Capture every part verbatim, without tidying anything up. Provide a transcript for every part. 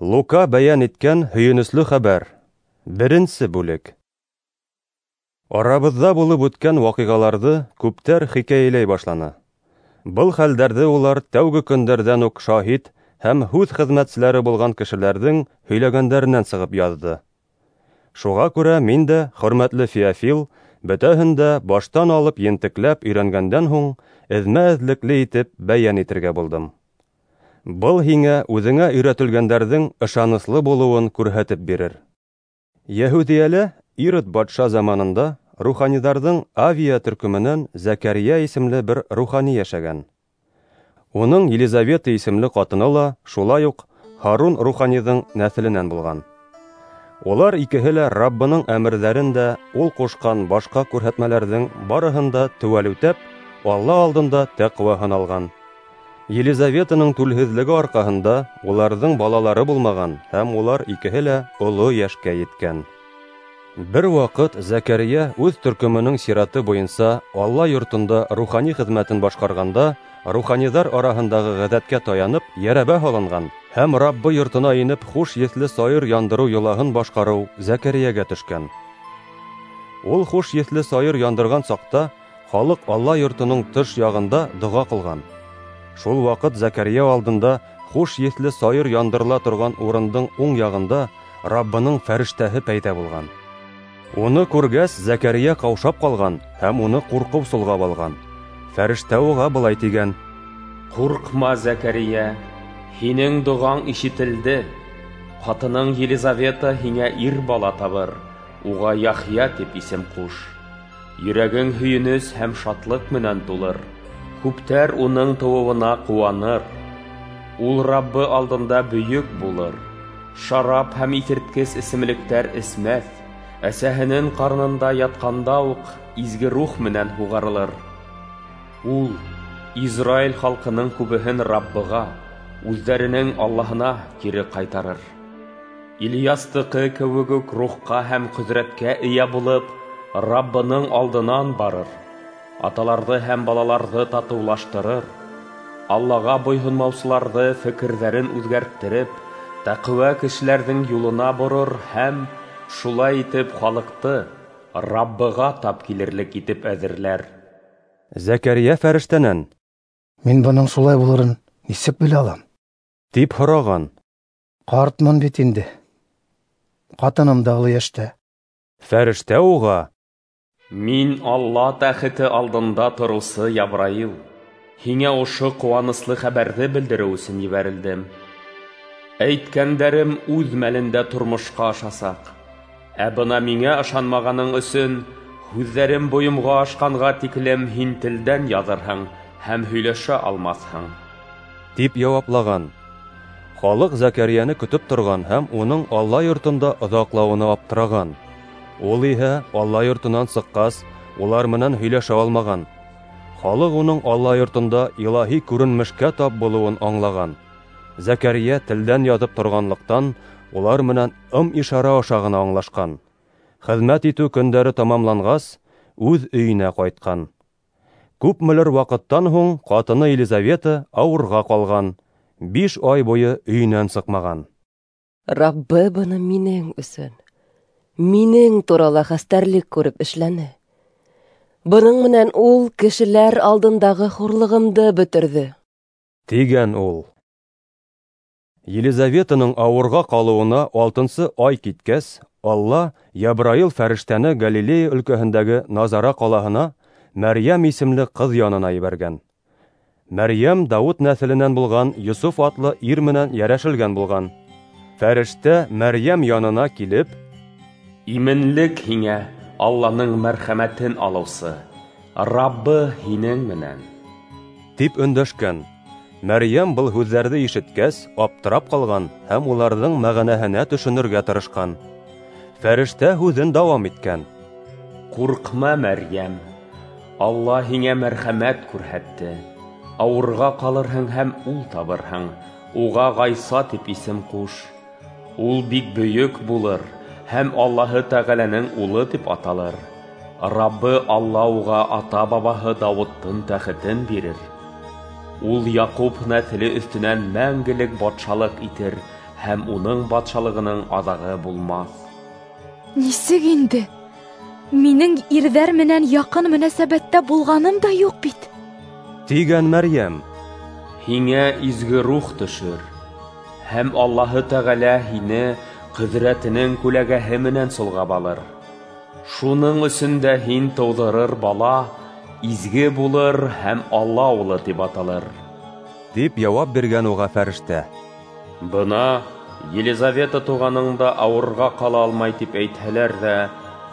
Лука бәйән иткән һөйөнөслө хәбәр. Беренсе бүлек. Арабыҙҙа булып үткән ваҡиғаларҙы күптәр хикәйәләй башланы. Был хәлдәрҙе улар тәүге көндәрҙән үк шаһит һәм һүҙ хеҙмәтселәре булған кешеләрҙең һөйләгәндәренән сығып яҙҙы. Шуға күрә мин дә, хөрмәтле Феофил, бөтәһен дә баштан алып ентекләп өйрәнгәндән һуң, эҙмә-эҙлекле итеп бәйән итергә булдым. Был һиңә үҙеңә өйрәтелгәндәрҙең ышаныслы булыуын күрһәтеп бирер. Йәһүҙиәлә Ирод батша заманында руханиҙарҙың Авия төркөмөнән Зәкәрйә исемле бер рухани йәшәгән. Уның Елизавета исемле ҡатыны ла шулай уҡ Һарун руханиҙың нәҫеленән булған. Улар икеһе лә Раббының әмерҙәрен дә, ул ҡушҡан башҡа күрһәтмәләрҙең барыһын да теүәл үтәп, Алла алдында тәҡүә һаналған. Елизаветаның түлһеҙлеге арҡаһында уларҙың балалары булмаған һәм улар икеһе лә оло йәшкә еткән. Бер ваҡыт Зәкәрйә үҙ төркөмөнөң сираты буйынса Алла йортонда рухани хеҙмәтен башҡарғанда, руханиҙар араһындағы ғәҙәткә таянып, йәрәбә һалынған һәм Раббы йортона инеп хуш еҫле сайыр яндырыу йолаһын башҡарыу Зәкәрйәгә төшкән. Ул хуш еҫле сайыр яндырған саҡта халыҡ Алла йортоноң тыш яғында доға ҡылған. Шул ваҡыт Зәкәрйә алдында хуш еҫле сайыр яндырыла торған урындың уң яғында Раббының фәрештәһе пәйҙә булған. Уны күргәс, Зәкәрйә ҡаушап ҡалған һәм уны ҡурҡыу солғап алған. Фәрештә уға былай тигән: Ҡурҡма, Зәкәрйә, һинең доғаң ишетелде. Ҡатының Елизавета һиңә ир бала табыр, уға Яхъя тип исем ҡуш. Йөрәгең һөйөнөс һәм шатлыҡ менән тулыр. Күптәр уның тыуыуына ҡыуаныр. Ул Раббы алдында бөйөк булыр. Шарап һәм иҫерткес эсемлектәр эсмәҫ. Әсәһенең ҡарынында ятҡанда уҡ изге рух менән һуғарылыр. Ул Израиль халҡының күбеһен Раббыға, үҙҙәренең Аллаһына кире ҡайтарыр. Ильястыҡы кеүек үк рухҡа һәм ҡөҙрәткә эйә булып, Раббының алдынан барыр. Аталарҙы һәм балаларҙы татыулаштырыр. Аллаға буйһонмаусыларҙы фекерҙәрен үҙгәрттереп, тәҡүә кешеләрҙең юлына борор һәм шулай итеп халыҡты Раббыға тап килерлек итеп әҙерләр. Зәкәрйә фәрештәнән: Мин бының шулай булырын нисек белә алам? тип һораған. Ҡартмын бит инде. Ҡатыным да оло йәштә. Фәрештә уға: Мин Алла тәхете алдында тороусы Ябраил, һиңә ошо ҡыуаныслы хәбәрҙе белдереү өсөн ебәрелдем. Әйткәндәрем үҙ мәлендә тормошҡа ашасаҡ. Ә бына миңә ышанмағаның өсөн һүҙҙәрем бойомға ашҡанға тиклем һин телдән яҙырһың һәм һөйләшә алмаҫһың, тип яуаплаған. Халыҡ Зәкәрйәне көтөп торған һәм уның Алла йортонда оҙаҡлауына аптыраған. Ул иһә Алла йортонан сыҡҡас, улар менән һөйләшә алмаған. Халыҡ уның Алла йортонда илаһи күренмешкә тап булыуын аңлаған. Зәкәрйә телдән яҙып торғанлыҡтан, улар менән ым-ишара аша ғына аңлашҡан. Хеҙмәт итеү көндәре тамамланғас, үҙ өйөнә ҡайтҡан. Күпмелер ваҡыттан һуң ҡатыны Елизавета ауырға ҡалған, биш ай буйы өйөнән сыҡмаған. Раббы быны минең өсөн, минең турала хәстәрлек күреп эшләне. Бының менән ул кешеләр алдындағы хурлығымды бөтөрҙө, тигән ул. Елизаветаның ауырға ҡалыуына алтынсы ай киткәс, Алла Ябраил фәрештәне Галилея өлкәһендәге Назара ҡалаһына Мәрйәм исемле ҡыҙ янына ебәргән. Мәрйәм Дауыт нәҫеленән булған Йософ атлы ир менән йәрәшелгән булған. Фәрештә Мәрйәм янына килеп: Именлек һиңә, Алланың мәрхәмәтен алыусы, Раббы һинең менән, тип өндәшкән. Мәрйәм был һүҙҙәрҙе ишеткәс, аптырап ҡалған һәм уларҙың мәғәнәһенә төшөнөргә тырышҡан. Фәрештә һүҙен дауам иткән: Ҡурҡма, Мәрйәм, Алла һиңә мәрхәмәт күрһәтте. Ауырға ҡалырһың һәм ул табырһың, уға Ғайса тип исем ҡуш. Ул бик бөйөк булыр һәм Аллаһы Тәғәләнең улы тип аталыр. Раббы Алла уға ата-бабаһы Дауыттың тәхетен бирер. Ул Яҡуп нәҫеле өҫтөнән мәңгелек батшалыҡ итер һәм уның батшалығының аҙағы булмаҫ. Нисек инде? Минең ирҙәр менән яҡын мөнәсәбәттә булғаным да юҡ бит. Тигән Мәрйәм. Һиңә изге рух төшөр, һәм Аллаһы Тәғәлә һине ҡөҙрәтенең күләгәһе менән солғап алыр. Шуның өсөн дә һин тыуҙырыр бала изге булыр һәм Алла улы тип аталыр. Тип яуап биргән уға фәрештә. Бына Елизавета туғаның да ауырға ҡала алмай тип әйтһәләр ҙә,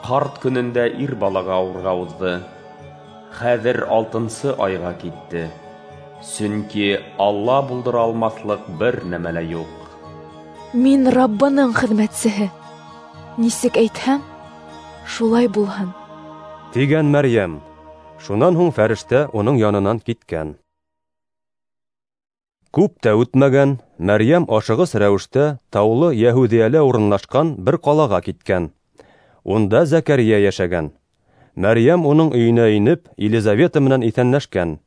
ҡарт көнөндә ир балаға ауырға уҙҙы. Хәҙер алтынсы айға китте. Сөнки Алла булдыра алмаҫлыҡ бер нәмә лә юҡ. Мин Раббының хеҙмәтсеһе. Нисек әйтһәм, шулай булһын. Тигән Мәрйәм. Шунан һуң фәрештә уның янынан киткән. Күп тә үтмәгән, Мәрйәм ашығыс рәүештә таулы Йәһүҙиәлә урынлашҡан бер ҡалаға киткән. Унда Зәкәрйә йәшәгән. Мәрйәм уның өйөнә инеп, Елизавета менән иҫәнләшкән.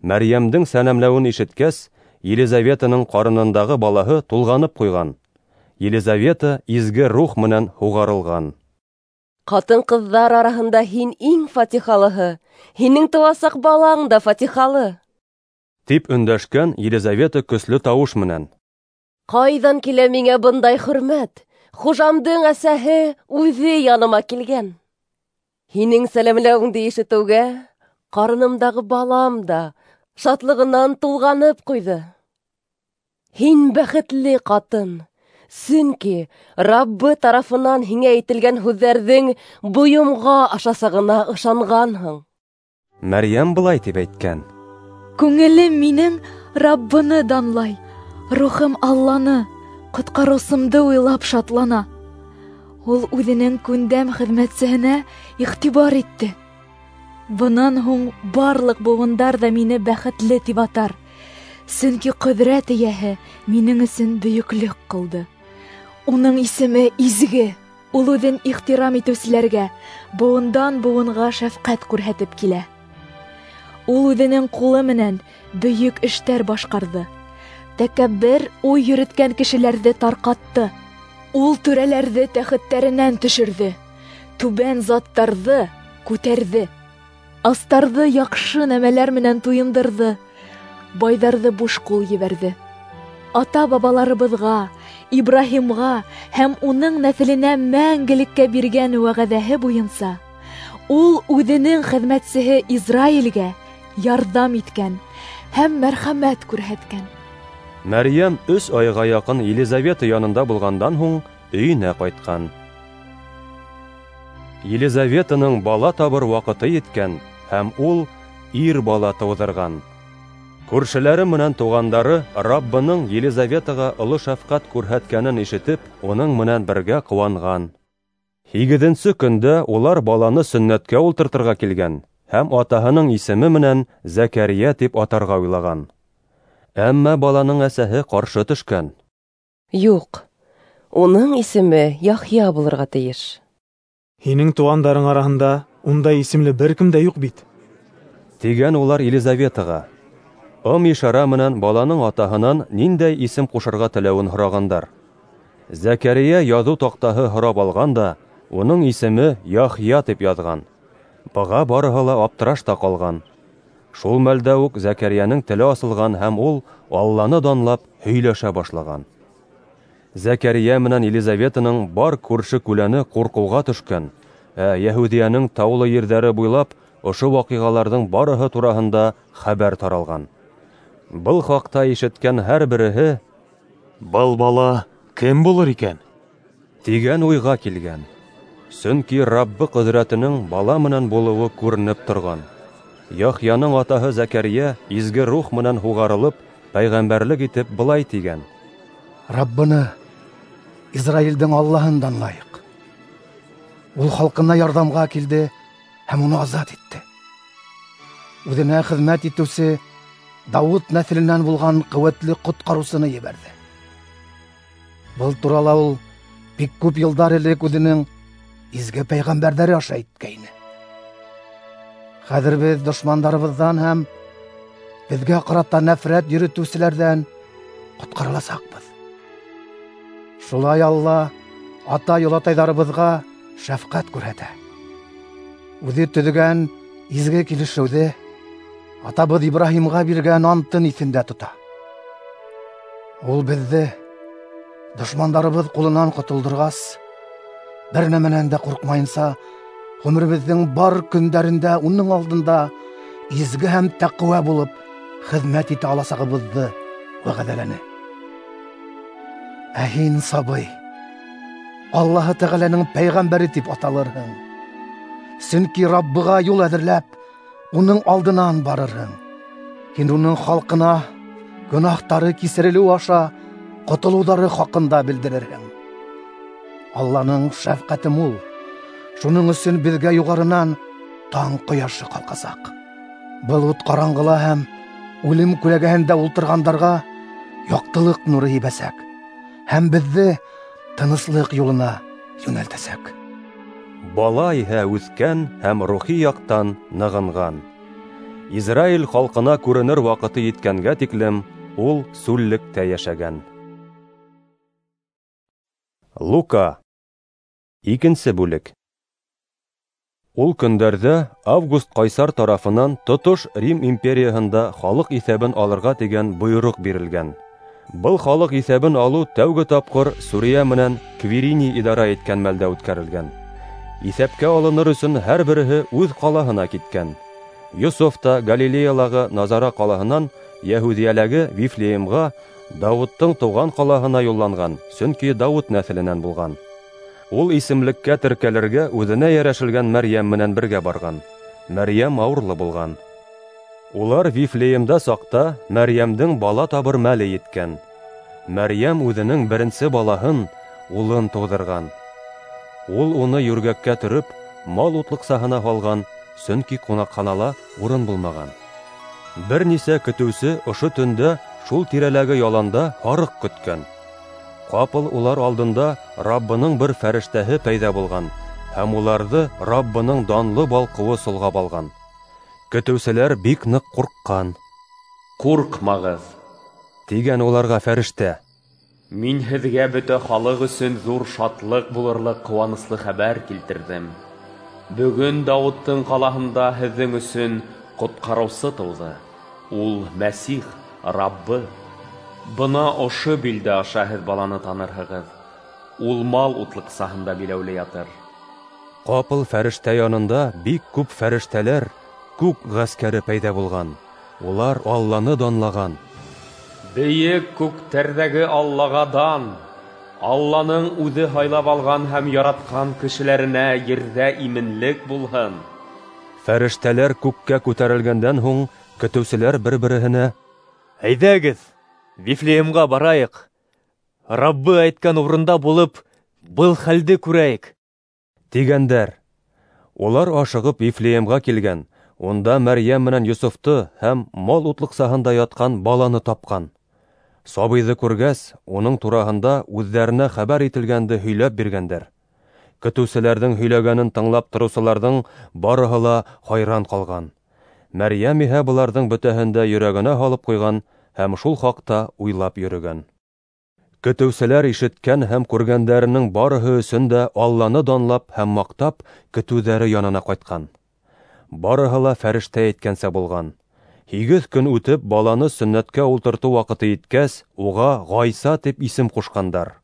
Мәрйәмдең сәләмләүен ишеткәс, Елизаветаның ҡарынындағы балаһы тулғанып ҡуйған. Елизавета изге рух менән һуғарылған. Ҡатын-ҡыҙҙар араһында һин иң фатихалыһы, һинең тыуасаҡ балаң да фатихалы. Тип өндәшкән Елизавета көслө тауыш менән. Ҡайҙан килә миңә бындай хөрмәт? Хужамдың әсәһе үҙе яныма килгән. Һинең сәләмләүеңде ишетеүгә, ҡарынымдағы балам да шатлығынан тулғанып ҡуйҙы. Һин бәхетле ҡатын, сөнки Раббы тарафынан һиңә әйтелгән һүҙҙәрҙең бойомға ашасағына ышанғанһың. Мәрйәм былай тип әйткән: Күңелем минең Раббыны данлай, рухым Алланы, ҡотҡарыусымды уйлап шатлана. Ул үҙенең күндәм хеҙмәтсеһенә иғтибар итте. Бынан һуң барлыҡ быуындар ҙа мине бәхетле тип атар, сөнки ҡөҙрәт эйәһе минең өсөн бөйөклөк ҡылды. Уның исеме изге. Ул үҙен ихтирам итеүселәргә быуындан быуынға шәфҡәт күрһәтеп килә. Ул үҙенең ҡулы менән бөйөк эштәр башҡарҙы. Тәкәббер уй йөрөткән кешеләрҙе тарҡатты. Ул түрәләрҙе тәхеттәренән төшөрҙө, түбән заттарҙы күтәрҙе. Астарҙы яҡшы нәмәләр менән туйындырҙы, байҙарҙы буш ҡул ебәрҙе. Ата-бабаларыбыҙға, Ибраһимға һәм уның нәҫеленә мәңгелеккә биргән вәғәҙәһе буйынса, ул үҙенең хеҙмәтсеһе Израилгә ярҙам иткән һәм мәрхәмәт күрһәткән. Мәрйәм өс айға яҡын Елизавета янында булғандан һуң өйөнә ҡайтҡан. Елизаветаның бала табыр ваҡыты еткән һәм ул ир бала тыуҙырған. Күршеләре менән туғандары Раббының Елизаветаға оло шәфҡәт күрһәткәнен ишетеп, уның менән бергә ҡыуанған. Һигеҙенсе көндә улар баланы сөннәткә ултыртырға килгән һәм атаһының исеме менән Зәкәрйә тип атарға уйлаған. Әммә баланың әсәһе ҡаршы төшкән. Юҡ, уның исеме Яхъя булырға тейеш. Һинең туғандарың араһында ундай исемле бер кем дә юҡ бит. Тигән улар Елизаветаға. Ым ишара менән баланың атаһынан ниндәй исем ҡушырға теләүен һорағандар. Зәкәрйә яҙыу таҡтаһы һорап алған да, уның исеме Яхъя тип яҙған. Быға барыһы ла аптырашта ҡалған. Шул мәлдә үк Зәкәрйәнең теле асылған һәм ул Алланы данлап һөйләшә башлаған. Зәкәрйә менән Елизаветаның бар күрше-күләне ҡурҡыуға төшкән, ә Йәһүҙиәнең таулы ерҙәре буйлап ошо ваҡиғаларҙың барыһы тураһында хәбәр таралған. Был хаҡта ишеткән һәр береһе: "Был бала кем булыр икән?" тигән уйға килгән. Сөнки Раббы ҡөҙрәтенең бала менән булыуы күренеп торған. Яхъяның атаһы Зәкәрйә изге рух менән һуғарылып, пәйғәмбәрлек итеп былай тигән: Раббыны, Израилдең Аллаһын данлайыҡ. Ул халҡына ярҙамға килде һәм уны азат итте. Үҙенә хеҙмәт итеүсе Дауыт нәҫеленән булған ҡеүәтле ҡотҡарыусыны ебәрҙе. Был турала ул бик күп йылдар элек үҙенең изге пәйғәмбәрҙәре аша әйткәйне. Хәҙер беҙ дошмандарыбыҙҙан һәм беҙгә ҡарата нәфрәт йөрөтөүселәрҙән ҡотҡарыласаҡбыҙ. Шулай Алла атай-олатайҙарыбыҙға шәфҡәт күрһәтә. Үҙе төҙөгән изге килешеүҙе, атабыҙ Ибраһимға биргән антын иҫендә тота. Ул беҙҙе дошмандарыбыҙ ҡулынан ҡотолдорғас, бер нәмәнән дә ҡурҡмайынса, ғүмеребеҙҙең бар көндәрендә уның алдында изге һәм тәҡүә булып хеҙмәт итә аласағыбыҙҙы вәғәҙәләне. Ә һин, сабый, Аллаһы Тәғәләнең пәйғәмбәре тип аталырһың. Сөнки Раббыға юл әҙерләп, уның алдынан барырһың. Һин уның халҡына гөнаһтары кисерелеү аша ҡотолоуҙары хаҡында белдерерһең. Алланың шәфҡәте мул, шуның өсөн беҙгә юғарынан таң ҡояшы ҡалҡасаҡ. Был ут ҡараңғыла һәм үлем күләгәһендә ултырғандарға яҡтылыҡ нуры һибәсәк һәм беҙҙе тыныслыҡ юлына йүнәлтәсәк. Бала иһә үҫкән һәм рухи яҡтан нығынған. Израиль халҡына күренер ваҡыты еткәнгә тиклем ул сүллектә йәшәгән. Лука. Икенсе бүлек. Ул көндәрҙә Август ҡайсар тарафынан тотош Рим империяһында халыҡ иҫәбен алырға тигән бойороҡ бирелгән. Был халыҡ иҫәбен алыу тәүге тапҡыр Сүриә менән Квириний идара иткән мәлдә үткәрелгән. Иҫәпкә алыныр өсөн һәр береһе үҙ ҡалаһына киткән. Йософ та Галилеялағы Назара ҡалаһынан Йәһүҙиәләге Вифлеемға, Дауыттың тыуған ҡалаһына юлланған, сөнки Дауыт нәҫеленән булған. Ул исемлеккә теркәлергә үҙенә йәрәшелгән Мәрйәм менән бергә барған. Мәрйәм ауырлы булған. Улар Вифлеемда саҡта Мәрйәмдең бала табыр мәле еткән. Мәрйәм үҙенең беренсе балаһын, улын тыуҙырған. Ул уны йүргәккә төрөп, мал утлыҡсаһына һалған, сөнки ҡунаҡханала урын булмаған. Бер нисә көтөүсе ошо төндә шул тирәләге яланда һарыҡ көткән. Ҡапыл улар алдында Раббының бер фәрештәһе пәйҙә булған һәм уларҙы Раббының данлы балҡыуы солғап алған. Көтөүселәр бик ныҡ ҡурҡҡан. Ҡурҡмағыҙ, тигән уларға фәрештә. Мин һеҙгә бөтә халыҡ өсөн ҙур шатлыҡ булырлыҡ ҡыуаныслы хәбәр килтерҙем. Бөгөн Дауыттың ҡалаһында һеҙҙең өсөн ҡотҡарыусы тыуҙы. Ул Мәсих, Раббы. Бына ошо билдә аша һеҙ баланы танырһығыҙ. Ул мал утлыҡсаһында биләүле ятыр. Ҡапыл фәрештә янында бик күп фәрештәләр, күк ғәскәре пәйҙә булған. Улар Алланы данлаған. Бейек күктәрҙәге Аллаға дан! Алланың үҙе һайлап алған һәм яратҡан кешеләренә ерҙә именлек булһын. Фәрештәләр күккә күтәрелгәндән һуң көтөүселәр бер-береһенә: Әйҙәгеҙ, Вифлеемға барайыҡ. Раббы әйткән урында булып, был хәлде күрәйек, тигәндәр. Улар ашығып Вифлеемға килгән. Унда Мәрйәм менән Йософто һәм мал утлыҡсаһында ятҡан баланы тапҡан. Сабыйҙы күргәс, уның тураһында үҙҙәренә хәбәр ителгәнде һөйләп биргәндәр. Көтөүселәрҙең һөйләгәнен тыңлап тороусыларҙың барыһы ла хайран ҡалған. Мәрйәм иһә быларҙың бөтәһен дә йөрәгенә һалып ҡуйған һәм шул хаҡта уйлап йөрөгән. Көтөүселәр ишеткән һәм күргәндәренең барыһы өсөн дә Алланы данлап һәм маҡтап көтөүҙәре янына ҡайтҡан. Барыһы ла фәрештә әйткәнсә булған. Һигеҙ көн үтеп, баланы сөннәткә ултыртыу ваҡыты еткәс, уға Ғайса тип исем ҡушҡандар.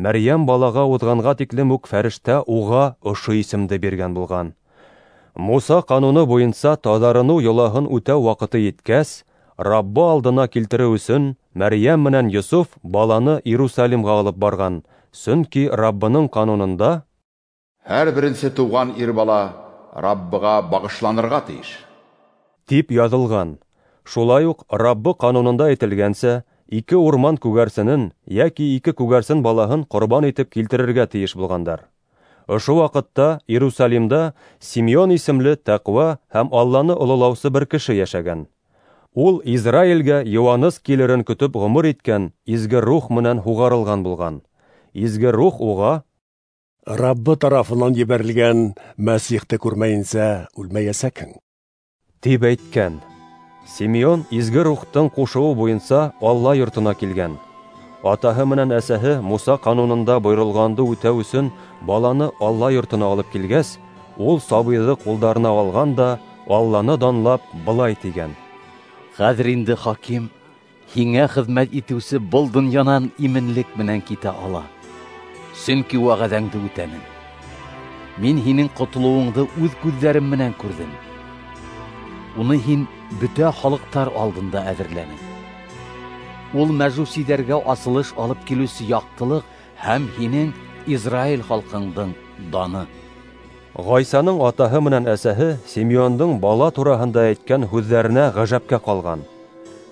Мәрйәм балаға уҙғанға тиклем үк фәрештә уға ошо исемде биргән булған. Муса ҡануны буйынса таҙарыныу йолаһын үтәү ваҡыты еткәс, Раббы алдына килтереү өсөн Мәрйәм менән Йософ баланы Иерусалимға алып барған, сөнки Раббының ҡанунында һәр беренсе тыуған ир бала Раббыға бағышланырға тейеш тип яҙылған. Шулай уҡ Раббы ҡанунында әйтелгәнсә, ике урман күгәрсенен йәки ике күгәрсен балаһын ҡорбан итеп килтерергә тейеш булғандар. Ошо ваҡытта Иерусалимда Симеон исемле тәҡүә һәм Алланы ололаусы бер кеше йәшәгән. Ул Израилгә Йоаннес килерен көтөп ғүмер иткән изге рух менән һуғарылған булған. Изге рух уға: Раббы тарафынан ебәрелгән Мәсихте күрмәйенсә үлмәйәсәкһең, тип әйткән. Симеон изге рухтың ҡушыуы буйынса Алла йортона килгән. Атаһы менән әсәһе Муса ҡанунында бойоролғанды үтәү өсөн баланы Алла йортона алып килгәс, ул сабыйҙы ҡулдарына алған да Алланы данлап былай тигән: Хәҙер инде, хаким, һиңә хеҙмәт итеүсе был донъянан именлек менән китә ала, сөнки вәғәҙәңде үтәнем. Мин һинең ҡотолоуыңды үҙ күҙҙәрем менән күрҙем. Уны һин бөтә халыҡтар алдында әҙерләнең. Ул мәжүсиҙәргә асылыш алып килеүсе яҡтылыҡ һәм һинең Израиль халҡыңдың даны. Ғайсаның атаһы менән әсәһе Симеондың бала тураһында әйткән һүҙҙәренә ғәжәпкә ҡалған.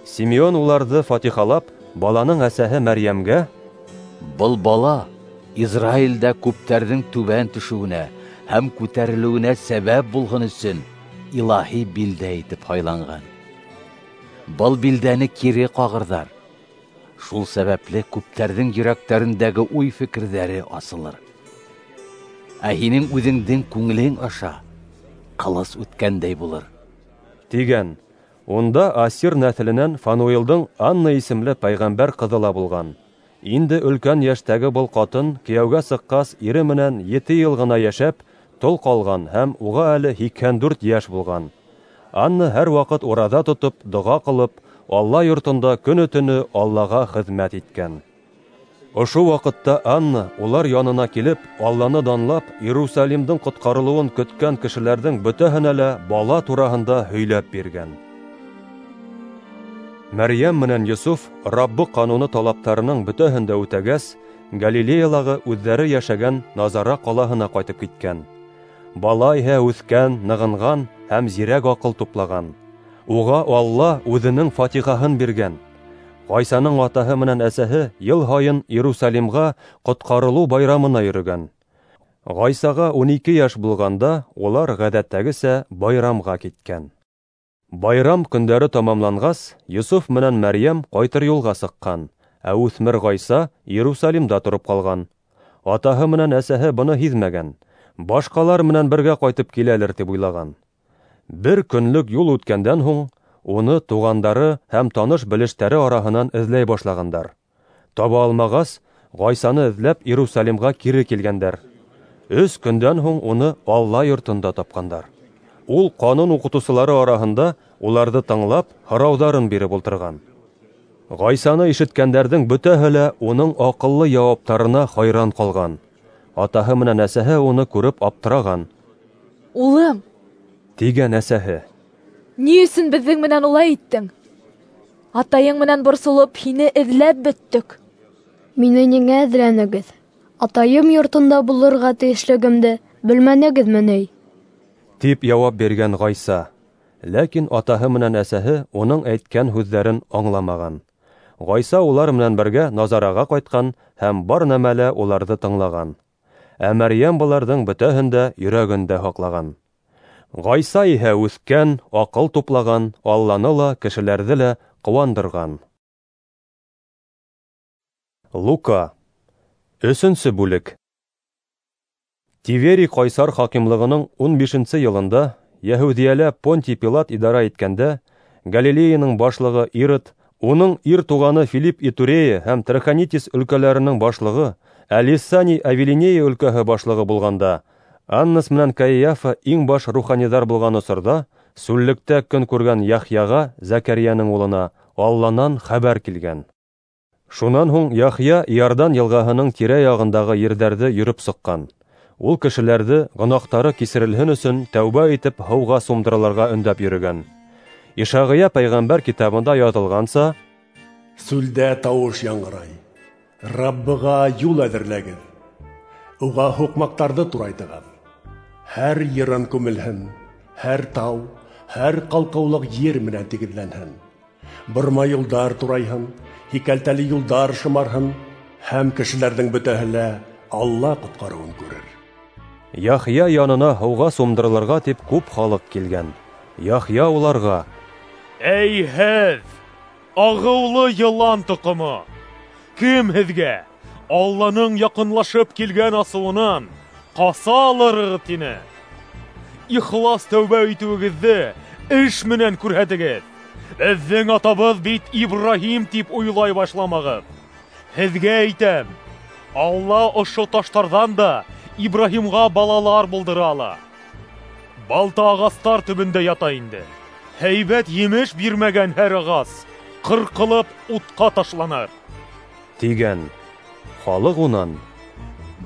Симеон уларҙы фатихалап, баланың әсәһе Мәрйәмгә: Был бала Израилдә күптәрҙең түбән төшөүенә һәм күтәрелеүенә сәбәп булһын өсөн илаһи билдә итеп һайланған. Был билдәне кире ҡағырҙар. Шул сәбәпле күптәрҙең йөрәктәрендәге уй-фекерҙәре асылыр. Ә һинең үҙеңдең күңелең аша ҡылыс үткәндәй булыр, тигән. Унда Асир нәҫеленән Фануилдың Анна исемле пәйғәмбәр ҡыҙы ла булған. Инде өлкән йәштәге был ҡатын кейәүгә сыҡҡас ире менән ете йыл ғына йәшәп, тол ҡалған һәм уға әле һикһән дүрт йәш булған. Анна һәр ваҡыт ураҙа тотоп, доға ҡылып, Алла йортонда көнө-төнө Аллаға хеҙмәт иткән. Ошо ваҡытта Анна улар янына килеп, Алланы данлап, Иерусалимдың ҡотҡарылыуын көткән кешеләрҙең бөтәһенә лә бала тураһында һөйләп биргән. Мәрйәм менән Йософ Раббы ҡануны талаптарының бөтәһен дә үтәгәс, Галилеялағы үҙҙәре йәшәгән Назара ҡалаһына ҡайтып киткән. Бала иһә үҫкән, нығынған һәм зирәк аҡыл туплаған. Уға Алла үҙенең фатихаһын биргән. Ғайсаның атаһы менән әсәһе йыл һайын Иерусалимға ҡотҡарылыу байрамына йөрөгән. Ғайсаға ун ике йәш булғанда улар ғәҙәттәгесә байрамға киткән. Байрам көндәре тамамланғас, Йософ менән Мәрйәм ҡайтыр юлға сыҡҡан, ә үҫмер Ғайса Иерусалимда тороп ҡалған. Атаһы менән әсәһе быны һиҙмәгән, башҡалар менән бергә ҡайтып киләлер тип уйлаған. Бер көнлөк юл үткәндән һуң уны туғандары һәм таныш-белештәре араһынан эҙләй башлағандар. Таба алмағас, Ғайсаны эҙләп Иерусалимға кире килгәндәр. Өс көндән һуң уны Алла йортонда тапҡандар. Ул ҡанун уҡытыусылары араһында уларҙы тыңлап, һорауҙарын биреп ултырған. Ғайсаны ишеткәндәрҙең бөтәһе лә уның аҡыллы яуаптарына хайран ҡалған. Атаһы менән әсәһе уны күреп аптыраған. Улым, тигән әсәһе, ни өсөн беҙҙең менән улай иттең? Атайың менән борсолоп, һине эҙләп бөттөк. Мине ниңә эҙләнегеҙ? Атайым йортонда булырға тейешлегемде белмәнегеҙме ни? Тип яуап биргән Ғайса. Ләкин атаһы менән әсәһе уның әйткән һүҙҙәрен аңламаған. Ғайса улар менән бергә Назараға ҡайтҡан һәм бар нәмәлә уларҙы тыңлаған. Ә Мәрйәм быларҙың бөтәһен дә йөрәгендә һаҡлаған. Ғайса иһә үҫкән, аҡыл туплаған, Алланы ла, кешеләрҙе лә ҡыуандырған. Лука. Өсөнсө бүлек. Тиверий ҡайсар хакимлығының ун бишенсе йылында Йәһүҙиәлә Понтий Пилат идара иткәндә, Галилеяның башлығы Ирод, уның ир туғаны Филипп Итурея һәм Трахонитис өлкәләренең башлығы, ә Лисаний Авилинея өлкәһе башлығы булғанда, Аннас менән Каиафа иң баш руханиҙар булған осорҙа, сүллектә көн күргән Яхъяға, Зәкәрйәнең улына, Алланан хәбәр килгән. Шунан һуң Яхъя Иордан йылғаһының тирә-яғындағы ерҙәрҙе йөрөп сыҡҡан. Ул кешеләрҙе гонаһтары кисерелһен өсөн тәүбә итеп һыуға сумдырылырға өндәп йөрөгән. Ишағия пәйғәмбәр китабында яҙылғанса: Сүлдә тауыш яңғырай, Раббыға юл әҙерләгеҙ, уға һуҡмаҡтарҙы турайтығыҙ. Һәр йырын күмелһен, һәр тау, һәр ҡалҡыулыҡ ер менән тигеҙләнһен. Бормай юлдар турайһын, һикәлтәле юлдар шымарһын, һәм кешеләрҙең бөтәһе лә Алла ҡотҡарыуын күрер. Яхъя янына һыуға сумдырылырға тип күп халыҡ килгән. Яхъя уларға: Эй һеҙ, ағыулы йылан тоҡомо! Кем һеҙгә Алланың яҡынлашып килгән асыуынан ҡаса алырығыҙ, тине? Ихлас тәүбә итеүегеҙҙе эш менән күрһәтегеҙ. Беҙҙең атабыҙ бит Ибраһим тип уйлай башламағыҙ. Һеҙгә әйтәм, Алла ошо таштарҙан да Ибраһимға балалар булдыра ала. Балта ағастар төбөндә ята инде. Һәйбәт емеш бирмәгән һәр ағас ҡырҡылып утҡа ташланыр, тигән. Халыҡ унан: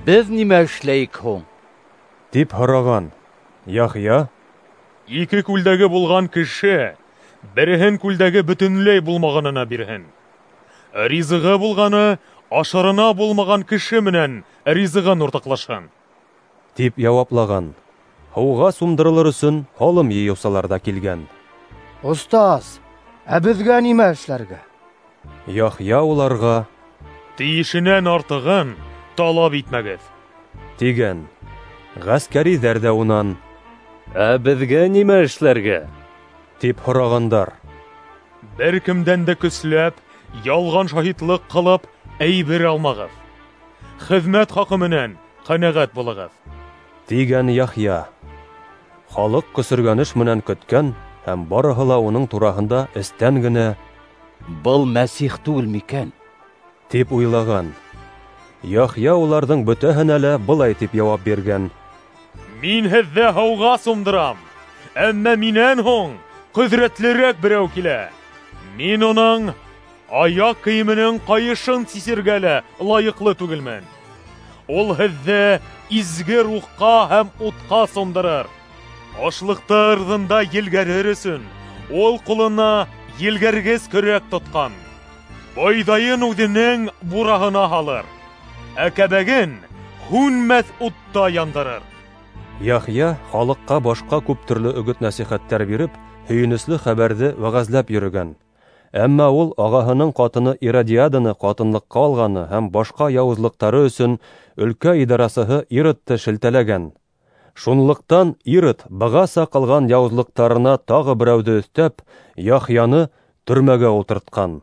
Беҙ нимә эшләйек һуң? тип һораған. Яхъя: Ике күлдәге булған кеше береһен күлдәге бөтөнләй булмағанына бирһен. Ризығы булғаны ашарына булмаған кеше менән ризығын уртаҡлашһын, тип яуаплаған. Һыуға сумдырылыр өсөн һалым йыйыусылар ҙа килгән. Остаз, ә беҙгә нимә эшләргә? Яхъя уларға: Тейешенән артығын талап итмәгеҙ, тигән. Ғәскәриҙәр ҙә унан: Ә беҙгә нимә эшләргә? тип һорағандар. Бер кемдән дә көсләп, ялған шаһитлыҡ ҡылып, әйбер алмағыҙ. Хеҙмәт хаҡы менән ҡәнәғәт булығыҙ, тигән Яхъя. Халыҡ көсөргәнеш менән көткән һәм барыһы ла уның тураһында эстән генә: Был Мәсих түгел микән? тип уйлаған. Яхъя уларҙың бөтәһенә лә былай тип яуап биргән: Мин һеҙҙе һыуға сумдырам, әммә минән һуң ҡөҙрәтлерәк берәү килә. Мин уның аяҡ кейеменең ҡайышын сисергә лә лайыҡлы түгелмен. Ул һеҙҙе изге рухҡа һәм утҡа сумдырыр. Ашлыҡты ырҙында елгәрер өсөн ул ҡулына елгәргес көрәк тотҡан. Бойҙайын үҙенең бураһына һалыр, ә кәбәген һүнмәҫ утта яндырыр. Яхъя халыҡҡа башҡа күп төрлө өгөт-нәсихәттәр биреп, һөйөнөслө хәбәрҙе вәғәзләп йөрөгән. Әммә ул ағаһының ҡатыны Иродиаданы ҡатынлыҡҡа алғаны һәм башҡа яуызлыҡтары өсөн өлкә идарасыһы Иродты шелтәләгән. Шунлыҡтан Ирод бығаса ҡылған яуызлыҡтарына тағы берәүҙе өҫтәп, Яхъяны төрмәгә ултыртҡан.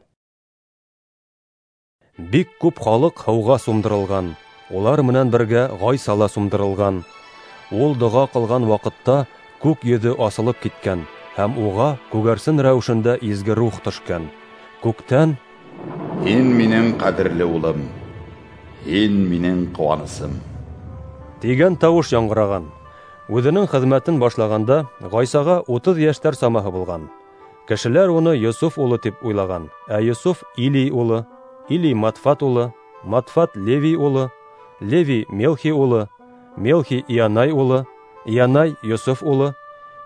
Бик күп халыҡ һыуға сумдырылған, улар менән бергә Ғайса ла сумдырылған. Ул доға ҡылған ваҡытта күк йөҙө асылып киткән һәм уға күгәрсен рәүешендә изге рух төшкән. Күктән: Һин минең ҡәҙерле улым, һин минең ҡыуанысым, тигән тауыш яңғыраған. Үҙенең хеҙмәтен башлағанда Ғайсаға утыҙ йәштәр самаһы булған. Кешеләр уны Йософ улы тип уйлаған, ә Йософ Илий улы, Илий Матфат улы, Матфат Левий улы, Левий Мелхи улы, Мелхи Ианай улы, Ианай Йософ улы,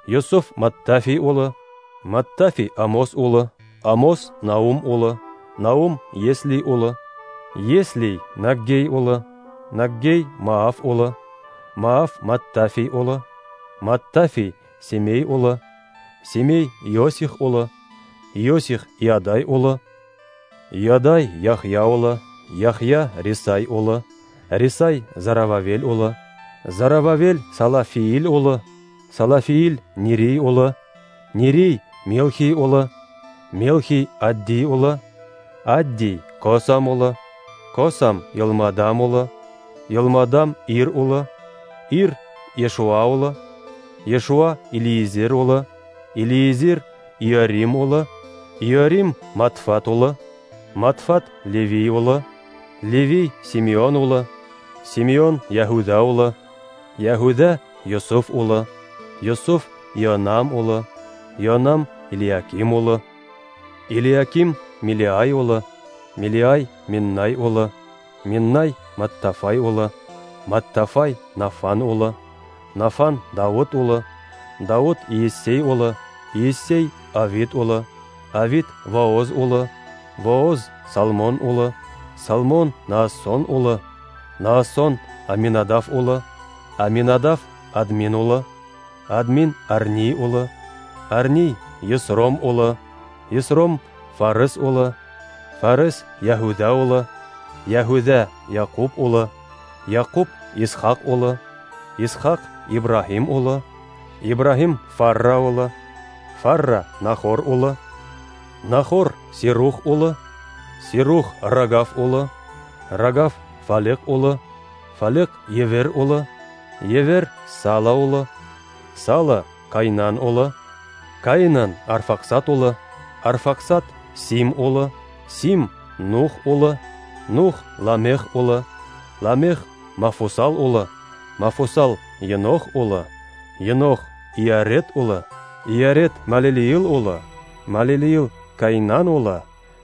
Йософ Маттафий улы, Маттафий Амос улы, Амос Наум улы, Наум Еслий улы, Еслий Наггей улы, Наггей Мааф улы, Мааф Маттафий улы, Маттафий Семей улы, Семей Йосих улы, Йосих Иадай улы, Иадай Яхъя улы, Яхъя Рисай улы, Рисай Зарававел улы, Зарававел Салафиил улы, Салафиил Нерей улы, Нерей Мелхий улы, Мелхий Аддий улы, Аддий Косам улы, Косам Йылмадам улы, Йылмадам Ир улы, Ир Ешуа улы, Ешуа Илиезер улы, Илиезер Иорим улы, Иорим Матфат улы, Матфат Левий улы, Левий Симеон улы, Симеон Яһүҙә улы, Яһүҙә Йософ улы, Йософ Ионам улы, Ионам Илиаким улы, Илиаким Милиай улы, Милиай Миннай улы, Миннай Маттафай улы, Маттафай Нафан улы, Нафан Дауыт улы, Дауыт Иессей улы, Иессей Авид улы, Авид Вооз улы, Вооз Салмон улы, Салмон Наассон улы, Наассон Аминадав улы, Аминадав Админ улы, Админ Арни улы, Арни Есром улы, Есром Фарес улы, Фарес Яһүҙә улы, Яһүҙә Яҡуп улы, Яҡуп Исхаҡ улы, Исхаҡ Ибраһим улы, Ибраһим Фарра улы, Фарра Нахор улы, Нахор Сирух улы, Сирух Рагав улы, Рагав Фалеҡ улы, Фалеҡ Евер улы, Евер Сала улы, Сала Кайнан улы, Кайнан Арфаксат улы, Арфаксат Сим улы, Сим Нух улы, Нух Ламех улы, Ламех Мафусал улы, Мафусал Енох улы, Енох Иарет улы, Иарет Малилиил улы, Малилиил Каинан улы,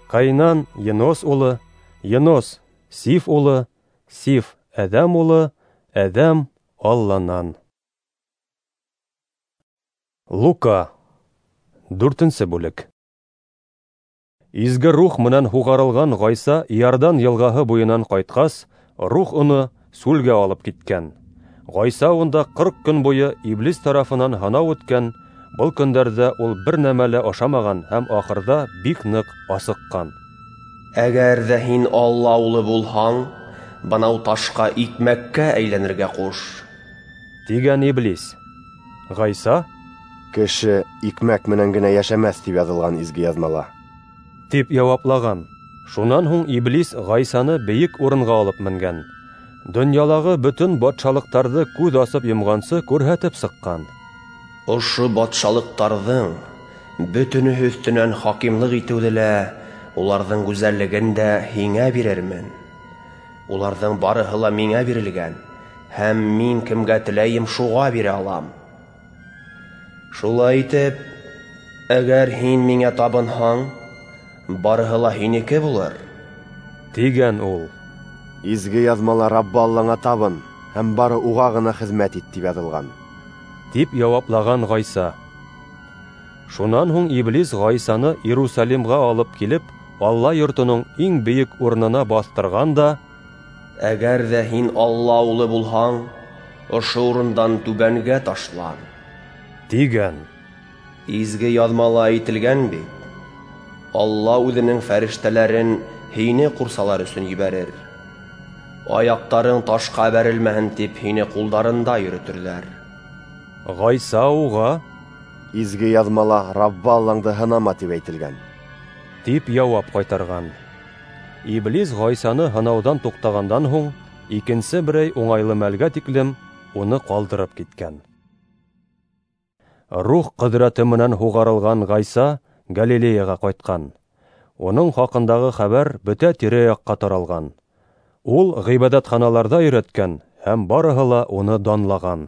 Каинан Енос улы, Енос Сиф улы, Сиф Әҙәм улы, Әҙәм Алланан. Лука, дүртенсе бүлек. Изге рух менән һуғарылған Ғайса Иордан йылғаһы буйынан ҡайтҡас, рух уны сүлгә алып киткән. Ғайса унда ҡырҡ көн буйы иблис тарафынан һынау үткән. Был көндәрҙә ул бер нәмә лә ашамаған һәм ахырҙа бик ныҡ асыҡҡан. Әгәр ҙә һин Алла улы булһаң, бынау ташҡа икмәккә әйләнергә ҡуш, тигән иблис. Ғайса: Кеше икмәк менән генә йәшәмәҫ, тип яҙылған изге яҙмала, тип яуаплаған. Шунан һуң иблис Ғайсаны бейек урынға алып менгән. Донъялағы бөтөн батшалыҡтарҙы күҙ асып йомғансы күрһәтеп сыҡҡан. Ошо батшалыҡтарҙың бөтөнөһө өҫтөнән хакимлыҡ итеүҙе лә, уларҙың гүзәллеген дә һиңә бирермен. Уларҙың барыһы ла миңә бирелгән, һәм мин кемгә теләйем, шуға бирә алам. Шулай итеп, әгәр һин миңә табынһаң, барыһы ла һинеке булыр, тигән ул. Изге яҙмала Раббы Аллаңа табын һәм бары уға ғына хеҙмәт ит, тип яҙылған, тип яуаплаған Ғайса. Шунан һуң иблис Ғайсаны Иерусалимға алып килеп, Алла йортоноң иң бейек урынына баҫтырған да: Әгәр ҙә һин Алла улы булһаң, ошо урындан түбәнгә ташлан, тигән. Изге яҙмала әйтелгән бит: Алла үҙенең фәрештәләрен һине ҡурсалар өсөн ебәрер. Аяҡтарың ташҡа бәрелмәһен тип һине ҡулдарында йөрөтөрҙәр. Ғайса уға: Изге яҙмала Раббы Аллаңды һынама, тип әйтелгән, тип яуап ҡайтарған. Иблис Ғайсаны һынауҙан туҡтағандан һуң, икенсе берәй уңайлы мәлгә тиклем уны ҡалдырып киткән. Рух ҡөҙрәте менән һуғарылған Ғайса Галилеяға ҡайтҡан. Уның хаҡындағы хәбәр бөтә тирә-яҡҡа таралған. Ул ғибәҙәтханаларҙа өйрәткән, һәм барыһы ла уны данлаған.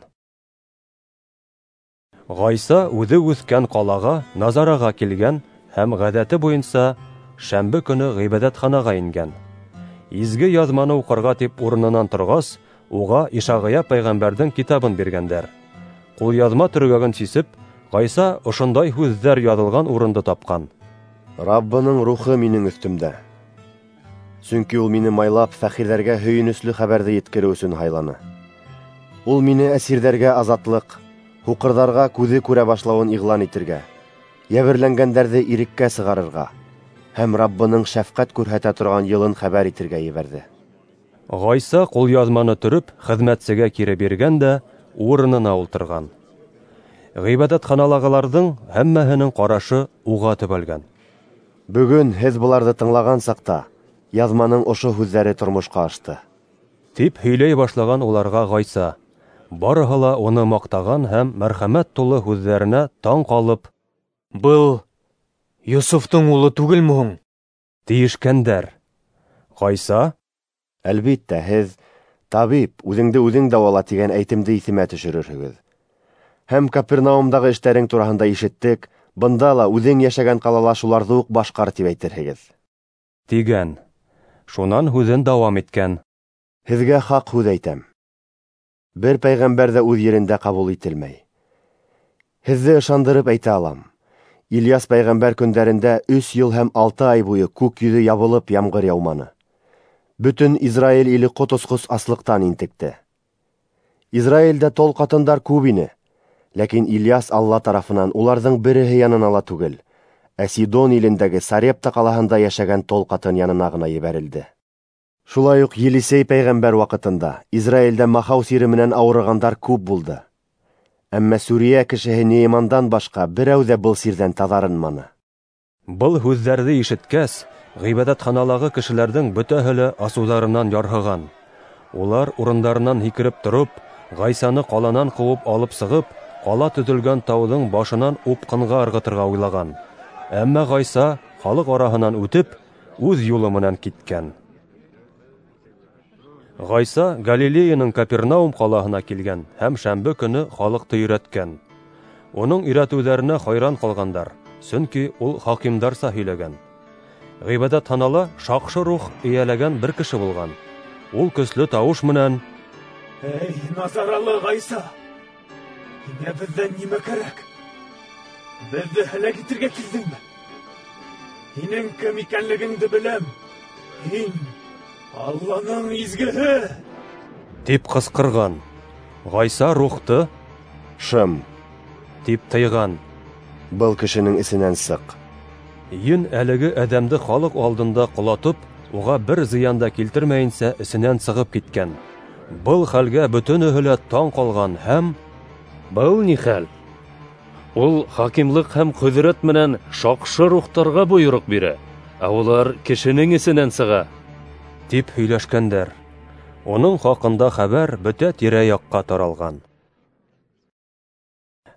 Ғайса үҙе үҫкән ҡалаға, Назараға килгән һәм ғәҙәте буйынса шәмбе көнө ғибәҙәтханаға ингән. Изге яҙманы уҡырға тип урынынан торғас, уға Ишағия пәйғәмбәрҙең китабын биргәндәр. Ҡулъяҙма төргәген сисеп, Ғайса ошондай һүҙҙәр яҙылған урынды тапҡан: Раббының рухы минең өҫтөмдә, сөнки ул мине майлап фәҡирҙәргә һөйөнөслө хәбәрҙе еткереү өсөн һайланы. Ул мине әсирҙәргә азатлыҡ, һуҡырҙарға күҙе күрә башлауын иғлан итергә, йәберләнгәндәрҙе иреккә сығарырға һәм Раббының шәфҡәт күрһәтә торған йылын хәбәр итергә ебәрҙе. Ғайса ҡулъяҙманы төрөп хеҙмәтсегә кире биргән дә урынына ултырған. Ғибәҙәтханалағыларҙың һәммәһенең ҡарашы уға төбәлгән. Бөгөн һеҙ быларҙы тыңлаған саҡта яҙманың ошо һүҙҙәре тормошҡа ашты, тип һөйләй башлаған уларға Ғайса. Барыһы ла уны маҡтаған һәм мәрхәмәт тулы һүҙҙәренә таң ҡалып: Был Йософтоң улы түгелме һуң? Тиешкәндәр. Ғайса: Әлбиттә, һеҙ табип, үҙеңде үҙең дауала тигән әйтемде иҫемә төшөрөрһөгөҙ. Һәм Капернаумдағы эштәрең тураһында ишеттек, бында ла үҙең йәшәгән ҡалала шуларҙы уҡ башҡар, тип әйтерһегеҙ, тигән. Шунан һүҙен дауам иткән: Һеҙгә хаҡ һүҙ әйтәм: бер пәйғәмбәр ҙә үҙ ерендә ҡабул ителмәй. Һеҙҙе ышандырып әйтә алам: Ильяс пәйғәмбәр көндәрендә өс йыл һәм алты ай буйы күк йөҙө ябылып ямғыр яуманы. Бөтөн Израиль иле ҡот осҡос аслыҡтан интекте. Израилдә тол ҡатындар күп ине, ләкин Ильяс Алла тарафынан уларҙың береһе янына ла түгел, ә Сидон илендәге Сарепта ҡалаһында йәшәгән тол ҡатын янына ғына ебәрелде. Шулай уҡ Елисей пәйғәмбәр ваҡытында Израилдә махау сире менән ауырығандар күп булды. Әммә Сүриә кешеһе Неймандан башҡа берәү ҙә был сирҙән таҙарынманы. Был һүҙҙәрҙе ишеткәс, ғибәҙәтханалағы кешеләрҙең бөтәһе лә асыуҙарынан ярһыған. Улар урындарынан һикереп тороп, Ғайсаны ҡаланан ҡыуып алып сығып, ҡала төҙөлгән тауҙың башынан упҡынға ырғытырға уйлаған. Әммә Ғайса халыҡ араһынан үтеп, үҙ юлы менән киткән. Ғайса Галилеяның Капернаум ҡалаһына килгән һәм шәмбе көнө халыҡты өйрәткән. Уның өйрәтеүҙәренә хайран ҡалғандар, сөнки ул хакимдарса һөйләгән. Ғибәҙәтханала шаҡшы рух эйәләгән бер кеше булған. Ул көслө тауыш менән: "Эй, Назаралы Ғайса, һиңә беҙҙән нимә кәрәк? Беҙҙе һәләк итергә килдеңме? Һинең кем икәнлегеңде беләм. Һин Алланың изгеһе!" тип ҡысҡырған. Ғайса рухты: "Шым!" тип тыйған. "Был кешенең эсенән сыҡ!" Ен әлеге әҙәмде халыҡ алдында ҡолатып, уға бер зыян да килтермәйенсә эсенән сығып киткән. Был хәлгә бөтөнөһө лә таң ҡалған һәм: "Был ни хәл? Ул хакимлыҡ һәм ҡөҙрәт менән шаҡшы рухтарға бойороҡ бирә, ә улар кешенең эсенән сыға", тип һөйләшкәндәр. Уның хаҡында хәбәр бөтә тирә-яҡҡа таралған.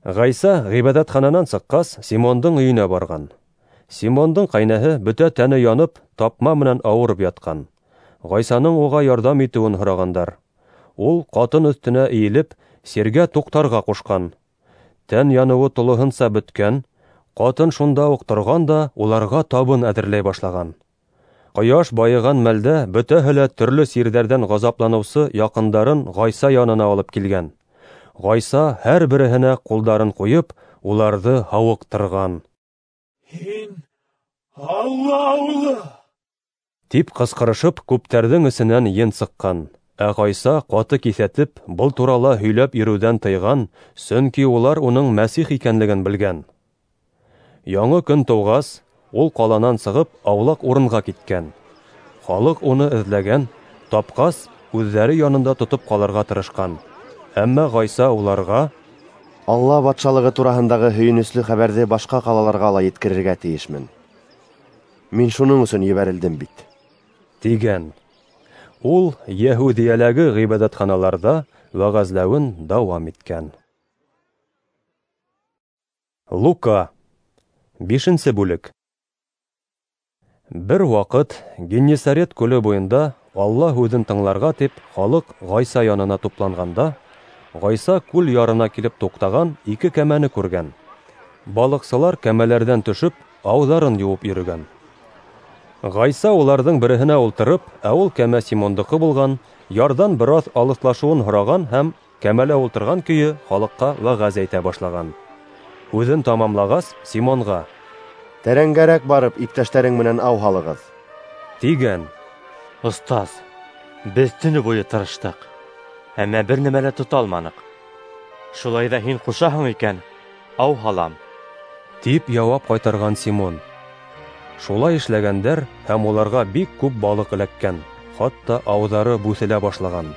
Ғайса ғибәҙәтхананан сыҡҡас, Симондың өйөнә барған. Симондың ҡәйнәһе бөтә тәне янып, тапма менән ауырып ятҡан. Ғайсаның уға ярҙам итеүен һорағандар. Ул ҡатын өҫтөнә эйелеп, сиргә туҡтарға ҡушҡан. Тән яныуы тулыһынса бөткән, ҡатын шунда уҡ торған да уларға табын әҙерләй башлаған. Ҡояш байыған мәлдә бөтәһе лә төрлө сирҙәрҙән ғазапланыусы яҡындарын Ғайса янына алып килгән. Ғайса һәр береһенә ҡулдарын ҡуйып, уларҙы һауыҡтырған. "Һин Алла улы!" тип ҡысҡырышып, күптәрҙең эсенән ен сыҡҡан. Ә Ғайса ҡаты киҫәтеп, был турала һөйләп йөрөүҙән тыйған, сөнки улар уның Мәсих икәнлеген белгән. Яңы көн тыуғас, ул ҡаланан сығып, аулаҡ урынға киткән. Халыҡ уны эҙләгән, тапҡас, үҙҙәре янында тотоп ҡалырға тырышҡан. Әммә Ғайса уларға: "Алла батшалығы тураһындағы һөйөнөслө хәбәрҙе башҡа ҡалаларға ла еткерергә тейешмен. Мин шуның өсөн ебәрелдем бит", тигән. Ул Йәһүҙиәләге ғибәҙәтханаларҙа вәғәзләүен дауам иткән. Лука, бишенсе бүлек. Бер ваҡыт Геннисарет күле буйында Алла һүҙен тыңларға тип халыҡ Ғайса янына тупланғанда, Ғайса күл ярына килеп туҡтаған ике кәмәне күргән. Балыҡсылар кәмәләрҙән төшөп, ауҙарын йыуып йөрөгән. Ғайса уларҙың береһенә ултырып, ә ул кәмә Симондыҡы булған, ярҙан бер аҙ алыҫлашыуын һораған һәм кәмәлә ултырған көйө халыҡҡа вәғәз әйтә башлаған. Һүҙен тамамлағас, Симонға: "Тәрәнгәрәк барып, иптәштәрең менән ау һалығыҙ", тигән. "Остаз, беҙ төнө буйы тырыштыҡ, әммә бер нәмә лә тота алманыҡ. Шулай ҙа һин ҡушаһың икән, ау һалам", тип яуап ҡайтарған Симон. Шулай эшләгәндәр һәм уларға бик күп балыҡ эләккән, хатта ауҙары бүҫелә башлаған.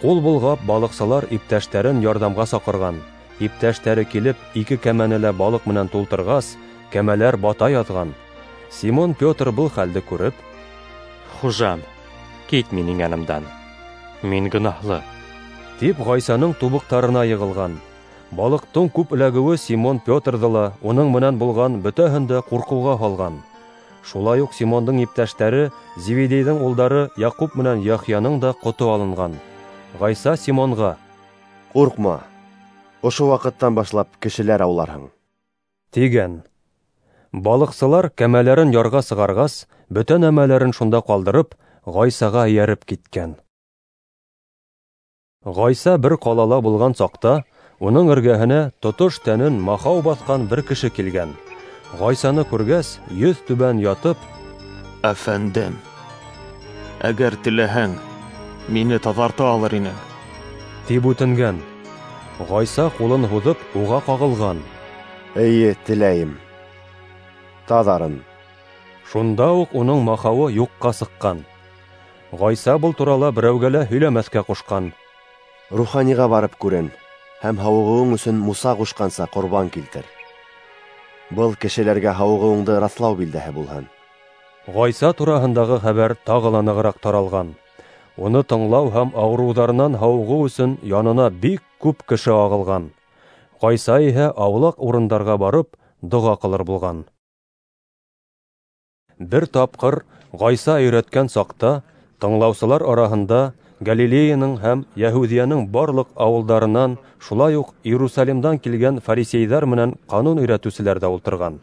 Ҡул болғап, балыҡсылар иптәштәрен ярҙамға саҡырған. Иптәштәре килеп, ике кәмәне лә балыҡ менән тултырғас, кәмәләр бата яҙған. Симон Петр был хәлде күреп: "Хужам, кит минең янымдан, мин гонаһлы", тип Ғайсаның тубыҡтарына йығылған. Балыҡтың күп эләгеүе Симон Петрҙы ла, уның менән булған бөтәһен дә ҡурҡыуға һалған. Шулай уҡ Симондың иптәштәре Зеведейҙең улдары Яҡуп менән Яхъяның да ҡото алынған. Ғайса Симонға: "Ҡурҡма, ошо ваҡыттан башлап кешеләр ауларһың", тигән. Балыҡсылар кәмәләрен ярға сығарғас, бөтә нәмәләрен шунда ҡалдырып, Ғайсаға эйәреп киткән. Ғайса бер ҡалала булған саҡта, уның эргәһенә тотош тәнен махау баҫҡан бер кеше килгән. Ғайсаны күргәс, йөҙ түбән ятып: "Әфәндем, әгәр теләһәң, мине таҙарта алыр инең", тип үтенгән. Ғайса ҡулын һуҙып, уға ҡағылған. "Эйе, теләйем, таҙарын". Шунда уҡ уның махауы юҡҡа сыҡҡан. Ғайса был турала берәүгә лә һөйләмәҫкә ҡушҡан. "Руханиға барып күрен һәм һауығыуың өсөн Муса ҡушҡанса ҡорбан килтер. Был кешеләргә һауығыуыңды раҫлау билдәһе булһын". Ғайса тураһындағы хәбәр тағы ла нығыраҡ таралған. Уны тыңлау һәм ауырыуҙарынан һауығыу өсөн янына бик күп кеше ағылған. Ғайса иһә аулаҡ урындарға барып, доға ҡылыр булған. Бер тапҡыр Ғайса өйрәткән саҡта тыңлаусылар араһында Галилеяның һәм Яһүҙиәнең барлыҡ ауылдарынан, шулай уҡ Иерусалимдан килгән фарисейҙар менән ҡанун өйрәтеүселәр ҙә ултырған.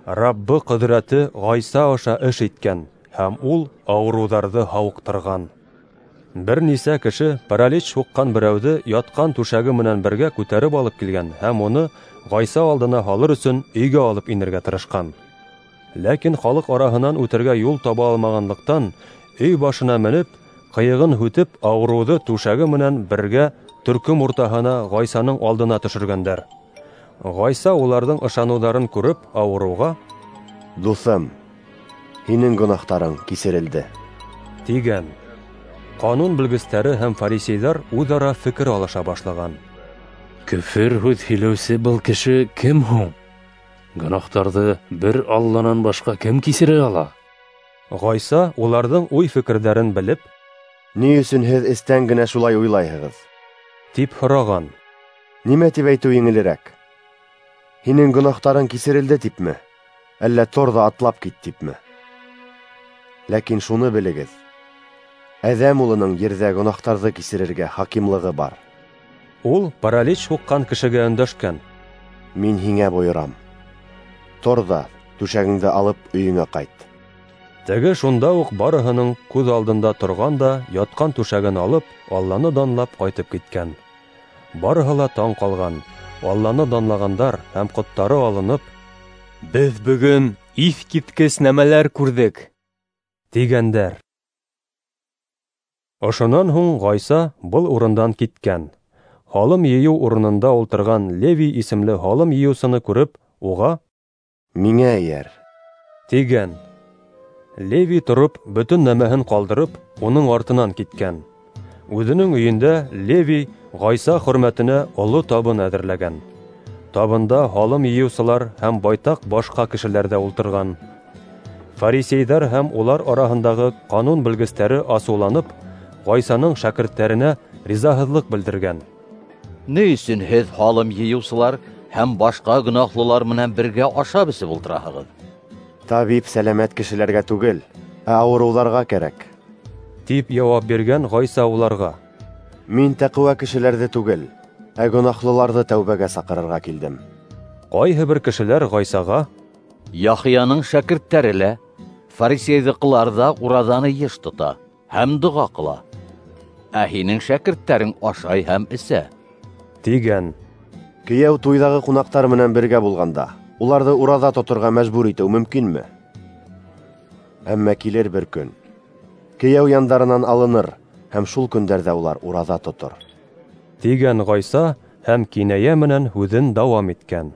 Раббы ҡөҙрәте Ғайса аша эш иткән, һәм ул ауырыуҙарҙы һауыҡтырған. Бер нисә кеше паралич һуҡҡан берәүҙе ятҡан түшәге менән бергә күтәреп алып килгән һәм уны Ғайса алдына һалыр өсөн өйгә алып инергә тырышҡан. Ләкин халыҡ араһынан үтергә юл таба алмағанлыҡтан, өй башына менеп, ҡыйығын һүтеп, ауырыуҙы түшәге менән бергә төркөм уртаһына Ғайсаның алдына төшөргәндәр. Ғайса уларҙың ышаныуҙарын күреп, ауырыуға: "Дуҫым, һинең гонаһтарың кисерелде", тигән. Ҡанун белгестәре һәм фарисейҙар үҙ-ара фекер алыша башлаған. Көфөр һүҙ һөйләүсе был кеше кем һуң? Гонаһтарҙы бер Алланан башҡа кем кисерә ала? Ғайса уларҙың уй-фекерҙәрен белеп: "Ни өсөн һеҙ эстән генә шулай уйлайһығыҙ?" тип һораған. "Нимә тип әйтеү еңелерәк? Һинең гонаһтарың кисерелде типме, әллә тор ҙа атлап кит типме? Ләкин шуны белегеҙ: Әҙәм улының ерҙә гонаһтарҙы кисерергә хакимлығы бар." Ул паралич һуҡҡан кешегә өндәшкән: "Мин һиңә бойорам: тор ҙа түшәгеңде алып өйөңә ҡайт." Теге шунда уҡ барыһының күҙ алдында торған да ятҡан түшәген алып, Алланы данлап ҡайтып киткән. Барыһы ла таң ҡалған, Алланы данлағандар һәм ҡоттары алынып: "Беҙ бөгөн иҫ киткес нәмәләр күрҙек", тигәндәр. Ошонан һуң Ғайса был урындан киткән. Һалым йыйыу урынында ултырған Левий исемле һалым йыйыусыны күреп, уға: "Миңә эйәр", тигән. Левий тороп, бөтөн нәмәһен ҡалдырып, уның артынан киткән. Үҙенең өйөндә Левий Ғайса хөрмәтенә оло табын әҙерләгән. Табында һалым йыйыусылар һәм байтаҡ башҡа кешеләр ҙә ултырған. Фарисейҙар һәм улар араһындағы ҡанун белгестәре асыуланып, Ғайсаның шәкерттәренә ризаһыҙлыҡ белдергән. Ни өсөн һеҙ һалым йыйыусылар һәм башҡа гонаһлылар менән бергә ашап эсеп ултыраһығыҙ? Табип сәләмәт кешеләргә түгел, ә ауырыуҙарға кәрәк, тип яуап биргән Ғайса уларға. Мин тәҡүә кешеләрҙе түгел, ә гонаһлыларҙы тәүбәгә саҡырырға килдем. Ҡайһы бер кешеләр Ғайсаға: "Яхъяның шәкерттәре лә, фарисейҙыҡылар ҙа ураҙаны йыш тота һәм доға ҡыла, ә һинең шәкерттәрең ашай һәм эсә", тигән. Кейәү туйҙағы ҡунаҡтар менән бергә булғанда, уларҙы ураҙа тоторға мәжбүр итеү мөмкинме? Әммә килер бер көн, кейәү яндарынан алыныр, һәм шул көндәрҙә улар ураҙа тотор, тигән Ғайса һәм кинәйә менән һүҙен дауам иткән.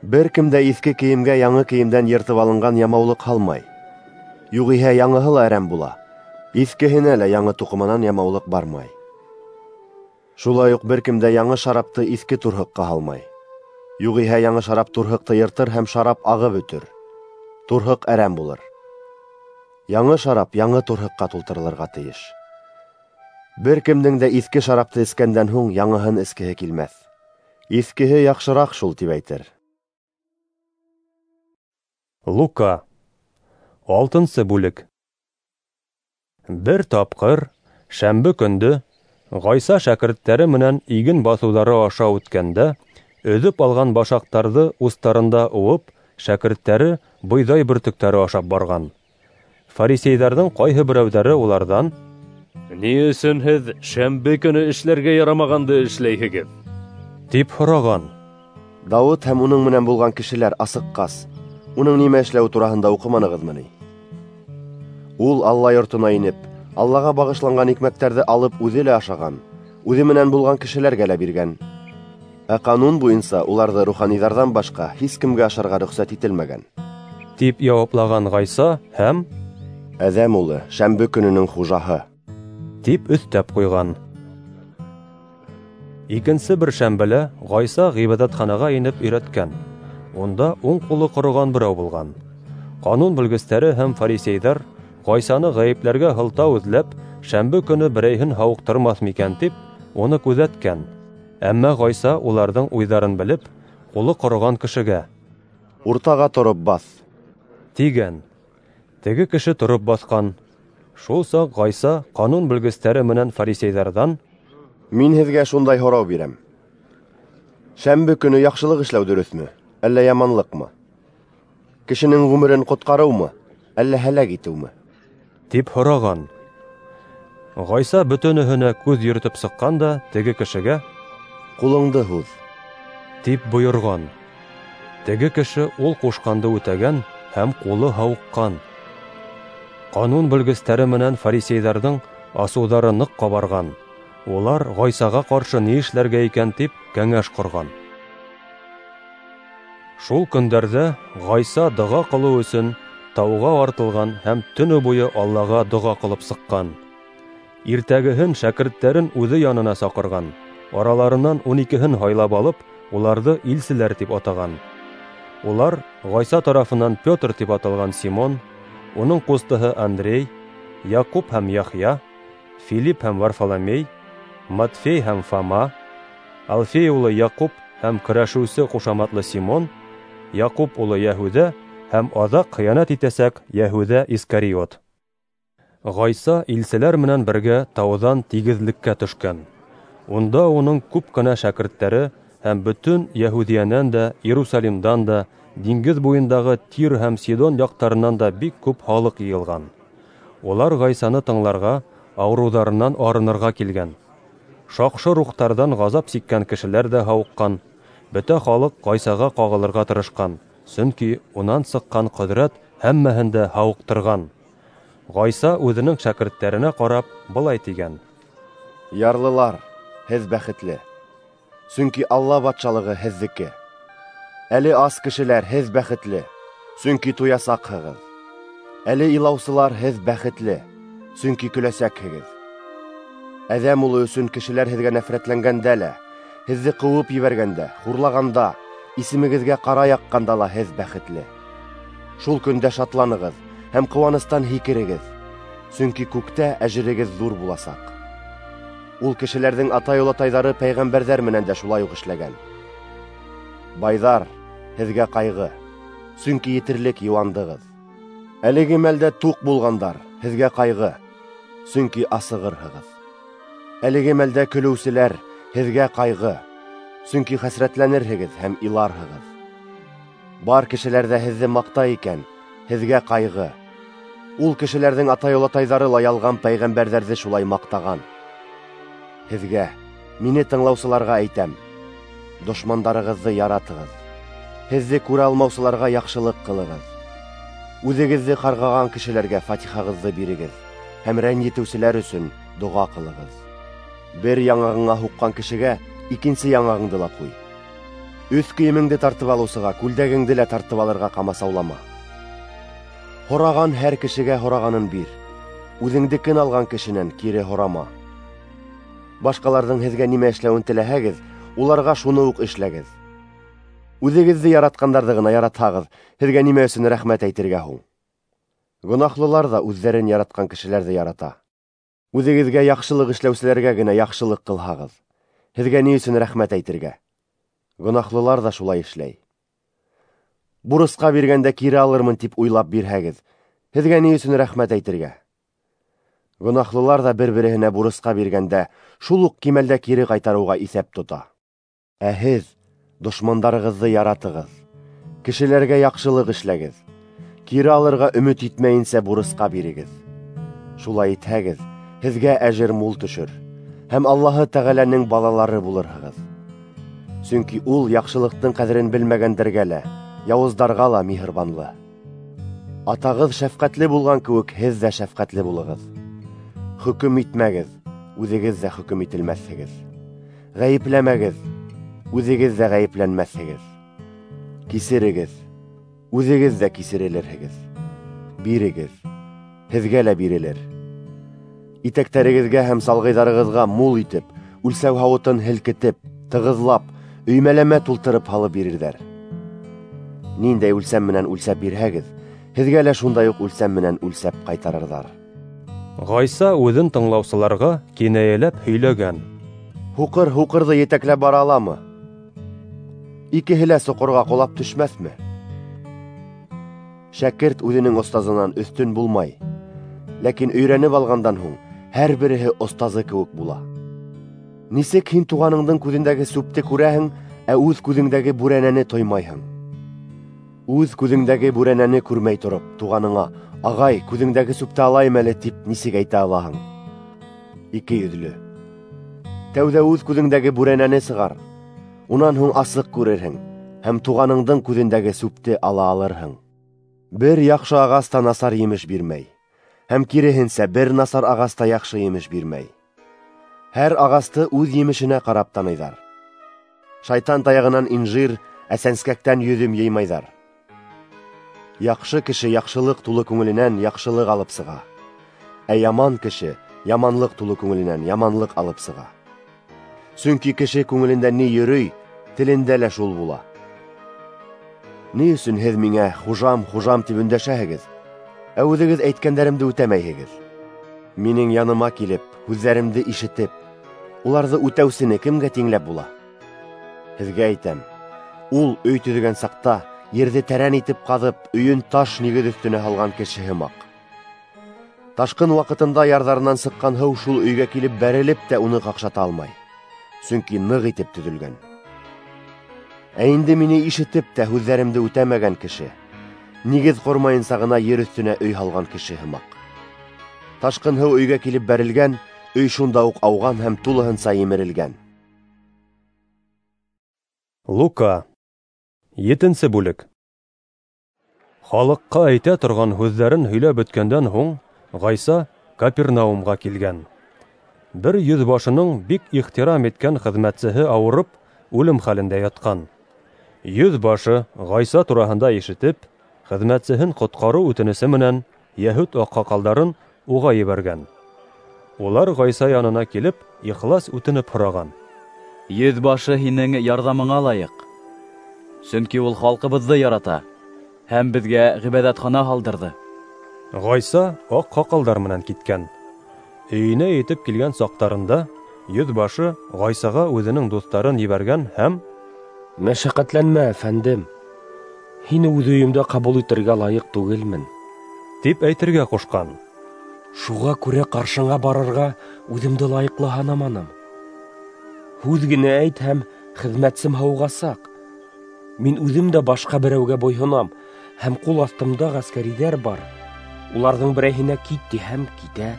Бер кем дә иҫке кейемгә яңы кейемдән йыртып алынған ямаулыҡ һалмай. Юғиһә яңыһы ла әрәм була, иҫкеһенә лә яңы туҡыманан ямаулыҡ бармай. Шулай уҡ бер кем дә яңы шарапты иҫке турһыҡҡа һалмай. Юғиһә яңы шарап турһыҡты йыртыр һәм шарап ағып өтөр. Турһыҡ әрәм булыр. Яңы шарап яңы турһыҡҡа тултырылырға тейеш. Бер кемдең дә иҫке шарапты эскәндән һуң яңыһын эскеһе килмәҫ. Иҫкеһе яҡшыраҡ шул, тип әйтер. Лука, алтынсы бүлек. Бер тапҡыр, шәмбе көндө, Ғайса шәкерттәре менән иген баҫыуҙары аша үткәндә, өҙөп алған башаҡтарҙы устарында уып, шәкерттәре бойҙай бөртөктәре ашап барған. Фарисейҙәрҙең ҡайһы берәүҙәре уларҙан: "Ни өсөн һеҙ шәмбе көнө эшләргә ярамағанды эшләйһегеҙ?" тип һораған. Дауыт һәм уның менән булған кешеләр асыҡҡас, уның нимә эшләүе тураһында уҡыманығыҙмы ни? Ул Алла йортона инеп, Аллаға бағышланған икмәктәрҙе алып үҙе лә ашаған, үҙе менән булған кешеләргә лә биргән. Ә ҡанун буйынса уларҙы руханиҙарҙан башҡа һис кемгә ашарға рөхсәт ителмәгән, тип яуаплаған Ғайса һәм: "Әҙәм улы шәмбе көнөнөң хужаһы", тип өҫтәп ҡуйған. Икенсе бер шәмбелә Ғайса ғибәҙәтханаға инеп өйрәткән. Унда уң ҡулы ҡороған берәү булған. Ҡанун белгестәре һәм фарисейҙар Ғайсаны ғәйепләргә һылтау эҙләп, шәмбе көнө берәйһен һауыҡтырмаҫ микән тип, уны күҙәткән. Әммә Ғайса уларҙың уйҙарын белеп, ҡулы ҡороған кешегә: "Уртаға тороп баҫ", тигән. Теге кеше тороп баҫҡан. Шул саҡ Ғайса ҡанун белгестәре менән фарисейҙарҙан: "Мин һеҙгә шундай һорау бирәм: шәмбе көнө яҡшылыҡ эшләү дөрөҫмө, әллә яманлыҡмы? Кешенең ғүмерен ҡотҡарыумы, әллә һәләк итеүме?" тип һораған. Ғайса бөтөнөһөнә күҙ йөрөтөп сыҡҡан да теге кешегә: "Ҡулыңды һуҙ", тип бойорған. Теге кеше ул ҡушҡанды үтәгән һәм ҡулы һауыҡҡан. Ҡанун белгестәре менән фарисейҙарҙың асыуҙары ныҡ ҡабарған. Улар Ғайсаға ҡаршы ни эшләргә икән тип кәңәш ҡорған. Шул көндәрҙә Ғайса доға ҡылыу өсөн тауға артылған һәм төнө буйы Аллаға доға ҡылып сыҡҡан. Иртәгеһен шәкерттәрен үҙе янына саҡырған, араларынан ун икеһен һайлап алып, уларҙы илселәр тип атаған. Улар Ғайса тарафынан Петр тип аталған Симон, уның ҡустыһы Андрей, Яҡуп һәм Яхъя, Филипп һәм Варфоломей, Матфей һәм Фома, Алфей улы Яҡуп һәм көрәшеүсе ҡушаматлы Симон, Яҡуп улы Йәһүҙә һәм аҙаҡ хыянат итәсәк Йәһүҙә Искариот. Ғайса илселәр менән бергә тауҙан тигеҙлеккә төшкән. Унда уның күп кенә шәкерттәре һәм бөтөн Йәһүҙиәнән дә, Иерусалимдан да, диңгеҙ буйындағы Тир һәм Сидон яҡтарынан да бик күп халыҡ йыйылған. Улар Ғайсаны тыңларға, ауырыуҙарынан арынырға килгән. Шаҡшы рухтарҙан ғазап сиккән кешеләр ҙә һауыҡҡан. Бөтә халыҡ Ғайсаға ҡағылырға тырышҡан, сөнки унан сыҡҡан ҡөҙрәт һәммәһен дә һауыҡтырған. Ғайса үҙенең шәкерттәренә ҡарап былай тигән: "Ярлылар, һеҙ бәхетле, сөнки Алла батшалығы һеҙҙеке. Әле ас кешеләр, һеҙ бәхетле, сөнки туясаҡһығыҙ. Әле илаусылар, һеҙ бәхетле, сөнки көләсәкһегеҙ. Әҙәм улы өсөн кешеләр һеҙгә нәфрәтләнгәндә лә, һеҙҙе ҡыуып ебәргәндә, хурлағанда, исемегеҙгә ҡара яҡҡанда ла һеҙ бәхетле. Шул көндә шатланығыҙ һәм ҡыуаныстан һикерегеҙ, сөнки күктә әжерегеҙ ҙур буласаҡ. Ул кешеләрҙең атай-олатайҙары пәйғәмбәрҙәр менән дә шулай уҡ эшләгән. Байҙар, һеҙгә ҡайғы, сөнки етерлек йыуандығыҙ. Әлеге мәлдә туҡ булғандар, һеҙгә ҡайғы, сөнки асығырһығыҙ. Әлеге мәлдә көлөүселәр, һеҙгә ҡайғы, сөнки хәсрәтләнерһегеҙ һәм иларһығыҙ. Бар кешеләр ҙә һеҙҙе маҡтай икән, һеҙгә ҡайғы. Ул кешеләрҙең атай-олатайҙары ла ялған пәйғәмбәрҙәрҙе шулай маҡтаған. Һеҙгә, мине тыңлаусыларға әйтәм: дошмандарығыҙҙы яратығыҙ, һеҙҙе күрә алмаусыларға яҡшылыҡ ҡылығыҙ, үҙегеҙҙе ҡарғаған кешеләргә фатихағыҙҙы бирегеҙ һәм рәнйетеүселәр өсөн доға ҡылығыҙ. Бер яңағыңа һуҡҡан кешегә икенсе яңағыңды ла ҡуй. Өҫ кейемеңде тартып алыусыға күлдәгеңде лә тартып алырға ҡамасаулама. Һораған һәр кешегә һорағанын бир, үҙеңдекен алған кешенән кире һорама. Башҡаларҙың һеҙгә нимә эшләүен теләһәгеҙ, уларға шуны уҡ эшләгеҙ. Үҙегеҙҙе яратҡандарҙы ғына яратһағыҙ, һеҙгә нимә өсөн рәхмәт әйтергә һуң? Гонаһлылар ҙа үҙҙәрен яратҡан кешеләрҙе ярата. Үҙегеҙгә яҡшылыҡ эшләүселәргә генә яҡшылыҡ ҡылһағыҙ, һеҙгә ни өсөн рәхмәт әйтергә? Гонаһлылар ҙа шулай эшләй. Бурысҡа биргәндә кире алырмын тип уйлап бирһәгеҙ, һеҙгә ни өсөн рәхмәт әйтергә? Гонаһлылар ҙа бер-береһенә бурысҡа биргәндә шул уҡ кимәлдә кире ҡайтарыуға иҫәп тота. Ә һеҙ дошмандарығыҙҙы яратығыҙ, кешеләргә яҡшылыҡ эшләгеҙ, кире алырға өмөт итмәйенсә бурысҡа бирегеҙ. Шулай итһәгеҙ, һеҙгә әжер мул төшөр, һәм Аллаһы Тәғәләнең балалары булырһығыҙ. Сөнки ул яҡшылыҡтың ҡәҙерен белмәгәндәргә лә, яуыздарға ла миһырбанлы. Атағыҙ шәфҡәтле булған кеүек, һеҙ ҙә шәфҡәтле булығыҙ. Хөкөм итмәгеҙ, үҙегеҙ ҙә хөкөм ителмәҫһегеҙ. Ғәйепләмәгеҙ, үҙегеҙ ҙә ғәйепләнмәҫһегеҙ. Кисерегеҙ, үҙегеҙ ҙә кисерелерһегеҙ. Бирегеҙ, һеҙгә лә бирелер. Итәктәрегеҙгә һәм салғыйҙарығыҙға мул итеп, үлсәү һауытын һелкетеп, тығыҙлап, өймәләмә тултырып һалып бирерҙәр. Ниндәй үлсәм менән үлсәп бирһәгеҙ, һеҙгә лә шундай уҡ үлсәм менән үлсәп ҡайтарырҙар. Ғайса үҙен тыңлаусыларға кинәйәләп һөйләгән: Һуҡыр һуҡырҙы етәкләп бара аламы? Икеһе лә соҡорға ҡолап төшмәҫме? Шәкерт үҙенең остазынан өҫтөн булмай, Ләкин өйрәнеп алғандан һуң һәр береһе остазы кеүек була. Нисек һин туғаныңдың күҙендәге сүпте күрәһең, ә үҙ күҙеңдәге бүрәнәне тоймайһың? Үҙ күҙеңдәге бүрәнәне күрмәй тороп, туғаныңа: "Ағай, күҙеңдәге сүпте алайым әле", тип нисек әйтә алаһың? Ике йөҙлө! Тәүҙә үҙ күҙеңдәге бүрәнәне сығар, унан һуң асыҡ күрерһең һәм туғаныңдың күҙендәге сүпте ала алырһың. Бер яҡшы ағас та насар емеш бирмәй, һәм киреһенсә бер насар ағас та яҡшы емеш бирмәй. Һәр ағасты үҙ емешенә ҡарап таныйҙар. Шайтан таяғынан инжир, ә сәнскәктән йөҙөм йыймайҙар. Яҡшы кеше яҡшылыҡ тулы күңеленән яҡшылыҡ алып сыға, ә яман кеше яманлыҡ тулы күңеленән яманлыҡ алып сыға. Сөнки кеше күңелендә ни йөрөй, телендә лә шул була. Ни өсөн һеҙ миңә хужам, хужам тип өндәшәһегеҙ, ә үҙегеҙ әйткәндәремде үтәмәйһегеҙ? Минең яныма килеп, һүҙҙәремде ишетеп, уларҙы үтәүсене кемгә тиңләп була? Һеҙгә әйтәм, ул өй төҙөгән саҡта ерҙе тәрән итеп ҡаҙып, өйөн таш нигеҙ өҫтөнә һалған кеше һымаҡ. Ташҡын ваҡытында ярҙарынан сыҡҡан һыу шул өйгә килеп бәрелеп тә уны ҡаҡшата алмай, сөнки ныҡ итеп төҙөлгән. Ә инде мине ишетеп тә һүҙҙәремде үтәмәгән кеше нигеҙ ҡормайынса ғына ер өҫтөнә өй һалған кеше һымаҡ. Ташҡын һыу өйгә килеп бәрелгән, өй шунда уҡ ауған һәм тулыһынса емерелгән. Лука, етенсе бүлек. Халыҡҡа әйтә торған һүҙҙәрен һөйләп бөткәндән һуң Ғайса Капернаумға килгән. Бер йөҙ башының бик ихтирам иткән хеҙмәтсеһе ауырып, үлем хәлендә ятҡан. Йөҙ башы Ғайса тураһында ишетеп, хеҙмәтсеһен ҡотҡарыу үтенесе менән йәһүд аҡһаҡалдарын уға ебәргән. Улар Ғайса янына килеп, ихлас үтенеп һораған: "Йөҙ башы һинең ярҙамыңа лайыҡ, сөнки ул халҡыбыҙҙы ярата һәм беҙгә ғибәҙәтхана һалдырҙы." Ғайса аҡһаҡалдар менән киткән. Өйөнә етеп килгән саҡтарында йөҙ башы Ғайсаға үҙенең дуҫтарын ебәргән һәм: "Мәшәҡәтләнмә, әфәндем, һине үҙ өйөмдә ҡабул итергә лайыҡ түгелмен", тип әйтергә ҡушҡан. "Шуға күрә ҡаршыңа барырға үҙемде лайыҡлы һанаманым. Һүҙ генә әйт һәм хеҙмәтсем һауығасаҡ. Мин үҙем дә башҡа берәүгә буйһонам, һәм ҡул аҫтымда ғәскәриҙәр бар. Уларҙың берәйһенә кит тиһәм китә,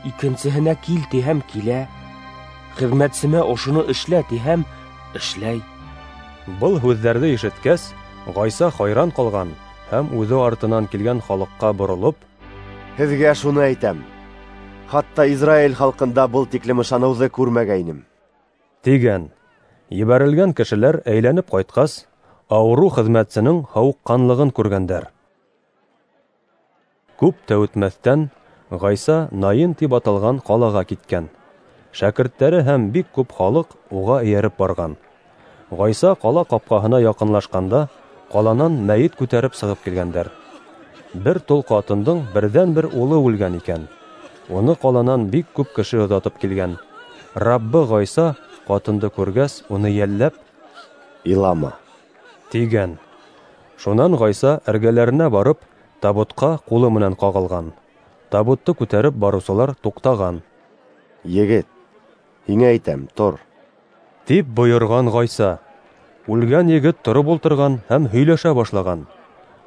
икенсеһенә кил тиһәм килә. Хеҙмәтсемә ошоно эшлә тиһәм эшләй." Был һүҙҙәрҙе ишеткәс, Ғайса хайран ҡалған һәм үҙе артынан килгән халыҡҡа боролоп: "Һеҙгә шуны әйтәм, хатта Израиль халҡында был тиклем ышаныуҙы күрмәгәйнем", тигән. Ебәрелгән кешеләр әйләнеп ҡайтҡас, ауырыу хеҙмәтсенең һауыҡҡанлығын күргәндәр. Күп тә үтмәҫтән Ғайса Наин тип аталған ҡалаға киткән. Шәкерттәре һәм бик күп халыҡ уға эйәреп барған. Ғайса ҡала ҡапҡаһына яҡынлашҡанда, ҡаланан мәйет күтәреп сығып килгәндәр. Бер тол ҡатындың берҙән-бер улы үлгән икән. Уны ҡаланан бик күп кеше оҙатып килгән. Раббы Ғайса ҡатынды күргәс, уны йәлләп: "Илама", тигән. Шунан Ғайса эргәләренә барып, табутҡа ҡулы менән ҡағылған. Табутты күтәреп барыусылар туҡтаған. "Егет, һиңә әйтәм, тор", тип бойорған Ғайса. Үлгән егет тороп ултырған һәм һөйләшә башлаған.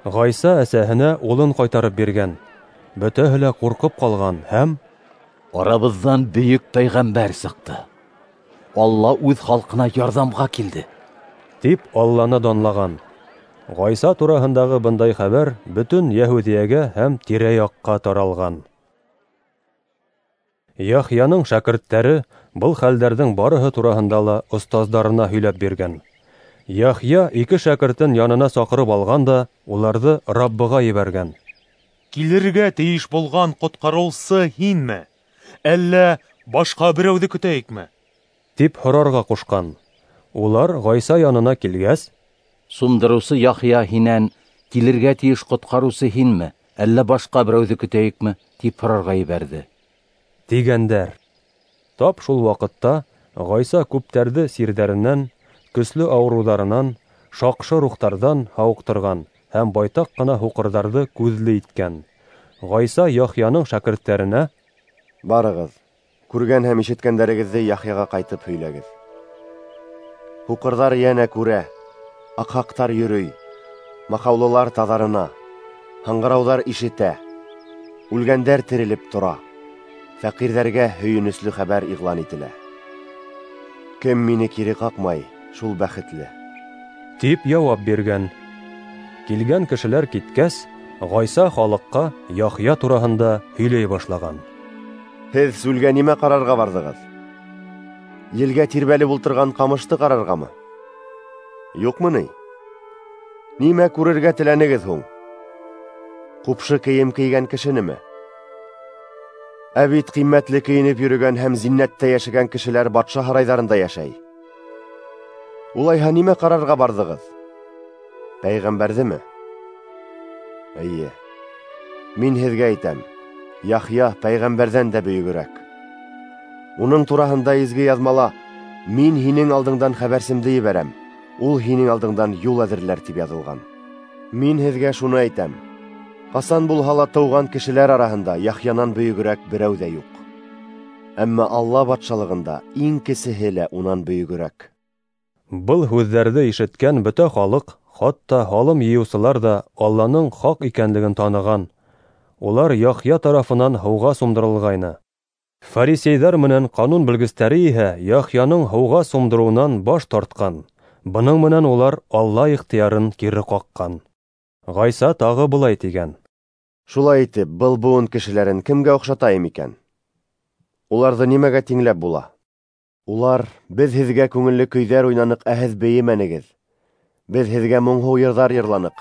Ғайса әсәһенә улын ҡайтарып биргән. Бөтәһе лә ҡурҡып ҡалған һәм: "Арабыҙҙан бөйөк пәйғәмбәр сыҡты. Алла үҙ халҡына ярҙамға килде", тип Алланы данлаған. Ғайса тураһындағы бындай хәбәр бөтөн Йәһүҙиәгә һәм тирә-яҡҡа таралған. Яхъяның шәкерттәре был хәлдәрҙең барыһы тураһында ла остаздарына һөйләп биргән. Яхъя ике шәкертен янына саҡырып алған да уларҙы Раббыға ебәргән. "Килергә тейеш булған ҡотҡарыусы һинме, әллә башҡа берәүҙе көтәйекме?" тип һорарға ҡушҡан. Улар Ғайса янына килгәс: "Сумдырыусы Яхъя һинән килергә тейеш ҡотҡарыусы һинме, әллә башҡа берәүҙе көтәйекме?" тип һорарға ебәрҙе, тигәндәр. Тап шул ваҡытта Ғайса күптәрҙе сирҙәренән, көслө ауырыуҙарынан, шаҡшы рухтарҙан һауыҡтырған һәм байтаҡ ҡына һуҡырҙарҙы күҙле иткән. Ғайса Яхъяның шәкерттәренә: Барығыҙ, күргән һәм ишеткәндәрегеҙҙе Яхъяға ҡайтып һөйләгеҙ. Һуҡырҙар йәнә күрә, аҡһаҡтар йөрөй, маҡаулылар таҙарына, һаңғырауҙар ишетә, үлгәндәр терелеп тора, фәҡирҙәргә һөйөнөслө хәбәр иғлан ителә. Кем мине кире ҡаҡмай, шул бәхетле, тип яуап биргән. Килгән кешеләр киткәс, Ғайса халыҡҡа Яхъя тураһында һөйләй башлаған. Һеҙ сүлгә нимә ҡарарға барҙығыҙ? Елгә тирбәлеп ултырған ҡамышты ҡарарғамы? Юҡмы ни? Нимә күрергә теләнегеҙ һуң? Ҡупшы кейем кейгән кешенеме? Ә бит ҡиммәтле кейенеп йөрөгән һәм зиннәттә йәшәгән кешеләр батша һарайҙарында йәшәй. Улайһа нимә ҡарарға барҙығыҙ? Пәйғәмбәрҙеме? Эйе, мин һеҙгә әйтәм, Яхъя пәйғәмбәрҙән дә бөйөгөрәк. Уның тураһында изге яҙмала: «Мин һинең алдыңдан хәбәрсемде ебәрәм, ул һинең алдыңдан юл әҙерләр», тип яҙылған. Мин һеҙгә шуны әйтәм: ҡасан булһа ла тыуған кешеләр араһында Яхъянан бөйөгөрәк берәү ҙә юҡ. Әммә Алла батшалығында иң кесеһе лә унан бөйөгөрәк. Был һүҙҙәрҙе ишеткән бөтә халыҡ, хатта һалым йыйыусылар ҙа Алланың хаҡ икәнлеген таныған. Улар Яхъя тарафынан һыуға сумдырылғайны. Фарисейҙар менән ҡанун белгестәре иһә Яхъяның һыуға сумдырыуынан баш тартҡан. Бының менән улар Алла ихтыярын кире ҡаҡҡан. Ғайса тағы былай тигән: Шулай итеп, был быуын кешеләрен кемгә оҡшатайым икән? Уларҙы нимәгә тиңләп була? Улар: «Беҙ һеҙгә күңелле көйҙәр уйнаныҡ, ә һеҙ бейемәнегеҙ. Беҙ һеҙгә моңһоу йырҙар йырланыҡ,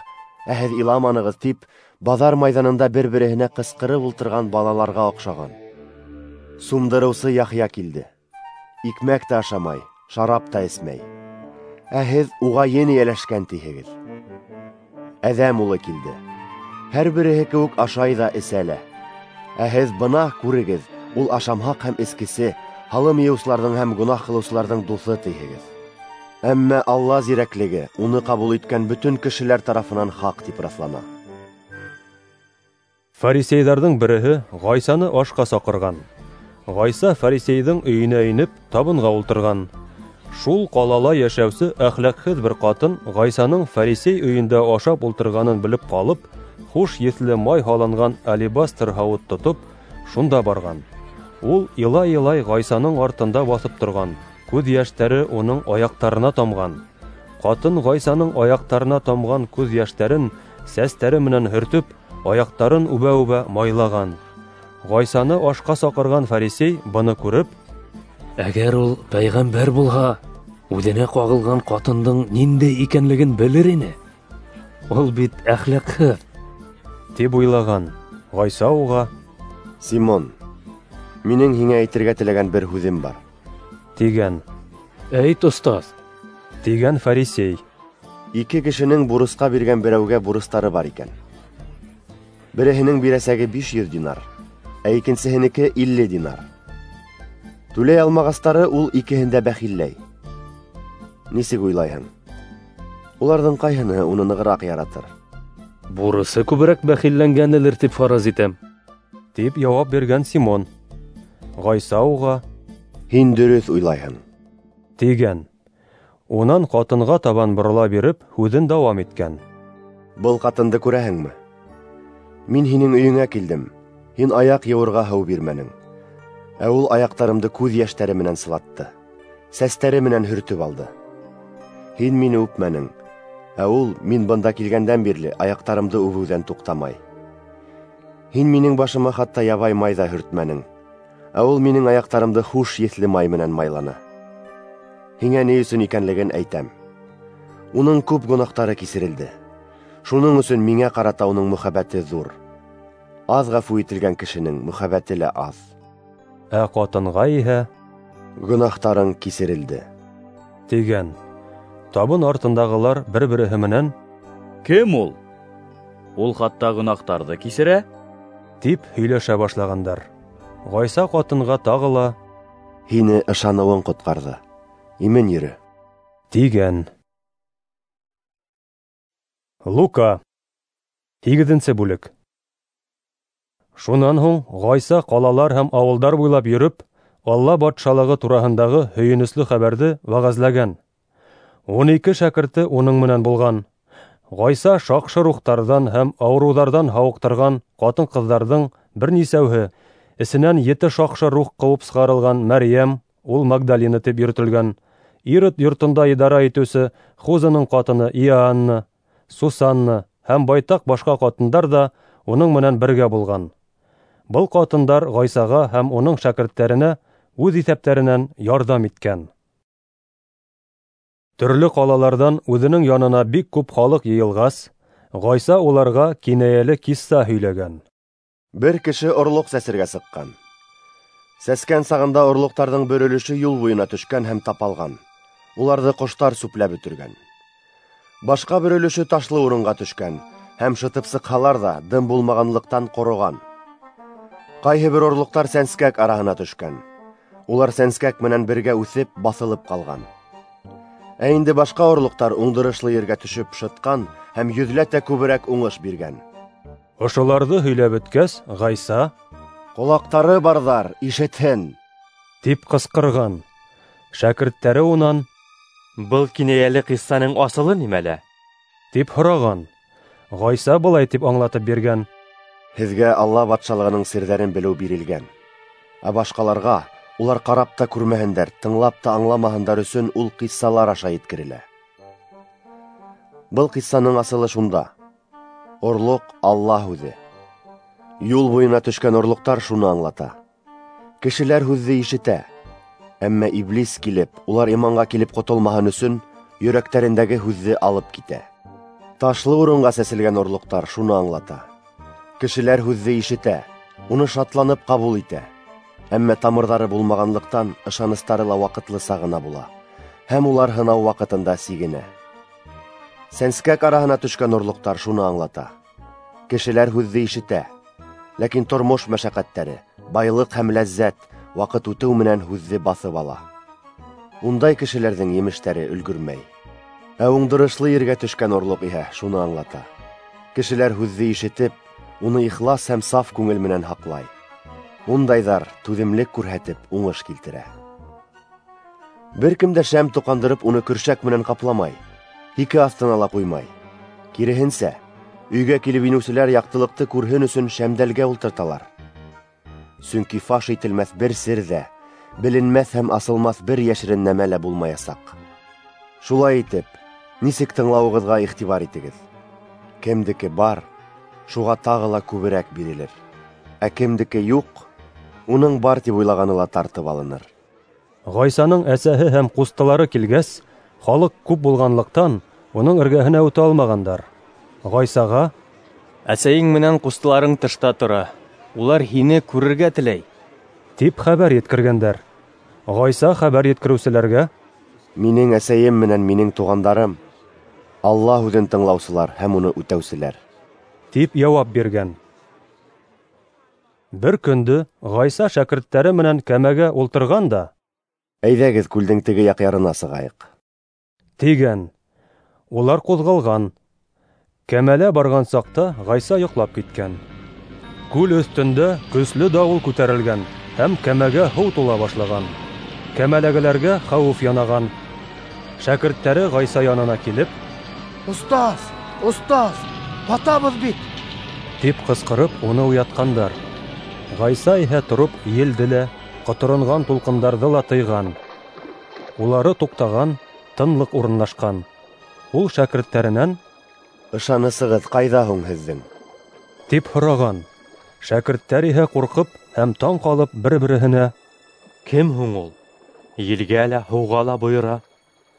ә һеҙ иламанығыҙ», тип баҙар майҙанында бер-береһенә ҡысҡырып ултырған балаларға оҡшаған. Сумдырыусы Яхъя килде. Икмәк тә ашамай, шарап та эсмәй. Ә һеҙ уға ен эйәләшкән тиһегеҙ. Әҙәм улы килде. Һәр береһе кеүек ашай ҙа эсә лә. Ә һеҙ: «Бына күрегеҙ, ул ашамһаҡ һәм эскесе, һалым йыйыусыларҙың һәм гонаһ ҡылыусыларҙың дуҫы», тиһегеҙ. Әммә Алла зирәклеге уны ҡабул иткән бөтөн кешеләр тарафынан хаҡ тип раҫлана. Фарисейҙарҙың береһе Ғайсаны ашҡа саҡырған. Ғайса фарисейҙың өйөнә инеп, табынға ултырған. Шул ҡалала йәшәүсе әхлаҡһыҙ бер ҡатын Ғайсаның фарисей өйөндә ашап ултырғанын белеп ҡалып, хуш еҫле май һалынған алебастр һауыт тотоп, шунда барған. Ул илай-илай Ғайсаның артында баҫып торған, күҙ йәштәре уның аяҡтарына тамған. Ҡатын Ғайсаның аяҡтарына тамған күҙ йәштәрен сәстәре менән һөртөп, аяҡтарын үбә-үбә майлаған. Ғайсаны ашҡа саҡырған фарисей быны күреп: Әгәр ул пәйғәмбәр булһа, үҙенә ҡағылған ҡатындың ниндәй икәнлеген белер ине. Ул бит әхлаҡһыҙ, тип уйлаған. Ғайса уға: Симон, минең һиңә әйтергә теләгән бер һүҙем бар, тигән. Әйт, остаз, тигән фарисей. Ике кешенең бурысҡа биргән берәүгә бурыстары бар икән. Береһенең бирәсәге биш йөҙ динар, ә икенсеһенеке илле динар. Түләй алмағастары ул икеһен дә бәхилләй. Нисек уйлайһың? Уларҙың ҡайһыныһы уны нығыраҡ яратыр? Бурысы күберәк бәхилләнгәнелер тип фараз итәм, тип яуап биргән Симон. Ғайса уға: Һин дөрөҫ уйлайһың, тигән. Унан ҡатынға табан борола биреп, һүҙен дауам иткән: Был ҡатынды күрәһеңме? Мин һинең өйөңә килдем, һин аяҡ йыуырға һыу бирмәнең. Ә ул аяҡтарымды күҙ йәштәре менән сылатты, сәстәре менән һөртөп алды. Һин мине үпмәнең, ә ул мин бында килгәндән бирле аяҡтарымды үбеүҙән туҡтамай. Һин минең башыма хатта ябай май ҙа һөртмәнең, ә ул минең аяҡтарымды хуш еҫле май менән майланы. Һиңә ни өсөн икәнлеген әйтәм. Уның күп гонаһтары кисерелде. Шуның өсөн миңә ҡарата уның мөхәббәте ҙур. Аҙ ғәфү ителгән кешенең мөхәббәте лә аҙ. Ә ҡатынға иһә: Гонаһтарың кисерелде, тигән. Табын артындағылар бер-береһе менән: Кем ул? Ул хатта гонаһтарҙы кисерә, тип һөйләшә башлағандар. Ғайса ҡатынға тағы ла: Һине ышаныуың ҡотҡарҙы, имен йөрө, тигән. Лука, һигеҙенсе бүлек. Шунан һуң Ғайса ҡалалар һәм ауылдар буйлап йөрөп, Алла батшалығы тураһындағы һөйөнөслө хәбәрҙе вәғәзләгән. Ун ике шәкерте уның менән булған. Ғайса шаҡшы рухтарҙан һәм ауырыуҙарҙан һауыҡтырған ҡатын-ҡыҙҙарҙың бер нисәүһе, эсенән ете шаҡшы рух ҡыуып сығарылған Мәрйәм, ул Магдалина тип йөрөтөлгән, Ирод йортонда идара итеүсе Хузаның ҡатыны Иоанна, Сусанна һәм байтаҡ башҡа ҡатындар ҙа уның менән бергә булған. Был ҡатындар Ғайсаға һәм уның шәкерттәренә үҙ иҫәптәренән ярҙам иткән. Төрлө ҡалаларҙан үҙенең янына бик күп халыҡ йыйылғас, Ғайса уларға кинәйәле кисса һөйләгән. Бер кеше орлоҡ сәсергә сыҡҡан. Сәскән сағында орлоҡтарҙың бер өлөшө юл буйына төшкән һәм тапалған. Уларҙы ҡоштар сүпләп бөтөргән. Башҡа бер өлөшө ташлы урынға төшкән һәм шытып сыҡһалар ҙа дым булмағанлыҡтан ҡороған. Ҡайһы бер орлоҡтар сәнскәк араһына төшкән. Улар сәнскәк менән бергә үҫеп, баҫылып ҡалған. Ә инде башҡа орлоҡтар уңдырышлы ергә төшөп шытҡан һәм йөҙләтә күберәк уңыш биргән. Ошоларҙы һөйләп бөткәс, Ғайса: "Ҡолаҡтары барҙар, ишетһен!" тип ҡысҡырған. Шәкерттәре унан: "Был кинәйәле ҡиссаның асылы нимәлә?" тип һораған. Ғайса былай тип аңлатып биргән: "Һеҙгә Алла батшалығының серҙәрен белеү бирелгән, ә башҡаларға улар ҡарап та күрмәһендәр, тыңлап та аңламаһындар өсөн ул ҡиссалар аша еткерелә. Был ҡиссаның асылы шунда: орлоҡ Алла һүҙе. Юл буйына төшкән орлоҡтар шуны аңлата. Кешеләр һүҙҙе ишетә, әммә иблис килеп, улар иманға килеп ҡотолмаһын өсөн йөрәктәрендәге һүҙҙе алып китә. Ташлы урынға сәселгән орлоҡтар шуны аңлата. Кешеләр һүҙҙе ишетә, уны шатланып ҡабул итә, әммә тамырҙары булмағанлыҡтан ышаныстары ла ваҡытлыса ғына була, һәм улар һынау ваҡытында сигенә. Сәнскәк араһына төшкән орлоҡтар шуны аңлата. Кешеләр һүҙҙе ишетә, ләкин тормош мәшәҡәттәре, байлыҡ һәм ләззәт ваҡыт үтеү менән һүҙҙе баҫып ала. Ундай кешеләрҙең емештәре өлгөрмәй. Ә уңдырышлы ергә төшкән орлоҡ иһә шуны аңлата. Кешеләр һүҙҙе ишетеп, уны ихлас һәм саф күңел менән һаҡлай. Ундайҙар түҙемлек күрһәтеп уңыш килтерә. Бер кем дә шәм тоҡандырып уны көршәк менән ҡапламай, һике аҫтына ла ҡуймай. Киреһенсә, өйгә килеп инеүселәр яҡтылыҡты күрһен өсөн шәмдәлгә ултырталар. Сөнки фаш ителмәҫ бер сер ҙә, беленмәҫ һәм асылмаҫ бер йәшерен нәмә лә булмаясаҡ. Шулай итеп, нисек тыңлауығыҙға иғтибар итегеҙ. Кемдеке бар, шуға тағы ла күберәк бирелер. Ә кемдеке юҡ, уның бар тип уйлағаны ла тартып алыныр. Ғайсаның әсәһе һәм ҡустылары килгәс, халыҡ күп булғанлыҡтан уның эргәһенә үтә алмағандар. Ғайсаға: "Әсәйең менән ҡустыларың тышта тора, улар һине күрергә теләй", тип хәбәр еткергәндәр. Ғайса хәбәр еткереүселәргә: "Минең әсәйем менән минең туғандарым Алла һүҙен тыңлаусылар һәм уны үтәүселәр", тип яуап биргән. Бер көндө Ғайса шәкерттәре менән кәмәгә ултырған да: "Әйҙәгеҙ күлдең теге яҡ ярына сығайыҡ", тигән. Улар ҡуҙғалған. Кәмәлә барған саҡта Ғайса йоҡлап киткән. Күл өҫтөндә көслө дауыл күтәрелгән һәм кәмәгә һыу тула башлаған. Кәмәләгеләргә хәүеф янаған. Шәкерттәре Ғайса янына килеп: "Остаз, остаз, батабыҙ бит!" тип ҡысҡырып уны уятҡандар. Ғайса иһә тороп елде лә, ҡоторонған тулҡындарҙы ла тыйған. Улары туҡтаған, тынлыҡ урынлашҡан. Ул шәкерттәренән: "Ышанысығыҙ ҡайҙа һуң һеҙҙең?" тип һораған. Шәкерттәр иһә ҡурҡып һәм таң ҡалып бер-береһенә: "Кем һуң ул? Елгә лә, һыуға ла бойора,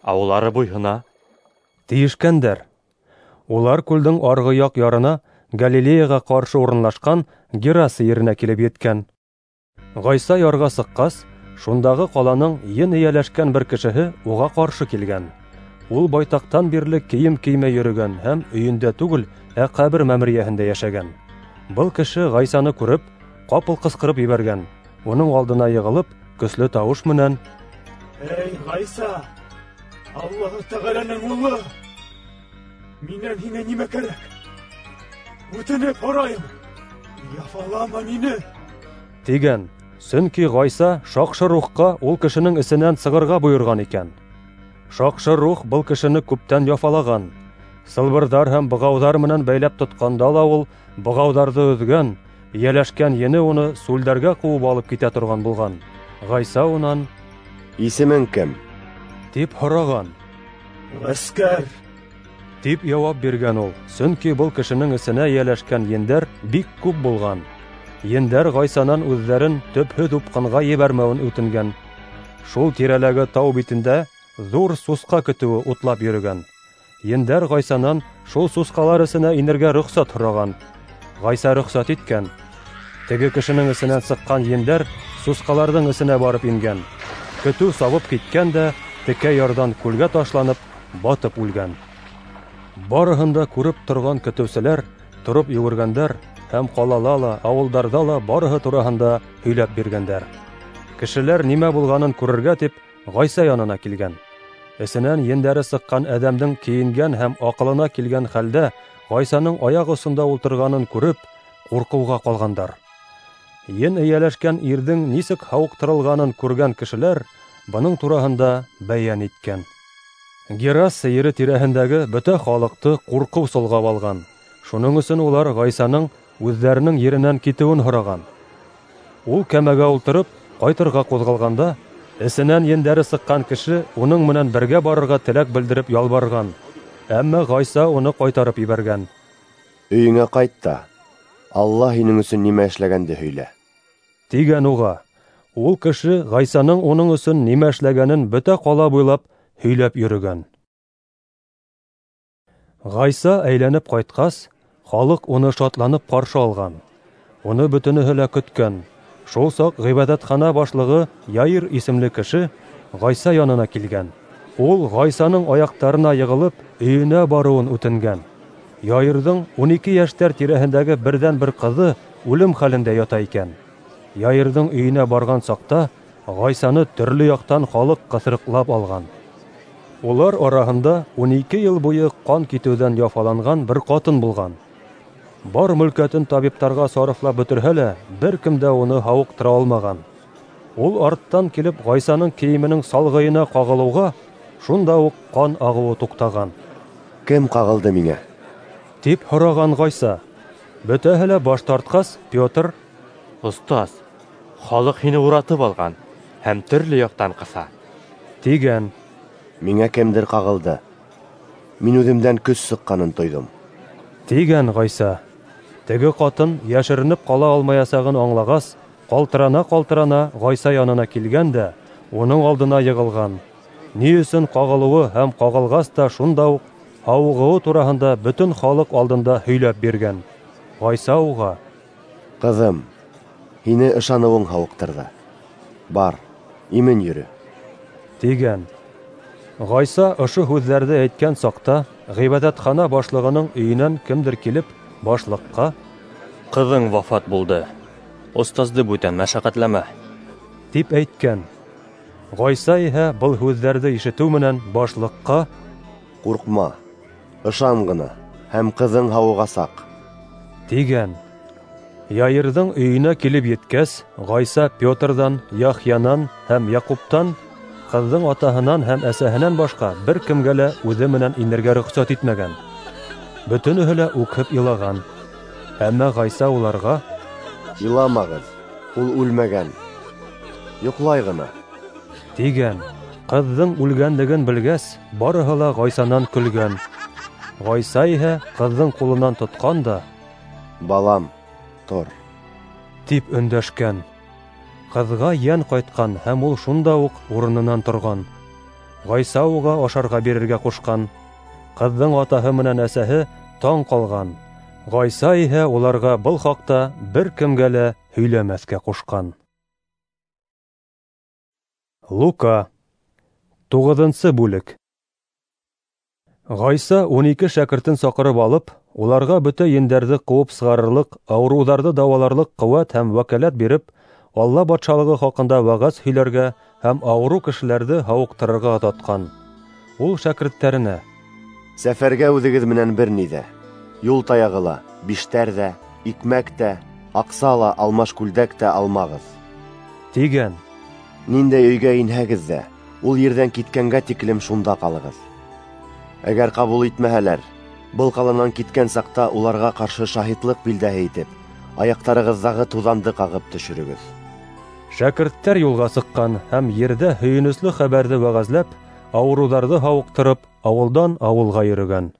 ә улары буйһона", тиешкәндәр. Улар күлдең арғы яҡ ярына, Галилеяға ҡаршы урынлашҡан Гераса еренә килеп еткән. Ғайса ярға сыҡҡас, шундағы ҡаланың ен эйәләшкән бер кешеһе уға ҡаршы килгән. Ул байтаҡтан бирле кейем кеймәй йөрөгән һәм өйөндә түгел, ә ҡәбер мәмерйәһендә йәшәгән. Был кеше Ғайсаны күреп, ҡапыл ҡысҡырып ебәргән. Уның алдына йығылып, көслө тауыш менән: "Эй, Ғайса, Аллаһы Тәғәләнең улы, минән һиңә нимә кәрәк? Үтенеп һорайым, Яфалама мине, тигән. Сөнки Ғайса шаҡшы рухҡа ул кешенең эсенән сығырға бойорған икән. Шаҡшы рух был кешене күптән яфалаған. Сылбырҙар һәм бығауҙар менән бәйләп тотҡанда ла ул бығауҙарҙы өҙгән, эйәләшкән ене уны сүлдәргә ҡыуып алып китә торған булған. Ғайса унан: "Исемең кем?" тип һораған. "Ғәскәр", тип яуап биргән ул, сөнки был кешенең эсенә эйәләшкән ендәр бик күп булған. Ендәр Ғайсанан үҙҙәрен төпһөҙ упҡынға ебәрмәүен үтенгән. Шул тирәләге тау битендә ҙур сусҡа көтөүе утлап йөрөгән. Ендәр Ғайсанан шул сусҡалар эсенә инергә рөхсәт һораған. Ғайса рөхсәт иткән. Теге кешенең эсенән сыҡҡан ендәр сусҡаларҙың эсенә барып ингән. Көтөү сабып киткән дә текә ярҙан күлгә ташланып, батып үлгән. Барыһын да күреп торған көтөүселәр тороп йүгергәндәр һәм ҡалала ла, ауылдарҙа ла барыһы тураһында һөйләп биргәндәр. Кешеләр нимә булғанын күрергә тип Ғайса янына килгән. Эсенән ендәре сыҡҡан әҙәмдең кейенгән һәм аҡылына килгән хәлдә Ғайсаның аяҡ осонда ултырғанын күреп, ҡурҡыуға ҡалғандар. Ен эйәләшкән ирҙең нисек һауыҡтырылғанын күргән кешеләр бының тураһында бәйән иткән. Гераса ере тирәһендәге бөтә халыҡты ҡурҡыу солғап алған. Шуның өсөн улар Ғайсаның үҙҙәренең еренән китеүен һораған. Ул кәмәгә ултырып, ҡайтырға ҡуҙғалғанда, эсенән ендәре сыҡҡан кеше уның менән бергә барырға теләк белдереп ялбарған. Әммә Ғайса уны ҡайтарып ебәргән. "Өйөңә ҡайт та, Алла һинең өсөн нимә эшләгәнде һөйлә", тигән уға. Ул кеше Ғайсаның уның өсөн нимә эшләгәнен бөтә ҡала буйлап һөйләп йөрөгән. Ғайса әйләнеп ҡайтҡас, халыҡ уны шатланып ҡаршы алған. Уны бөтөнөһө лә көткән. Шул саҡ ғибәҙәтхана башлығы Яир исемле кеше Ғайса янына килгән. Ул Ғайсаның аяҡтарына йығылып, өйөнә барыуын үтенгән. Яирҙың ун ике йәштәр тирәһендәге берҙән-бер ҡыҙы үлем хәлендә ята икән. Яирҙың өйөнә барған саҡта Ғайсаны төрлө яҡтан халыҡ ҡыҫырыҡлап алған. Улар араһында ун ике йыл буйы ҡан китеүҙән яфаланған бер ҡатын булған. Бар мөлкәтен табиптарға сарыфлап бөтөрһә лә, бер кем дә уны һауыҡтыра алмаған. Ул арттан килеп Ғайсаның кейеменең салғыйына ҡағылыуға, шунда уҡ ҡан ағыуы туҡтаған. "Кем ҡағылды миңә?" тип һораған Ғайса. Бөтәһе лә баш тартҡас, Петр: "Остаз, халыҡ һине уратып алған һәм төрлө яҡтан ҡыҫа", тигән. "Миңә кемдер ҡағылды. Мин үҙемдән көс сыҡҡанын тойҙом", тигән Ғайса. Теге ҡатын йәшеренеп ҡала алмаясағын аңлағас, ҡалтырана-ҡалтырана Ғайса янына килгән дә уның алдына йығылған. Ни өсөн ҡағылыуы һәм ҡағылғас та шунда уҡ һауығыуы тураһында бөтөн халыҡ алдында һөйләп биргән. Ғайса уға: "Ҡыҙым, һине ышаныуың һауыҡтырҙы. Бар, имен йөрө", тигән. Ғайса ошо һүҙҙәрҙе әйткән саҡта ғибәҙәтхана башлығының өйөнән кемдер килеп башлыҡҡа: "Ҡыҙың вафат булды. Остазды бүтән мәшәҡәтләмә", тип әйткән. Ғайса иһә был һүҙҙәрҙе ишетеү менән башлыҡҡа: "Ҡурҡма, ышан ғына, һәм ҡыҙың һауығасаҡ", тигән. Яирҙың өйөнә килеп еткәс, Ғайса Петрҙан, Яхъянан һәм Яҡуптан, ҡыҙҙың атаһынан һәм әсәһенән башҡа бер кемгә лә үҙе менән инергә рөхсәт итмәгән. Бөтөнөһө лә үкһеп илаған. Әммә Ғайса уларға: "Иламағыҙ, ул үлмәгән, йоҡлай ғына", тигән. Ҡыҙҙың үлгәнлеген белгәс, барыһы ла Ғайсанан көлгән. Ғайса иһә ҡыҙҙың ҡулынан тотҡан да: "Балам, тор", тип өндәшкән. Ҡыҙға йән ҡайтҡан һәм ул шунда уҡ урынынан торған. Ғайса уға ашарға бирергә ҡушҡан. Ҡыҙҙың атаһы менән әсәһе таң ҡалған. Ғайса иһә уларға был хаҡта бер кемгә лә һөйләмәҫкә ҡушҡан. Лука, туғыҙынсы бүлек. Ғайса ун ике шәкертен саҡырып алып, уларға бөтә ендәрҙе ҡыуып сығарырлыҡ, ауырыуҙарҙы дауаларлыҡ ҡеүәт һәм вәкәләт биреп, Алла батшалығы хаҡында вәғәз һөйләргә һәм ауырыу кешеләрҙе һауыҡтырырға оҙатҡан. Ул шәкерттәренә: "Сәфәргә үҙегеҙ менән бер ни ҙә, юл таяғы ла, биштәр ҙә, икмәк тә, Аҡса ла, алмаш күлдәк тә алмағыҙ. Тигән. Ниндәй өйгә инһәгеҙ ҙә, ул ерҙән киткәнгә тиклем шунда ҡалығыҙ. Әгәр ҡабул итмәһәләр, был ҡаланан киткән саҡта уларға ҡаршы шаһитлыҡ билдәһе итеп, аяҡтарығыҙҙағы туҙанды ҡағып төшөрөгөҙ. Шәкерттәр юлға сыҡҡан һәм ерҙә һөйөнөслө хәбәрҙе вәғәзләп, ауырыуҙарҙы һауыҡтырып, ауылдан ауылға йөрөгән.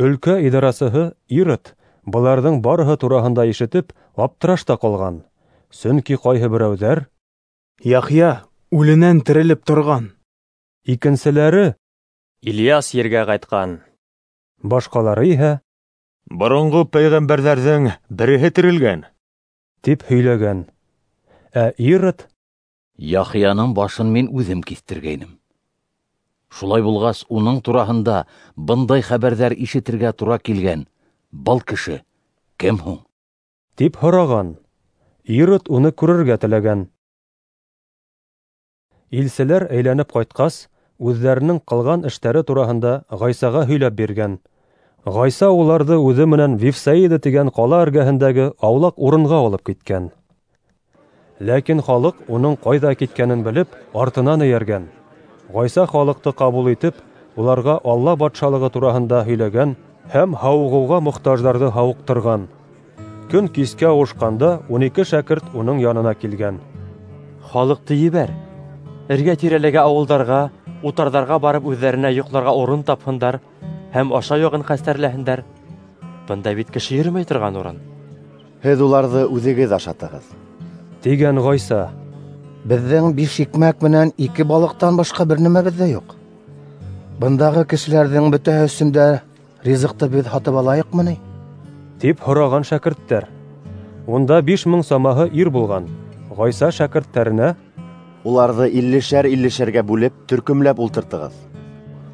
Өлкә идарасыһы Ирод быларҙың барыһы тураһында ишетеп, аптырашта ҡалған. Сөнки ҡайһы берәүҙәр: Яхъя үленән терелеп торған. Икенселәре: Ильяс ергә ҡайтҡан. Башҡалары иһә: Боронғо пәйғәмбәрҙәрҙең береһе терелгән, тип һөйләгән. Ә Ирод: Яхъяның башын мин үҙем киҫтергәйнем. Шулай булғас, уның тураһында бындай хәбәрҙәр ишетергә тура килгән был кеше кем һуң? Тип һораған. Ирод уны күрергә теләгән. Илселәр әйләнеп ҡайтҡас, үҙҙәренең ҡылған эштәре тураһында Ғайсаға һөйләп биргән. Ғайса уларҙы үҙе менән Вифсаида тигән ҡала эргәһендәге аулаҡ урынға алып киткән. Ләкин халыҡ уның ҡайҙа киткәнен белеп, артынан эйәргән. Ғайса халыҡты ҡабул итеп, уларға Алла батшалығы тураһында һөйләгән һәм һауығыуға мохтаждарҙы һауыҡтырған. Көн кискә ауышҡанда ун ике шәкерт уның янына килгән. Халыҡты ебәр, эргә тирәләге ауылдарға, утарҙарға барып үҙҙәренә йоҡларға урын тапһындар һәм ашау яғын хәстәрләһендәр. Бында бит кеше йөрөмәй торған урын. Һеҙ уларҙы үҙегеҙ ашатығыҙ, тигән Ғайса. Беҙҙең биш икмәк менән ике балыҡтан башҡа бер нәмәбеҙ ҙә юҡ. Бындағы кешеләрҙең бөтәһе өсөн дә ризыҡты беҙ һатып алайыҡмы ни? Тип һораған шәкерттәр. Унда биш мең самаһы ир булған. Ғайса шәкерттәренә: Уларҙы иллешәр-иллешәргә бүлеп, төркөмләп ултыртығыҙ,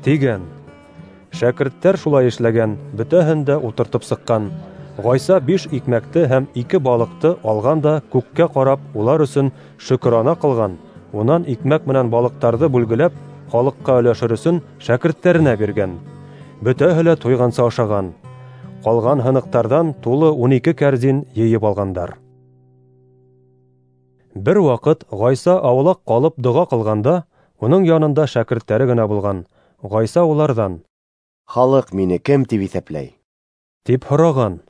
тигән. Шәкерттәр шулай эшләгән, бөтәһен дә ултыртып сыҡҡан. Ғайса биш икмәкте һәм ике балыҡты алған да күккә ҡарап, улар өсөн шөкөрана ҡылған. Унан икмәк менән балыҡтарҙы бүлгеләп, халыҡҡа өләшер өсөн шәкерттәренә биргән. Бөтәһе лә туйғанса ашаған. Ҡалған һыныҡтарҙан тулы ун ике кәрзин йыйып алғандар. Бер ваҡыт Ғайса аулаҡ ҡалып доға ҡылғанда, уның янында шәкерттәре генә булған. Ғайса уларҙан: Халыҡ мине кем тип иҫәпләй? Тип һораған.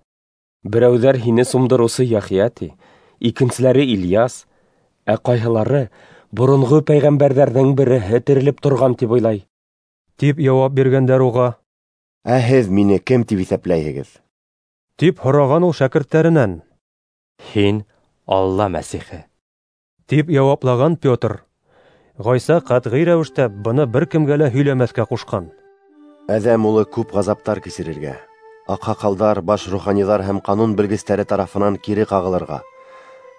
Берәүҙәр һине сумдырыусы Яхъя ти, икенселәре Ильяс, ә ҡайһылары боронғо пәйғәмбәрҙәрҙең береһе терелеп торған тип уйлай, тип яуап биргәндәр уға. Ә һеҙ мине кем тип иҫәпләйһегеҙ? Тип һораған ул шәкерттәренән. Һин Алла Мәсихе, тип яуаплаған Петр. Ғайса ҡәтғи рәүештә быны бер кемгә лә һөйләмәҫкә ҡушҡан. Әҙәм улы күп ғазаптар кисерергә, аҡһаҡалдар, баш руханиҙар һәм ҡанун белгестәре тарафынан кире ҡағылырға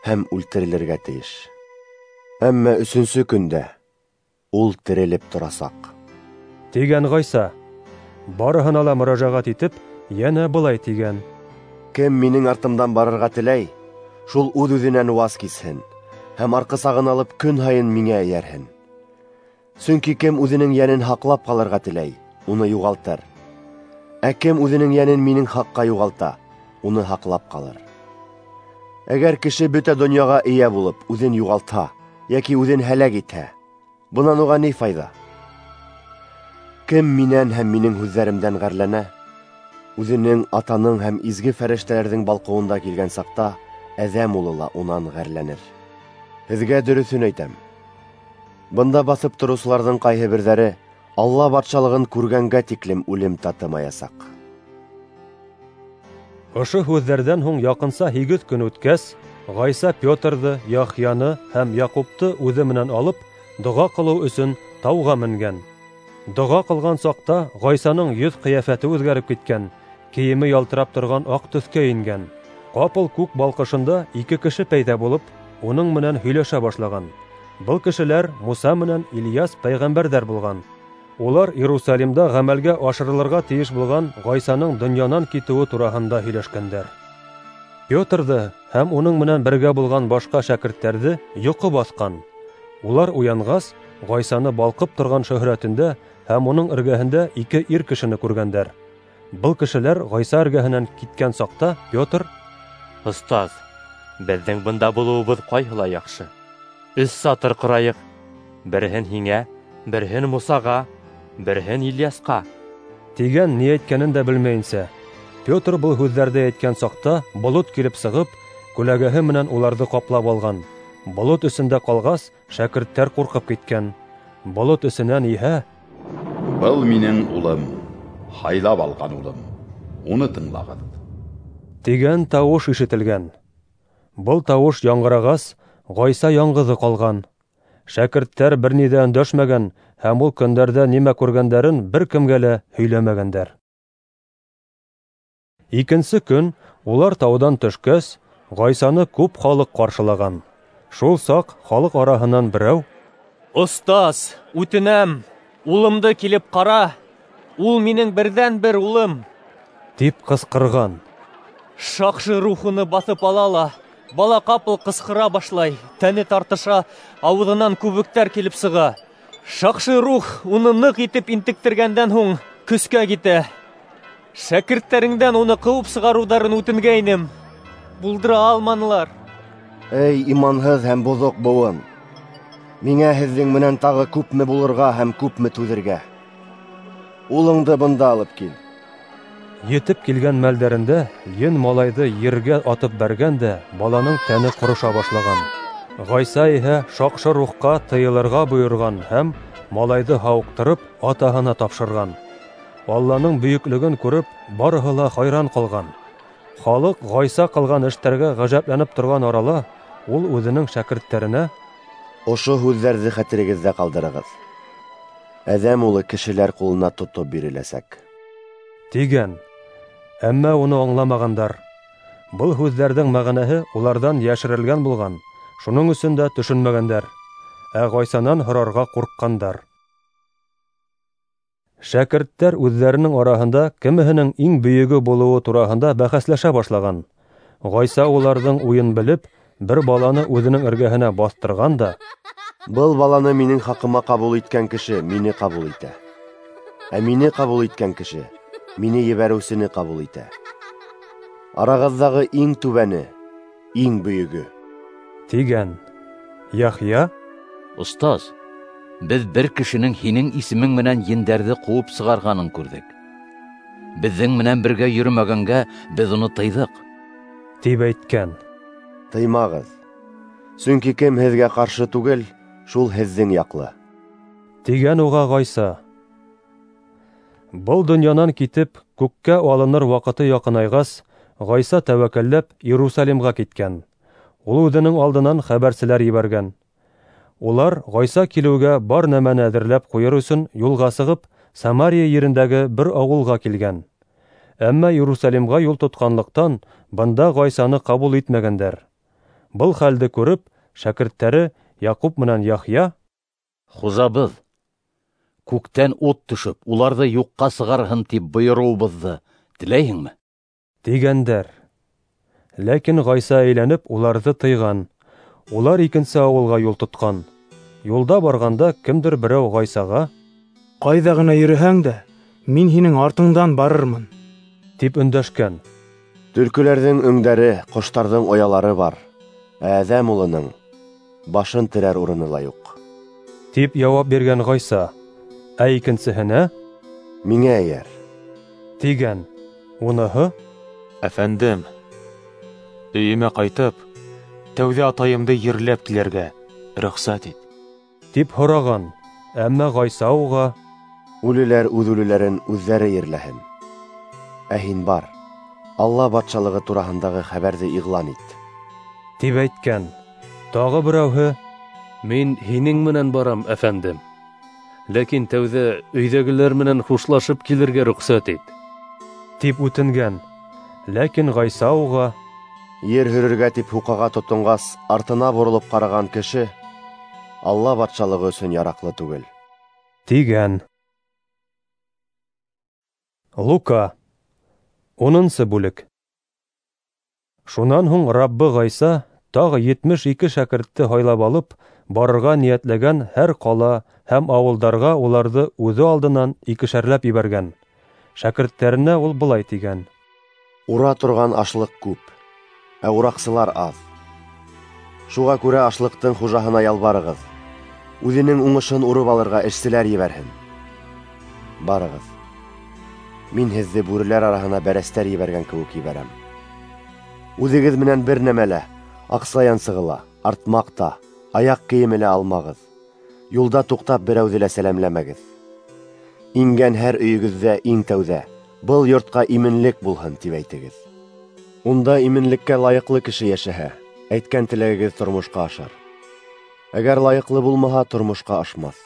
һәм үлтерелергә тейеш. Әммә өсөнсө көндә ул терелеп торасаҡ, тигән Ғайса. Барыһына ла мөрәжәғәт итеп, йәнә былай тигән: Кем минең артымдан барырға теләй, шул үҙ-үҙенән ваз кисһен һәм арҡысағын алып көн һайын миңә эйәрһен. Сөнки кем үҙенең йәнен һаҡлап ҡалырға теләй, уны юғалтыр. Ә кем үҙенең йәнен минең хаҡҡа юғалта, уны һаҡлап ҡалыр. Әгәр кеше бөтә донъяға эйә булып, үҙен юғалтһа, йәки үҙен һәләк итһә, бынан уға ни файҙа? Кем минән һәм минең һүҙҙәремдән ғәрләнә, үҙенең атаның һәм изге фәрештәләрҙең балҡыуында килгән саҡта Әҙәм улы ла унан ғәрләнер. Һеҙгә дөрөҫөн әйтәм: бында баҫып тороусыларҙың ҡайһы берҙәре Алла батшалығын күргәнгә тиклем үлем татымаясаҡ. Ошо һүҙҙәрҙән һуң яҡынса һигеҙ көн үткәс, Ғайса Петрҙы, Яхъяны һәм Яҡупты үҙе менән алып, доға ҡылыу өсөн тауға менгән. Доға ҡылған саҡта Ғайсаның йөҙ ҡиәфәте үҙгәреп киткән, кейеме ялтырап торған аҡ төҫкә ингән. Ҡапыл күк балҡышында ике кеше пәйҙә булып, уның менән һөйләшә башлаған. Был кешеләр Муса менән Ильяс пәйғәмбәрҙәр булған. Улар Иерусалимда ғәмәлгә ашырылырға тейеш булған Ғайсаның донъянан китеүе тураһында һөйләшкәндәр. Петрҙы һәм уның менән бергә булған башҡа шәкерттәрҙе йоҡо баҫҡан. Улар уянғас, Ғайсаны балҡып торған шөһрәтендә һәм уның эргәһендә ике ир кешене күргәндәр. Был кешеләр Ғайса эргәһенән киткән саҡта Петр: Остаз, беҙҙең бында булыуыбыҙ ҡайһылай яҡшы. Өс сатыр ҡорайыҡ, береһен һиңә, береһен Мусаға, береһен Ильясҡа. Тигән ни әйткәнен дә белмәйенсә. Петр был һүҙҙәрҙе әйткән саҡта болот килеп сығып, күләгәһе менән уларҙы ҡаплап алған. Болот эсендә ҡалғас, шәкерттәр ҡурҡып киткән. Болот эсенән иһә: Был минең улым, һайлап алған улым, уны тыңлағыҙ, тигән тауыш ишетелгән. Был тауыш яңғырағас, Ғайса яңғыҙы ҡалған. Шәкерттәр бер ни ҙә өндәшмәгән һәм ул көндәрҙә нимә күргәндәрен бер кемгә лә һөйләмәгәндәр. Икенсе көн улар тауҙан төшкәс, Ғайсаны күп халыҡ ҡаршылаған. Шул саҡ халыҡ араһынан берәү: Остаз, үтенәм, улымды килеп ҡара, ул минең берҙән-бер улым, тип ҡысҡырған. Шаҡшы рух уны баҫып ала ла, бала ҡапыл ҡысҡыра башлай, тәне тартыша, ауыҙынан күбектәр килеп сыға. Шаҡшы рух уны ныҡ итеп интектергәндән һуң көскә китә. Шәкерттәреңдән уны ҡыуып сығарыуҙарын үтенгәйнем, булдыра алманылар. Эй, иманһыҙ һәм боҙоҡ быуын! Миңә һеҙҙең менән тағы күпме булырға һәм күпме түҙергә? Улыңды бында алып кил. Етеп килгән мәлдәрендә ен малайҙы ергә атып бәргән дә, баланың тәне ҡороша башлаған. Ғайса иһә шаҡшы рухҡа тыйылырға бойорған һәм малайҙы һауыҡтырып атаһына тапшырған. Алланың бөйөклөгөн күреп, барыһы ла хайран ҡалған. Халыҡ Ғайса ҡылған эштәргә ғәжәпләнеп торған арала, ул үҙенең шәкерттәренә: Ошо һүҙҙәрҙе хәтерегеҙҙә ҡалдырығыҙ. Әҙәм улы кешеләр ҡулына тотоп биреләсәк, тигән. Әммә уны аңламағандар. Был һүҙҙәрҙең мәғәнәһе уларҙан йәшерелгән булған, шуның өсөн дә төшөнмәгәндәр. Ә Ғайсанан һорарға ҡурҡҡандар. Шәкерттәр үҙҙәренең араһында кемеһенең иң бөйөгө булыуы тураһында бәхәсләшә башлаған. Ғайса уларҙың уйын белеп, бер баланы үҙенең эргәһенә баҫтырған да: Был баланы минең хаҡыма ҡабул иткән кеше мине ҡабул итә. Ә мине ҡабул иткән кеше мине ебәреүсене ҡабул итә. Арағыҙҙағы иң түбәне, иң бөйөгө, тигән. Яхъя: Остаз, беҙ бер кешенең һинең исемең менән ендәрҙе ҡыуып сығарғанын күрҙек. Беҙҙең менән бергә йөрөмәгәнгә беҙ уны тыйҙыҡ, тип әйткән. Тыймағыҙ, сөнки кем һеҙгә ҡаршы түгел, шул һеҙҙең яҡлы, тигән уға Ғайса. Был донъянан китеп, күккә алыныр ваҡыты яҡынайғас, Ғайса тәүәккәлләп Иерусалимға киткән. Ул үҙенең алдынан хәбәрселәр ебәргән. Улар Ғайса килеүгә бар нәмәне әҙерләп ҡуйыр өсөн юлға сығып, Самария ерендәге бер ауылға килгән. Әммә Иерусалимға юл тотҡанлыҡтан бында Ғайсаны ҡабул итмәгәндәр. Был хәлде күреп, шәкерттәре Яҡуп менән Яхъя: Хужабыҙ, күктән ут төшөп, уларҙы юҡҡа сығарһын тип бойороуыбыҙҙы теләйһеңме? Тигәндәр. Ләкин Ғайса әйләнеп уларҙы тыйған. Улар икенсе ауылға юл тотҡан. Юлда барғанда кемдер берәү Ғайсаға: Ҡайҙа ғына йөрөһәң дә, мин һинең артыңдан барырмын, тип өндәшкән. Төлкөләрҙең өңдәре, ҡоштарҙың оялары бар, ә Әҙәм улының башын терәр урыны ла юҡ, тип яуап биргән Ғайса. Ә икенсеһенә: Миңә эйәр, тигән. Уныһы: Әфәндем, өйөмә ҡайтып, тәүҙә атайымды ерләп килергә рөхсәт ит, тип һораған. Әммә Ғайса уға: Үлеләр үҙ үлеләрен үҙҙәре ерләһен, ә һин бар, Алла батшалығы тураһындағы хәбәрҙе иғлан ит, тип әйткән. Тағы берәүһе: Мин һинең менән барам, әфәндем, ләкин тәүҙә өйҙәгеләр менән хушлашып килергә рөхсәт ит, тип үтенгән. Ләкин Ғайса уға: Ер һөрөргә тип һуҡаға тотонғас, артына боролоп ҡараған кеше Алла батшалығы өсөн яраҡлы түгел, тигән. Лука, унынсы бүлек. Шунан һуң Раббы Ғайса тағы етмеш ике шәкертте һайлап алып, барырға ниәтләгән һәр ҡала һәм ауылдарға уларҙы үҙе алдынан икешәрләп ебәргән. Шәкерттәренә ул былай тигән: Ура торған ашлыҡ күп, ә ураҡсылар аҙ. Шуға күрә ашлыҡтың хужаһына ялбарығыҙ, үҙенең уңышын урып алырға эшселәр ебәрһен. Барығыҙ. Мин һеҙҙе бүреләр араһына бәрәстәр ебәргән кеүек ебәрәм. Үҙегеҙ менән бер нәмә лә, аҡса янсығы ла, артмаҡ та, аяҡ кейеме лә алмағыҙ. Юлда туҡтап берәүҙе лә сәләмләмәгеҙ. Ингән һәр өйөгөҙҙә иң тәүҙә был йортҡа именлек булһын тип әйтегеҙ. Унда именлеккә лайыҡлы кеше йәшәһә, әйткән теләгегеҙ тормошҡа ашар. Әгәр лайыҡлы булмаһа, тормошҡа ашмаҫ.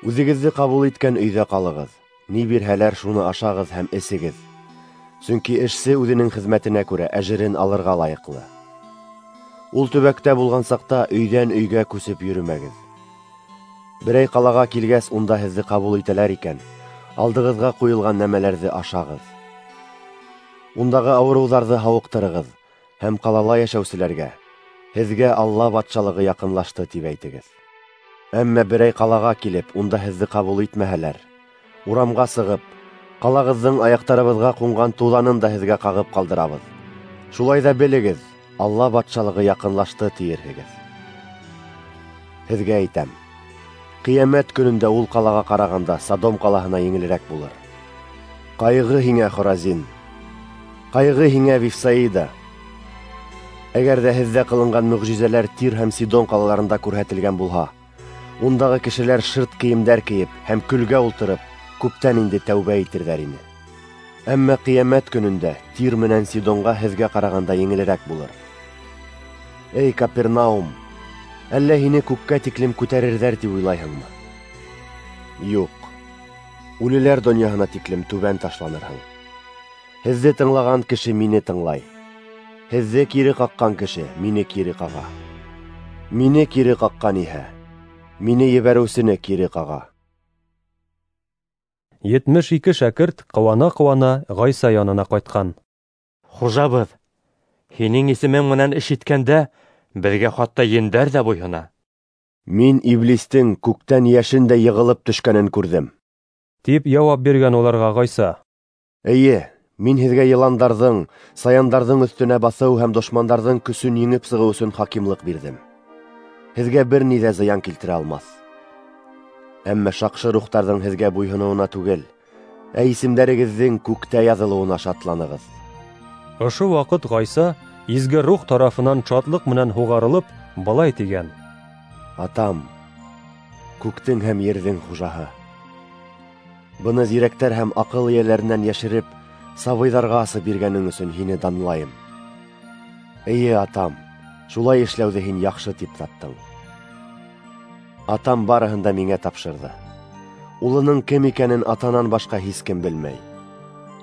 Үҙегеҙҙе ҡабул иткән өйҙә ҡалығыҙ. Ни бирһәләр, шуны ашағыҙ һәм эсегеҙ. Сөнки эшсе үҙенең хеҙмәтенә күрә әжерен алырға лайыҡлы. Ул төбәктә булған саҡта өйҙән өйгә күсеп йөрөмәгеҙ. Берәй ҡалаға килгәс, унда һеҙҙе ҡабул итәләр икән, алдығыҙға ҡуйылған нәмәләрҙе ашағыҙ. Ундағы ауырыуҙарҙы һауыҡтырығыҙ һәм ҡалала йәшәүселәргә: «Һеҙгә Алла батшалығы яҡынлашты», тип әйтегеҙ. Әммә берәй ҡалаға килеп, унда һеҙҙе ҡабул итмәһәләр, урамға сығып, ҡалағыҙҙың аяҡтарыбыҙға ҡунған туҙанын да һеҙгә ҡағып ҡалдырабыҙ. Шулай ҙа белегеҙ, Алла батшалығы яҡынлашты, тиерһегеҙ. Һеҙгә әйтәм, ҡиәмәт көнөндә ул ҡалаға ҡарағанда Содом ҡалаһына еңелерәк булыр. Ҡайғы һиңә, Хоразин! Ҡайғы һиңә, Вифсаида! Әгәр ҙә һеҙҙә ҡылынған мөғжизәләр Тир һәм Сидон ҡалаларында күрһәтелгән булһа, ундағы кешеләр шырт кейемдәр кейеп һәм көлгә ултырып, күптән инде тәүбә итерҙәр ине. Әммә ҡиәмәт көнөндә Тир менән Сидонға һеҙгә ҡарағанда еңелерәк булыр. Эй, Капернаум, әллә һине күккә тиклем күтәрерҙәр тип уйлайһыңмы? Юҡ, үлеләр донъяһына тиклем түбән ташланырһың. Һеҙҙе тыңлаған кеше мине тыңлай. Һеҙҙе кире ҡаҡҡан кеше мине кире ҡаға. Мине кире ҡаҡҡан иһә, мине ебәреүсене кире ҡаға. Етмеш ике шәкерт ҡыуана-ҡыуана Ғайса янына ҡайтҡан. Хужабыҙ, һинең исемең менән эш иткәндә, беҙгә хатта ендәр ҙә буйһона. Мин иблистең күктән йәшендәй йығылып төшкәнен күрҙем, тип яуап биргән уларға Ғайса. Эйе, мин һеҙгә йыландарҙың, саяндарҙың өҫтөнә баҫыу һәм дошмандарҙың көсөн еңеп сығыу өсөн хакимлыҡ бирҙем. Һеҙгә бер ни ҙә зыян килтерә алмаҫ. Әммә шаҡшы рухтарҙың һеҙгә буйһоноуына түгел, ә исемдәрегеҙҙең күктә яҙылыуына шатланығыҙ. Ошо ваҡыт Ғайса изге рух тарафынан шатлыҡ менән һуғарылып, былай тигән: Атам, күктең һәм ерҙең хужаһы, быны зирәктәр һәм аҡыл эйәләренән йәшереп, сабыйҙарға асып биргәнең өсөн һине данлайым. Эйе, атам, шулай эшләүҙе һин яҡшы тип таптың. Атам барыһын да миңә тапшырҙы. Улының кем икәнен атанан башҡа һис кем белмәй.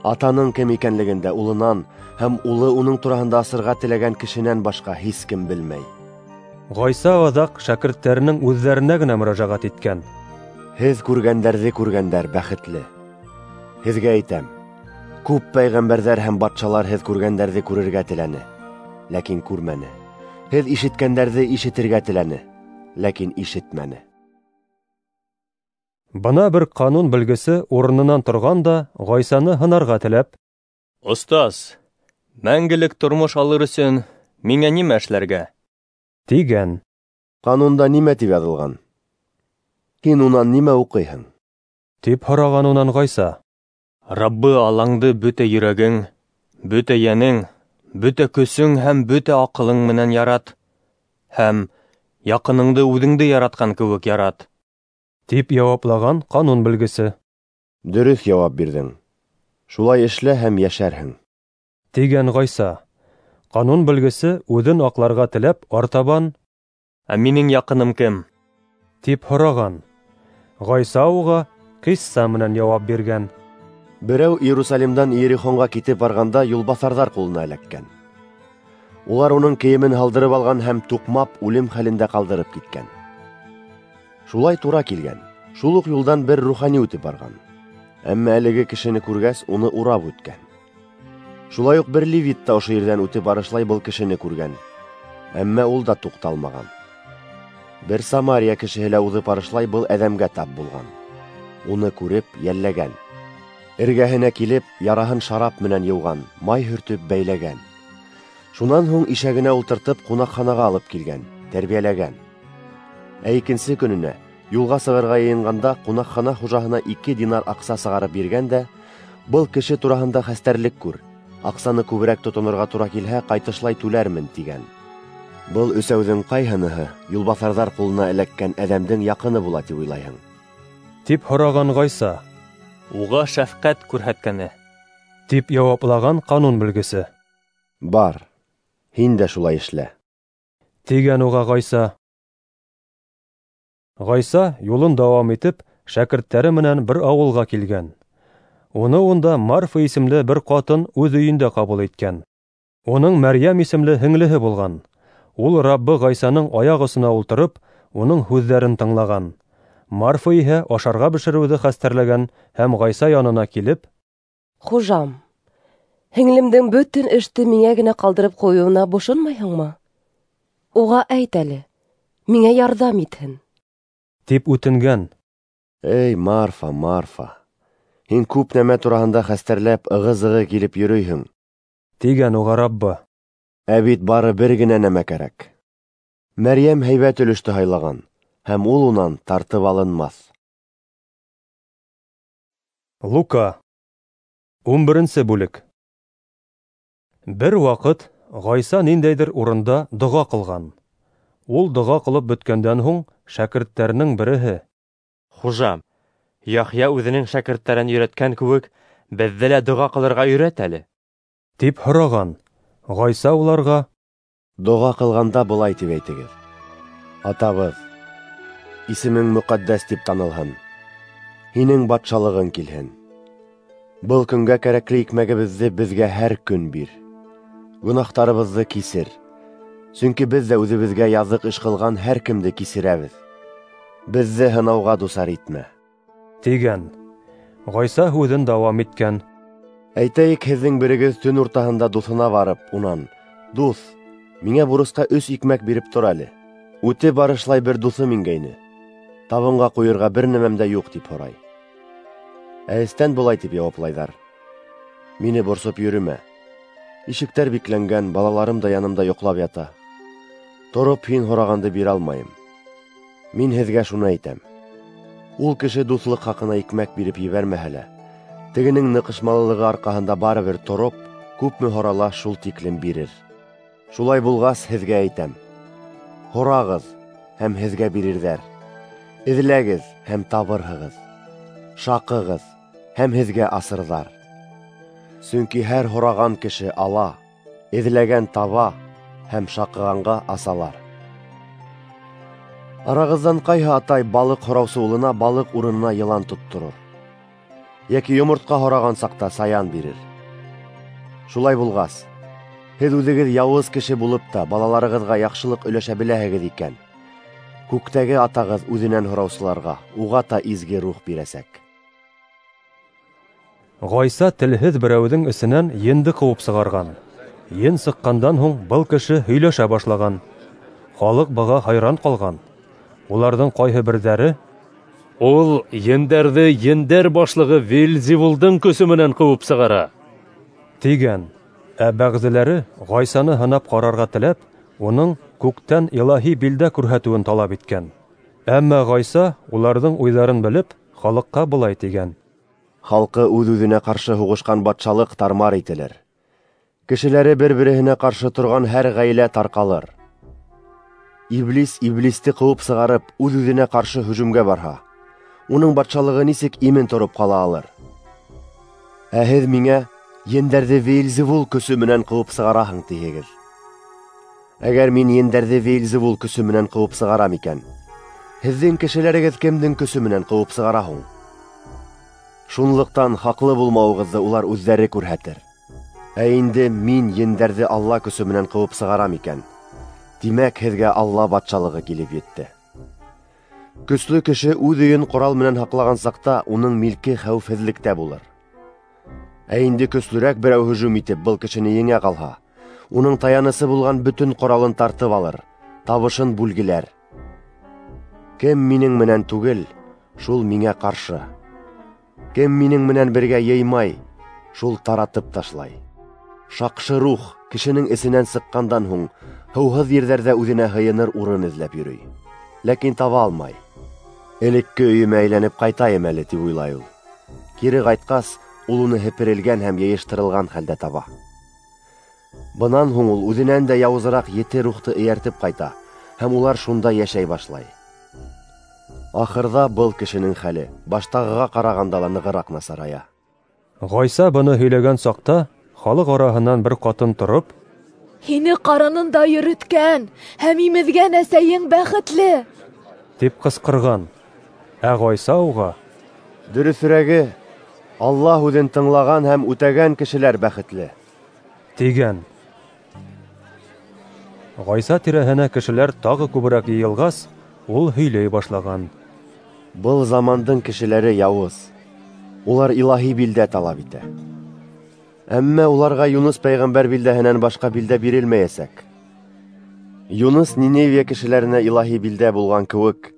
Атаның кем икәнлеген дә улынан һәм улы уның тураһында асырға теләгән кешенән башҡа һис кем белмәй. Ғайса аҙаҡ шәкерттәренең үҙҙәренә генә мөрәжәғәт иткән. Һеҙ күргәндәрҙе күргәндәр бәхетле. Һеҙгә әйтәм, күп пәйғәмбәрҙәр һәм батшалар һеҙ күргәндәрҙе күрергә теләне, ләкин күрмәне. Һеҙ ишеткәндәрҙе ишетергә теләне, ләкин ишетмәне. Бына бер ҡанун белгесе урынынан торған да Ғайсаны һынарға теләп: Остаз, мәңгелек тормош алыр өсөн миңә нимә эшләргә? тигән. Ҡанунда нимә тип яҙылған? Һин унан нимә уҡыйһың? Тип һораған унан Ғайса. Раббы Аллаңды бөтә йөрәгең, бөтә йәнең, бөтә көсөң һәм бөтә аҡылың менән ярат, һәм яҡыныңды үҙеңде яратҡан кеүек ярат, тип яуаплаған ҡанун белгесе. Дөрөҫ яуап бирҙең. Шулай эшлә һәм йәшәрһең, тигән Ғайса. Ҡанун белгесе үҙен аҡларға теләп артабан: Ә минең яҡыным кем? Тип һораған. Ғайса уға ҡисса менән яуап биргән. Берәү Иерусалимдан Иерихонға китеп барғанда юлбаҫарҙар ҡулына эләккән. Улар уның кейемен һалдырып алған һәм туҡмап үлем хәлендә ҡалдырып киткән. Шулай тура килгән, шул уҡ юлдан бер рухани үтеп барған. Әммә әлеге кешене күргәс, уны урап үткән. Шулай уҡ бер левит та ошо ерҙән үтеп барышлай был кешене күргән. Әммә ул да туҡталмаған. Бер Самария кешеһе лә уҙып барышлай был әҙәмгә тап булған. Уны күреп, йәлләгән. Эргәһенә килеп, яраһын шарап менән йыуған, май һөртөп бәйләгән. Шунан һуң ишәгенә ултыртып ҡунаҡханаға алып килгән, тәрбиәләгән. Ә икенсе көнөнә юлға сығырға йыйынғанда ҡунаҡхана хужаһына ике динар аҡса сығарып биргән дә, был кеше тураһында хәстәрлек күр, аҡсаны күберәк тотонорға тура килһә, ҡайтышлай түләрмен, тигән. Был өсәүҙең ҡайһыныһы юлбаҫарҙар ҡулына эләккән әҙәмдең яҡыны була тип уйлайһың? Тип һораған Ғайса. Уға шәфҡәт күрһәткәне, тип яуаплаған ҡанун белгесе. Бар, һин дә шулай эшлә, тигән уға Ғайса. Ғайса юлын дауам итеп, шәкерттәре менән бер ауылға килгән. Уны унда Марфа исемле бер ҡатын үҙ өйөндә ҡабул иткән. Уның Мәрйәм исемле һеңлеһе булған. Ул Раббы Ғайсаның аяҡ осона ултырып, уның һүҙҙәрен тыңлаған. Марфа иһә ашарға бешереүҙе хәстәрләгән һәм Ғайса янына килеп: Хужам, һеңлемдең бөтөн эште миңә генә ҡалдырып ҡуйыуына бошонмайһыңмы? Уға әйт әле, миңә ярҙам итһен, тип үтенгән. Эй, Марфа, Марфа, һин күп нәмә тураһында хәстәрләп ығы-зығы килеп йөрөйһөң, тигән уға Раббы. Ә бит бары бер генә нәмә кәрәк. Мәрйәм һәйбәт өлөштө һайлаған, һәм ул унан тартып алынмаҫ. Лука, ун беренсе бүлек. Бер ваҡыт Ғайса ниндәйҙер урында доға ҡылған. Ул доға ҡылып бөткәндән һуң шәкерттәренең береһе: Хужам, Яхъя үҙенең шәкерттәрен өйрәткән кеүек, беҙҙе лә доға ҡылырға өйрәт әле, тип һораған. Ғайса уларға: Доға ҡылғанда былай тип әйтегеҙ: Атабыҙ, исемең мөҡәддәс тип танылһын, һинең батшалығың килһен. Был көнгә кәрәкле икмәгебеҙҙе беҙгә һәр көн бир. Гөнаһтарыбыҙҙы кисер, сөнки беҙ ҙә үҙебеҙгә яҙыҡ эш ҡылған һәр кемде кисерәбеҙ. Беҙҙе һынауға дусар итмә, тигән. Ғайса һүҙен дауам иткән: Әйтәйек, һеҙҙең берегеҙ төн уртаһында дуҫына барып, унан: Дуҫ, миңә бурысҡа өс икмәк биреп тор әле. Үте барышлай бер дуҫым ингәйне. Табынға ҡуйырға бер нәмәм дә юҡ, тип һорай. Ә эстән былай тип яуаплайҙар: Мине борсоп йөрөмә. Ишектәр бикләнгән, балаларым да янымда йоҡлап ята. Тороп һин һорағанды бирә алмайым. Мин һеҙгә шуны әйтәм: ул кеше дуҫлыҡ хаҡына икмәк биреп ебәрмәһә лә, тегенең ныҡышмалылығы арҡаһында барыбер тороп, күпме һорала шул тиклем бирер. Шулай булғас, һеҙгә әйтәм: һорағыҙ, һәм һеҙгә бирерҙәр. Эҙләгеҙ, һәм табырһығыҙ. Шаҡығыҙ, һәм һеҙгә асырҙар. Сөнки һәр һораған кеше ала, эҙләгән таба, һәм шаҡығанға асалар. Арағыҙҙан ҡайһы атай балыҡ һораусы улына балыҡ урынына йылан тотторор, йәки йомортҡа һораған саҡта саян бирер? Шулай булғас, һеҙ үҙегеҙ яуыз кеше булып та балаларығыҙға яҡшылыҡ өләшә беләһегеҙ икән, күктәге атағыҙ үҙенән һораусыларға уға та изге рух бирәсәк. Ғайса телһеҙ берәүҙең эсенән енде ҡыуып сығарған. Ен сыҡҡандан һуң был кеше һөйләшә башлаған. Халыҡ быға хайран ҡалған. Уларҙың ҡайһы берҙәре: Ул ендәрҙе ендәр башлығы Вельзевулдың көсө менән ҡыуып сығара, тигән. Ә бәғзеләре Ғайсаны һынап ҡарарға теләп, уның күктән илаһи билдә күрһәтеүен талап иткән. Әммә Ғайса уларҙың уйҙарын белеп, халыҡҡа былай тигән: Халҡы үҙ-үҙенә ҡаршы һуғышҡан батшалыҡ тармар ителер. Кешеләре бер-береһенә ҡаршы торған һәр ғаилә тарҡалыр. Иблис иблисте ҡыуып сығарып, үҙ-үҙенә ҡаршы һөжүмгә барһа, уның батшалығы нисек имен тороп ҡала алыр? Ә һеҙ миңә ендәрҙе Веельзевул көсө менән ҡыуып сығараһың, тиһегеҙ. Әгәр мин ендәрҙе Веельзевул көсө менән ҡыуып сығарам икән, һеҙҙең кешеләрегеҙ кемдең көсө менән ҡыуып сығара һуң? Шунлыҡтан хаҡлы булмауығыҙҙы улар үҙҙәре күрһәтер. Ә инде мин ендәрҙе Алла көсө менән ҡыуып сығарам икән, тимәк, һеҙгә Алла батшалығы килеп етте. Көслө кеше үҙ өйөн ҡорал менән һаҡлаған саҡта уның милке хәүефһеҙлектә булыр. Ә инде көслөрәк берәү һөжүм итеп был кешене еңә ҡалһа, уның таянысы булған бөтөн ҡоралын тартып алыр, табышын бүлгеләр. Кем минең менән түгел, шул миңә ҡаршы. Кем минең менән бергә йыймай, шул таратып ташлай. Шаҡшы рух Кешенең эсенән сыҡҡандан һуң һыуһыҙ ерҙәрҙә үҙенә һыйыныр урын эҙләп йөрөй, ләкин таба алмай. Элекке өйөмә әйләнеп ҡайтайым әле, тип уйлай ул. Кире ҡайтҡас, ул уны һеперелгән һәм йыйыштырылған хәлдә таба. Бынан һуң ул үҙенән дә яуызыраҡ ете рухты эйәртеп ҡайта, һәм улар шунда йәшәй башлай. Ахырҙа был кешенең хәле баштағыға ҡарағанда ла нығыраҡ насарая. Ғайса быны һөйләгән саҡта халыҡ араһынан бер ҡатын тороп: "Һине ҡарынында йөрөткән һәм имеҙгән әсәйең бәхетле!" тип ҡысҡырған. Ә Ғайса уға: "Дөрөҫөрәге, Алла һүҙен тыңлаған һәм үтәгән кешеләр бәхетле!" тигән. Ғайса тирәһенә кешеләр тағы күберәк йыйылғас, ул һөйләй башлаған. Был замандың кешеләре яуыз. Улар илаһи билдә талап итә. Әммә уларға Юныс пәйғәмбәр билдәһенән башҡа билдә бирелмәйәсәк. Юныс Ниневия кешеләренә илаһи билдә булған кеүек,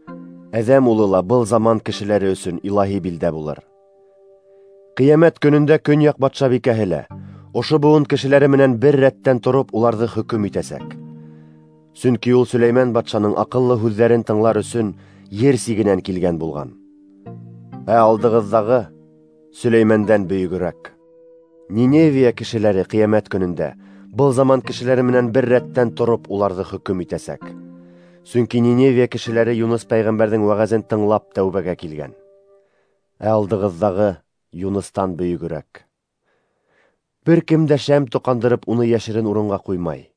Әҙәм улы ла был заман кешеләре өсөн илаһи билдә булыр. Ҡиәмәт көнөндә көньяҡ батшабикәһе лә ошо быуын кешеләре менән бер рәттән тороп уларҙы хөкөм итәсәк. Сөнки ул Сөләймән батшаның аҡыллы һүҙҙәрен тыңлар өсөн ер сигенән килгән булған. Ә алдығыҙҙағы Сөләймәндән бөйөгөрәк. Ниневия кешеләре ҡиәмәт көнөндә был заман кешеләре менән бер рәттән тороп уларҙы хөкөм итәсәк. Сөнки Ниневия кешеләре Юныс пәйғәмбәрҙең вәғәзен тыңлап тәүбәгә килгән. Ә алдығыҙҙағы Юныстан бөйөгөрәк. Бер кем дә шәм тоҡандырып уны йәшерен урынға ҡуймай.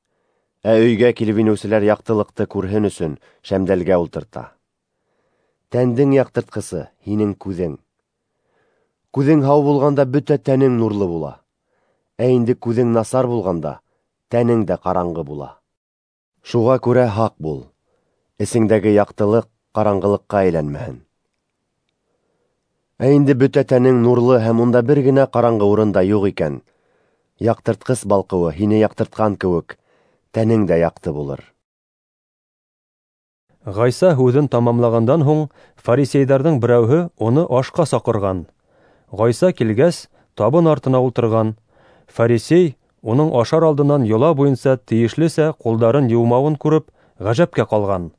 Ә өйгә килеп инеүселәр яҡтылыҡты күрһен өсөн шәмдәлгә ултырта. Тәндең яҡтыртҡысы һинең күҙең. Күҙең һау булғанда бөтә тәнең нурлы була. Ә инде күҙең насар булғанда тәнең дә ҡараңғы була. Шуға күрә һаҡ бул. Эсеңдәге яҡтылыҡ ҡараңғылыҡҡа әйләнмәһен. Ә инде бөтә тәнең нурлы һәм унда бер генә ҡараңғы урын да юҡ икән, яҡтыртҡыс балҡыуы һине яҡтыртҡан кеүек, тәнең дә яҡты булыр. Ғайса һүҙен тамамлағандан һуң фарисейҙарҙың берәүһе уны ашҡа саҡырған. Ғайса килгәс, табын артына ултырған. Фарисей уның ашар алдынан йола буйынса тейешлесә ҡулдарын йыумауын күреп, ғәжәпкә ҡалған.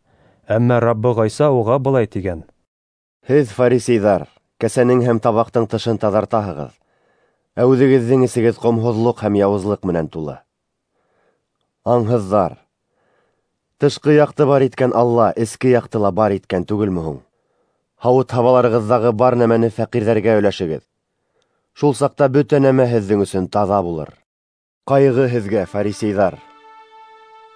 Әммә Раббы Ғайса уға былай тигән: "Һеҙ, фарисейҙар, кәсәнең һәм табаҡтың тышын таҙартаһығыҙ, ә үҙегеҙҙең эсегеҙ ҡомһоҙлоҡ һәм яуызлыҡ менән тулы. Аңһыҙҙар! Тышҡы яҡты бар иткән Алла эске яҡты ла бар иткән түгелме һуң? Һауыт-һабаларығыҙҙағы бар нәмәне фәҡирҙәргә өләшегеҙ. Шул саҡта бөтә нәмә һеҙҙең өсөн таҙа булыр. Ҡайғы һеҙгә, фарисейҙар!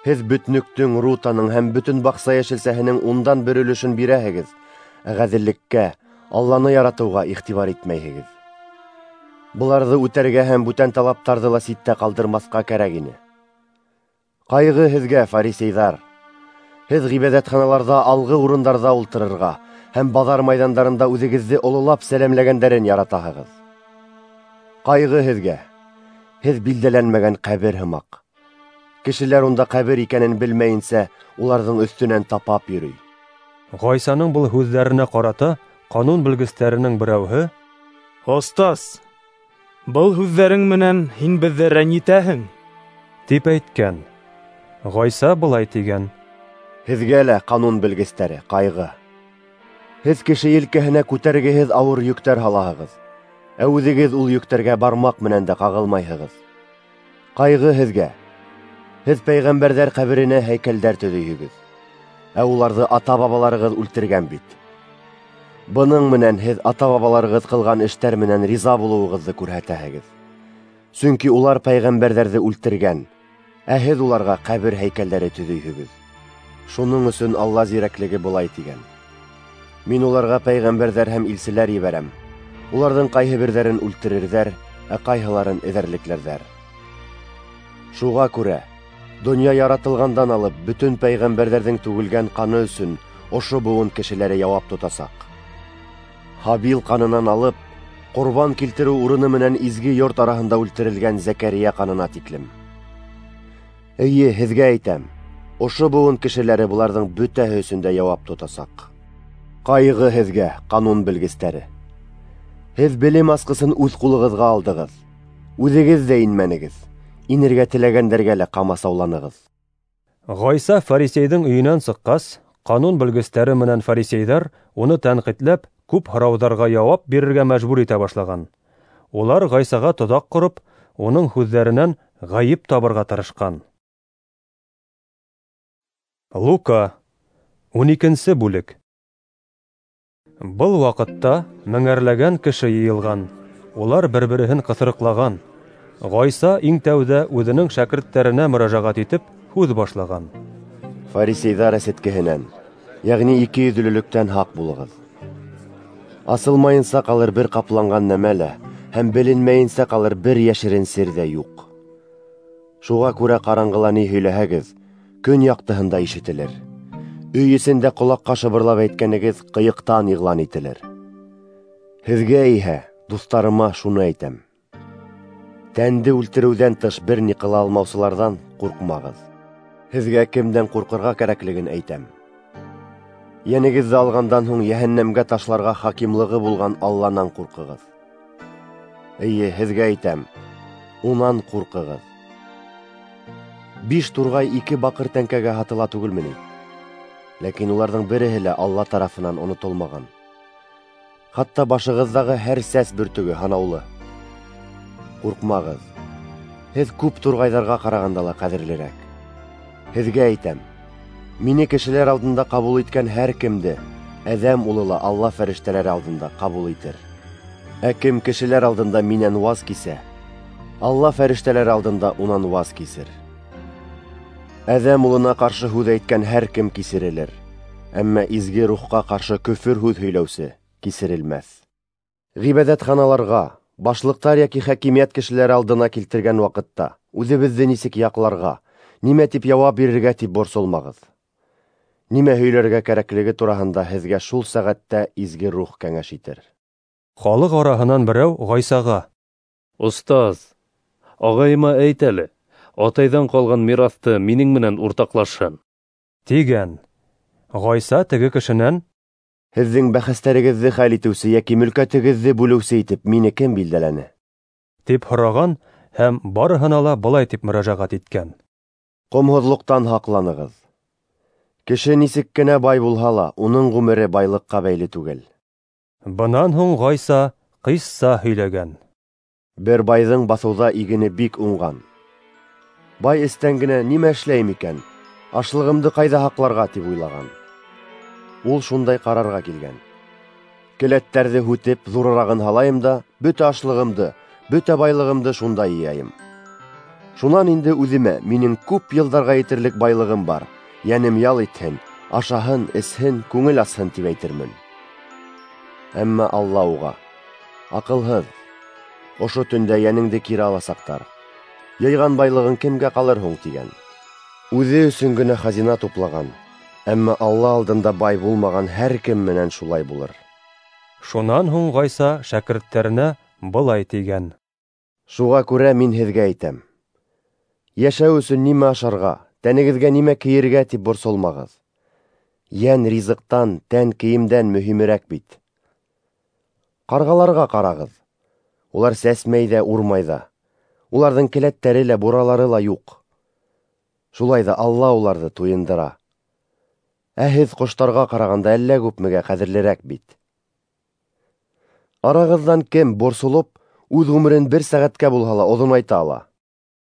Һеҙ бөтнөктөң, рутаның һәм бөтөн баҡса йәшелсәһенең ундан бер өлөшөн бирәһегеҙ, ә ғәҙеллеккә, Алланы яратыуға иғтибар итмәйһегеҙ. Быларҙы үтәргә һәм бүтән талаптарҙы ла ситтә ҡалдырмаҫҡа кәрәк ине. Ҡайғы һеҙгә, фарисейҙар! Һеҙ ғибәҙәтханаларҙа алғы урындарҙа ултырырға һәм баҙар майҙандарында үҙегеҙҙе ололап сәләмләгәндәрен яратаһығыҙ. Ҡайғы һеҙгә! Һеҙ билдәләнмәгән ҡәбер һымаҡ. Кешеләр унда ҡәбер икәнен белмәйенсә, уларҙың өҫтөнән тапап йөрөй." Ғайсаның был һүҙҙәренә ҡарата ҡанун белгестәренең берәүһе: "Остаз, был һүҙҙәрең менән һин беҙҙе рәнйетәһең", тип әйткән. Ғайса былай тигән: "Һеҙгә лә, ҡанун белгестәре, ҡайғы! Һеҙ кеше елкәһенә күтәргеһеҙ ауыр йөктәр һалаһығыҙ, ә үҙегеҙ ул йөктәргә бармаҡ менән дә ҡағылмайһығыҙ. Ҡайғы һеҙгә! Һеҙ пәйғәмбәрҙәр ҡәберенә һәйкәлдәр төҙөйһөгөҙ, ә уларҙы ата-бабаларығыҙ үлтергән бит. Бының менән һеҙ ата-бабаларығыҙ ҡылған эштәр менән риза булыуығыҙҙы күрһәтәһегеҙ. Сөнки улар пәйғәмбәрҙәрҙе үлтергән, ә һеҙ уларға ҡәбер һәйкәлдәре төҙөйһөгөҙ. Шуның өсөн Алла зирәклеге былай тигән: Мин уларға пәйғәмбәрҙәр һәм илселәр ебәрәм. Уларҙың ҡайһы берҙәрен үлтерерҙәр, ә ҡайһыларын эҙәрлекләрҙәр. Шуға күрә донъя яратылғандан алып бөтөн пәйғәмбәрҙәрҙең түгелгән ҡаны өсөн ошо быуын кешеләре яуап тотасаҡ. Һабил ҡанынан алып, ҡорбан килтереү урыны менән изге йорт араһында үлтерелгән Зәкәрийә ҡанына тиклем. Эйе, һеҙгә әйтәм, ошо быуын кешеләре быларҙың бөтәһе өсөн дә яуап тотасаҡ. Ҡайғы һеҙгә, ҡанун белгестәре! Һеҙ белем асҡысын үҙ ҡулығыҙға алдығыҙ, үҙегеҙ ҙә инмәнегеҙ, Инергә теләгәндәргә лә ҡамасауланығыҙ. Ғайса фарисейҙың өйөнән сыҡҡас, ҡанун белгестәре менән фарисейҙар уны тәнҡитләп, күп һорауҙарға яуап бирергә мәжбүр итә башлаған. Улар Ғайсаға тоҙаҡ ҡороп, уның һүҙҙәренән ғәйеп табырға тырышҡан. Лука, ун икенсе бүлек. Был ваҡытта меңәрләгән кеше йыйылған, улар бер-береһен ҡыҫырыҡлаған. Ғайса иң тәүҙә үҙенең шәкерттәренә мөрәжәғәт итеп һүҙ башлаған. Фарисейҙар әсеткеһенән, йәғни ике йөҙлөлөктән һаҡ булығыҙ. Асылмайынса ҡалыр бер ҡапланған нәмә лә, һәм беленмәйенсә ҡалыр бер йәшерен сер ҙә юҡ. Шуға күрә ҡараңғыла ни һөйләһәгеҙ, көн яҡтыһында ишетелер. Өй эсендә ҡолаҡҡа шыбырлап әйткәнегеҙ ҡыйыҡтан иғлан ителер. Һеҙгә иһә, дуҫтарыма, шуны әйтәм: тәнде үлтереүҙән тыш бер ни ҡыла алмаусыларҙан ҡурҡмағыҙ. Һеҙгә кемдән ҡурҡырға кәрәклеген әйтәм. Йәнегеҙҙе алғандан һуң йәһәннәмгә ташларға хакимлығы булған Алланан ҡурҡығыҙ. Эйе, һеҙгә әйтәм, унан ҡурҡығыҙ. Биш турғай ике баҡыр тәңкәгә һатыла түгелме ни? Ләкин уларҙың береһе лә Алла тарафынан онотолмаған. Хатта башығыҙҙағы һәр сәс бөртөгө һанаулы. Ҡурҡмағыҙ. Һеҙ күп турғайҙарға ҡарағанда ла ҡәҙерлерәк. Һеҙгә әйтәм, мине кешеләр алдында ҡабул иткән һәр кемде Әҙәм улы ла Алла фәрештәләре алдында ҡабул итер. Ә кем кешеләр алдында минән ваз кисә, Алла фәрештәләре алдында унан ваз кисер. Әҙәм улына ҡаршы һүҙ әйткән һәр кем кисерелер, әммә изге рухҡа ҡаршы көфөр һүҙ һөйләүсе кисерелмәҫ. Ғибәҙәтханаларға, башлыҡтар йәки хакимиәт кешеләре алдына килтергән ваҡытта үҙебеҙҙе нисек яҡларға, нимә тип яуап бирергә тип борсолмағыҙ. Нимә һөйләргә кәрәклеге тураһында һеҙгә шул сәғәттә изге рух кәңәш итер. Халыҡ араһынан берәү Ғайсаға: Остаз, ағайыма әйт әле, атайҙан ҡалған мираҫты минең менән уртаҡлашһын, тигән. Ғайса теге кешенән: Һеҙҙең бәхәстәрегеҙҙе хәл итеүсе йәки мөлкәтегеҙҙе бүлеүсе итеп мине кем билдәләне? Тип һораған һәм барыһына ла былай тип мөрәжәғәт иткән: Ҡомһоҙлоҡтан һаҡланығыҙ. Кеше нисек кенә бай булһа ла, уның ғүмере байлыҡҡа бәйле түгел. Бынан һуң Ғайса ҡисса һөйләгән. Бер байҙың баҫыуҙа игене бик уңған. Бай эстән генә нимә эшләйем икән, ашлығымды ҡайҙа һаҡларға тип уйлаған. Ул шундай ҡарарға килгән: Келәттәрҙе һүтеп, ҙурырағын һалайым да, бөтә ашлығымды, бөтә байлығымды шунда йыяйым. Шунан инде үҙемә минең күп йылдарға етерлек байлығым бар, йәнем ял итһен, ашаһын, эсһен, күңел асһын тип әйтермен. Әммә Алла уға: Аҡылһыҙ, ошо төндә йәнеңде кире аласаҡтар. Йыйған байлығың кемгә ҡалыр һуң, тигән. Үҙе өсөн генә хазина туплаған, әммә Алла алдында бай булмаған һәр кем менән шулай булыр. Шунан һуң Ғайса шәкерттәренә былай тигән: Шуға күрә мин һеҙгә әйтәм: йәшәү өсөн нимә ашарға, тәнегеҙгә нимә кейергә тип борсолмағыҙ. Йән ризыҡтан, тән кейемдән мөһимерәк бит. Ҡарғаларға ҡарағыҙ. Улар сәсмәй ҙә, урмай ҙа. Уларҙың келәттәре лә, буралары ла юҡ. Шулай ҙа Алла уларҙы туйындыра. Ә һеҙ ҡоштарға ҡарағанда әллә күпмегә ҡәҙерлерәк бит. Арағыҙҙан кем борсолоп, үҙ ғүмерен бер сәғәткә булһа ла оҙонайта ала?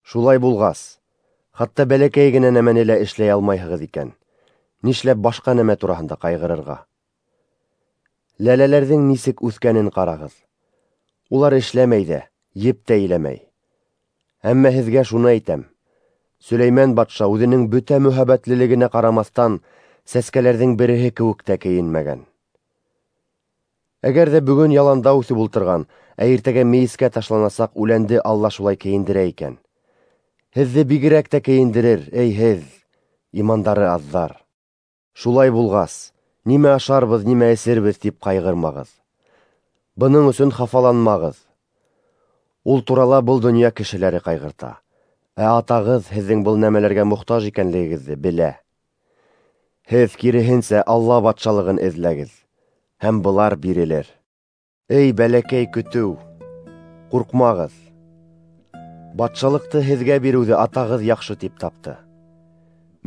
Шулай булғас, хатта бәләкәй генә нәмәне лә эшләй алмайһығыҙ икән, нишләп башҡа нәмә тураһында ҡайғырырға? Ләләләрҙең нисек үҫкәнен ҡарағыҙ. Улар эшләмәй ҙә, еп тә иләмәй. Әммә һеҙгә шуны әйтәм: Сөләймән батша үҙенең бөтә мөһабәтлелегенә ҡарамаҫтан сәскәләрҙең береһе кеүек тә кейенмәгән. Әгәр ҙә бөгөн яланда үҫеп ултырған, ә иртәгә мейескә ташланасаҡ үләнде Алла шулай кейендерә икән, һеҙҙе бигерәк тә кейендерер, эй һеҙ, имандары аҙҙар. Шулай булғас, нимә ашарбыҙ, нимә эсербеҙ тип ҡайғырмағыҙ. Бының өсөн хафаланмағыҙ. Ул турала был донъя кешеләре ҡайғырта, ә атағыҙ һеҙҙең был нәмәләргә мохтаж икәнлегегеҙҙе белә. Һеҙ киреһенсә Алла батшалығын эҙләгеҙ, һәм былар бирелер. Эй бәләкәй көтөү, ҡурҡмағыҙ. Батшалыҡты һеҙгә биреүҙе атағыҙ яҡшы тип тапты.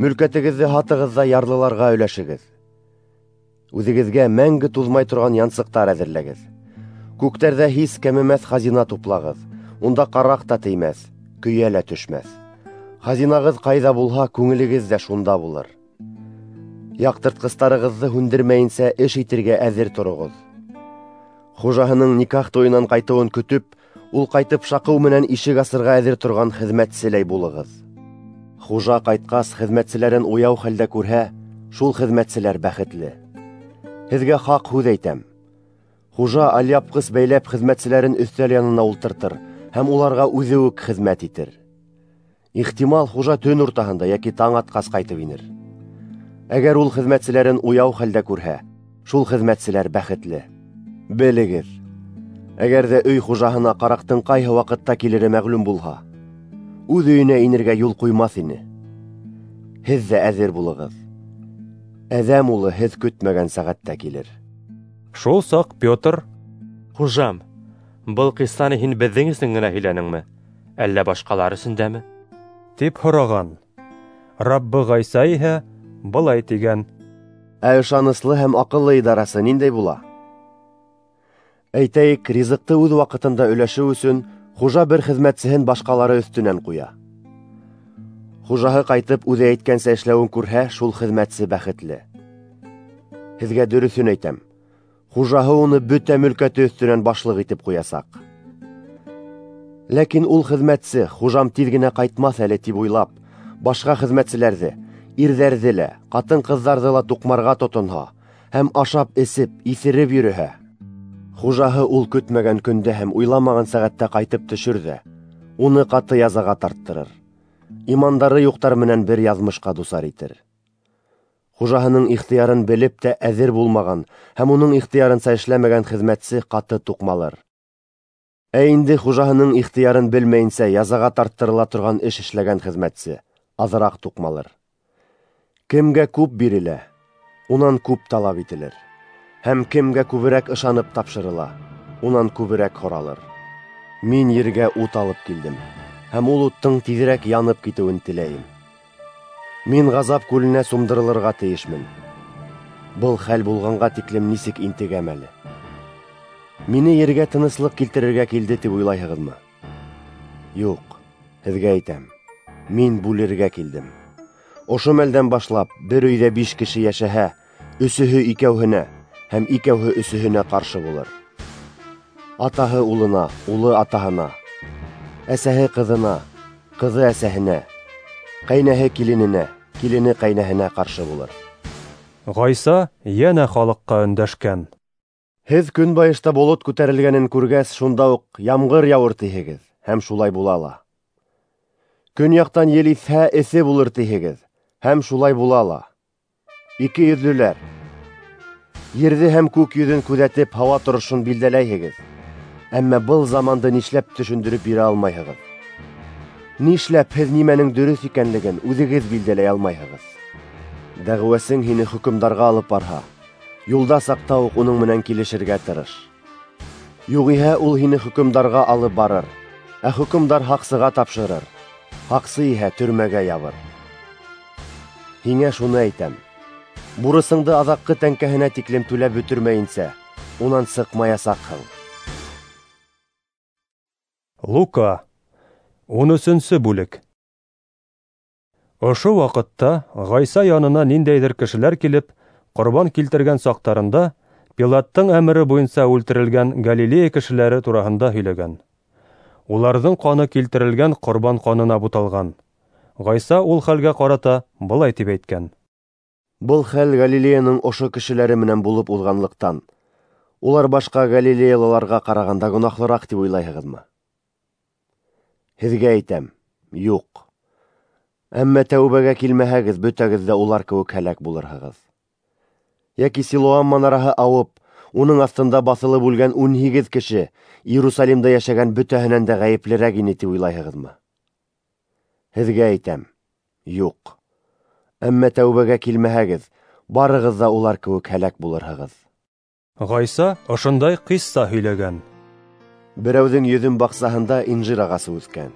Мөлкәтегеҙҙе һатығыҙ ҙа ярлыларға өләшегеҙ. Үҙегеҙгә мәңге туҙмай торған янсыҡтар әҙерләгеҙ. Күктәрҙә һис кәмемәҫ хазина туплағыҙ. Унда ҡараҡ та теймәҫ, көйә лә төшмәҫ. Хазинағыҙ ҡайҙа булһа, күңелегеҙ ҙә шунда булыр. Яҡтыртҡыстарығыҙҙы һүндермәйенсә эш итергә әҙер тороғоҙ. Хужаһының никах туйынан ҡайтыуын көтөп, ул ҡайтып шаҡыу менән ишек асырға әҙер торған хеҙмәтселәй булығыҙ. Хужа ҡайтҡас, хеҙмәтселәрен уяу хәлдә күрһә, шул хеҙмәтселәр бәхетле. Һеҙгә хаҡ һүҙ әйтәм. Хужа алъяпҡыс бәйләп хеҙмәтселәрен өҫтәл янына ултыртыр һәм уларға үҙе үк хеҙмәт итер. Ихтимал, хужа төн уртаһында йәки таң атҡас ҡайтып инер. Әгәр ул хеҙмәтселәрен уяу хәлдә күрһә, шул хеҙмәтселәр бәхетле. Белегеҙ, әгәр ҙә өй хужаһына ҡараҡтың ҡайһы ваҡытта килере мәғлүм булһа, үҙ өйөнә инергә юл ҡуймаҫ ине. Һеҙ ҙә әҙер булығыҙ. Әҙәм улы һеҙ көтмәгән сәғәттә килер. Шул саҡ Петр: Хужам, был ҡиссаны һин беҙҙең өсөн генә һөйләнеңме, әллә башҡалар өсөн дәме? Тип һораған. Раббы Ғайса иһә былай тигән: Ә ышаныслы һәм аҡыллы идарасы ниндәй була? Әйтәйек, ризыҡты үҙ ваҡытында өләшеү өсөн хужа бер хеҙмәтсеһен башҡалары өҫтөнән ҡуя. Хужаһы ҡайтып үҙе әйткәнсә эшләүен күрһә, шул хеҙмәтсе бәхетле. Һеҙгә дөрөҫөн әйтәм, хужаһы уны бөтә мөлкәте өҫтөнән башлыҡ итеп ҡуясаҡ. Ләкин ул хеҙмәтсе, хужам тиҙ генә ҡайтмаҫ әле тип уйлап, башҡа хеҙмәтселәрҙе, ирҙәрҙе лә, ҡатын-ҡыҙҙарҙы ла туҡмарға тотонһа һәм ашап-эсеп, иҫереп йөрөһә, хужаһы ул көтмәгән көндә һәм уйламаған сәғәттә ҡайтып төшөр ҙә, уны ҡаты язаға тарттырыр. Имандары юҡтар менән бер яҙмышҡа дусар итер. Хужаһының ихтыярын белеп тә әҙер булмаған һәм уның ихтыярынса эшләмәгән хеҙмәтсе ҡаты туҡмалыр. Ә инде хужаһының ихтыярын белмәйенсә язаға тарттырыла торған эш эшләгән хеҙмәтсе аҙыраҡ туҡмалыр. Кемгә күп бирелә, унан күп талап ителер. Һәм кемгә күберәк ышанып тапшырыла, унан күберәк һоралыр. Мин ергә ут алып килдем, һәм ул уттың тиҙерәк янып китеүен теләйем. Мин ғазап күленә сумдырылырға тейешмен. Был хәл булғанға тиклем нисек интегәм әле. Мине ергә тыныслыҡ килтерергә килде тип уйлайһығыҙмы? Юҡ, һеҙгә әйтәм, мин бүлергә килдем. Ошо мәлдән башлап бер өйҙә биш кеше йәшәһә, өсөһө икәүһенә һәм икәүһе өсөһөнә ҡаршы булыр. Атаһы улына, улы атаһына, әсәһе ҡыҙына, ҡыҙы әсәһенә, ҡәйнәһе килененә, килене ҡәйнәһенә ҡаршы булыр. Ғайса йәнә халыҡҡа өндәшкән: Һеҙ көнбайышта болот күтәрелгәнен күргәс, шунда уҡ ямғыр яуыр тиһегеҙ, һәм шулай була ла. Көньяҡтан ел иҫһә, эҫе булыр тиһегеҙ, һәм шулай була ла. Ике йөҙлөләр! Ерҙе һәм күк йөҙөн күҙәтеп, һауа торошон билдәләйһегеҙ, әммә был заманды нишләп төшөндөрөп бирә алмайһығыҙ? Нишләп һеҙ нимәнең дөрөҫ икәнлеген үҙегеҙ билдәләй алмайһығыҙ? Дәғүәсең һине хөкөмдарға алып барһа, юлда саҡта уҡ уның менән килешергә тырыш. Юғиһә ул һине хөкөмдарға алып барыр, ә хөкөмдар һаҡсыға тапшырыр, һаҡсы иһә төрмәгә ябыр. Һиңә шуны әйтәм: бурысыңды аҙаҡҡы тәңкәһенә тиклем түләп бөтөрмәйенсә, унан сыҡмаясаҡһың. Лука, ун өсөнсө бүлек. Ошо ваҡытта Ғайса янына ниндәйҙер кешеләр килеп, ҡорбан килтергән саҡтарында Пилаттың әмере буйынса үлтерелгән Галилея кешеләре тураһында һөйләгән. Уларҙың ҡаны килтерелгән ҡорбан ҡанына буталған. Ғайса ул хәлгә ҡарата былай тип әйткән: Был хәл Галилеяның ошо кешеләре менән булып уҙғанлыҡтан, улар башҡа галилеялыларға ҡарағанда гонаһлыраҡ тип уйлайһығыҙмы? Һеҙгә әйтәм, юҡ. Әммә тәүбәгә килмәһәгеҙ, бөтәгеҙ ҙә улар кеүек һәләк булырһығыҙ. Йәки Силоам манараһы ауып, уның аҫтында баҫылып үлгән ун һигеҙ кеше Иерусалимда йәшәгән бөтәһенән дә ғәйеплерәк ине тип уйлайһығыҙмы? Һеҙгә әйтәм, юҡ. Әммә тәүбәгә килмәһәгеҙ, барығыҙ ҙа улар кеүек һәләк булырһығыҙ. Ғайса ошондай ҡисса һөйләгән: Берәүҙең йөҙөм баҡсаһында инжир ағасы үҫкән.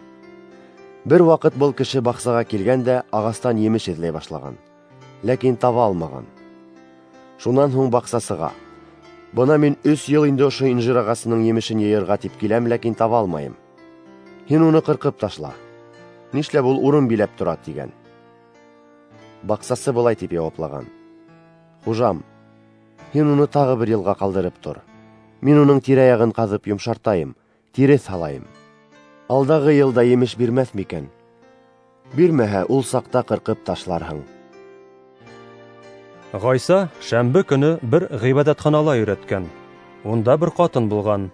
Бер ваҡыт был кеше баҡсаға килгән дә ағастан емеш эҙләй башлаған, ләкин таба алмаған. Шунан һуң баҡсасыға: "Бына мин өс йыл инде ошо инжир ағасының емешен йыйырға тип киләм, ләкин таба алмайым. Һин уны ҡырҡып ташла. Нишләп ул урын биләп тора?" — тигән. Баҡсасы былай тип яуаплаған: "Хужам, һин уны тағы бер йылға ҡалдырып тор. Мин уның тирә-яғын ҡаҙып йомшартайым, тиреҫ һалайым. Алдағы йылда емеш бирмәҫ микән? Бирмәһә, ул саҡта ҡырҡып ташларһың." Ғайса шәмбе көнө бер ғибәҙәтханала өйрәткән. Унда бер ҡатын булған.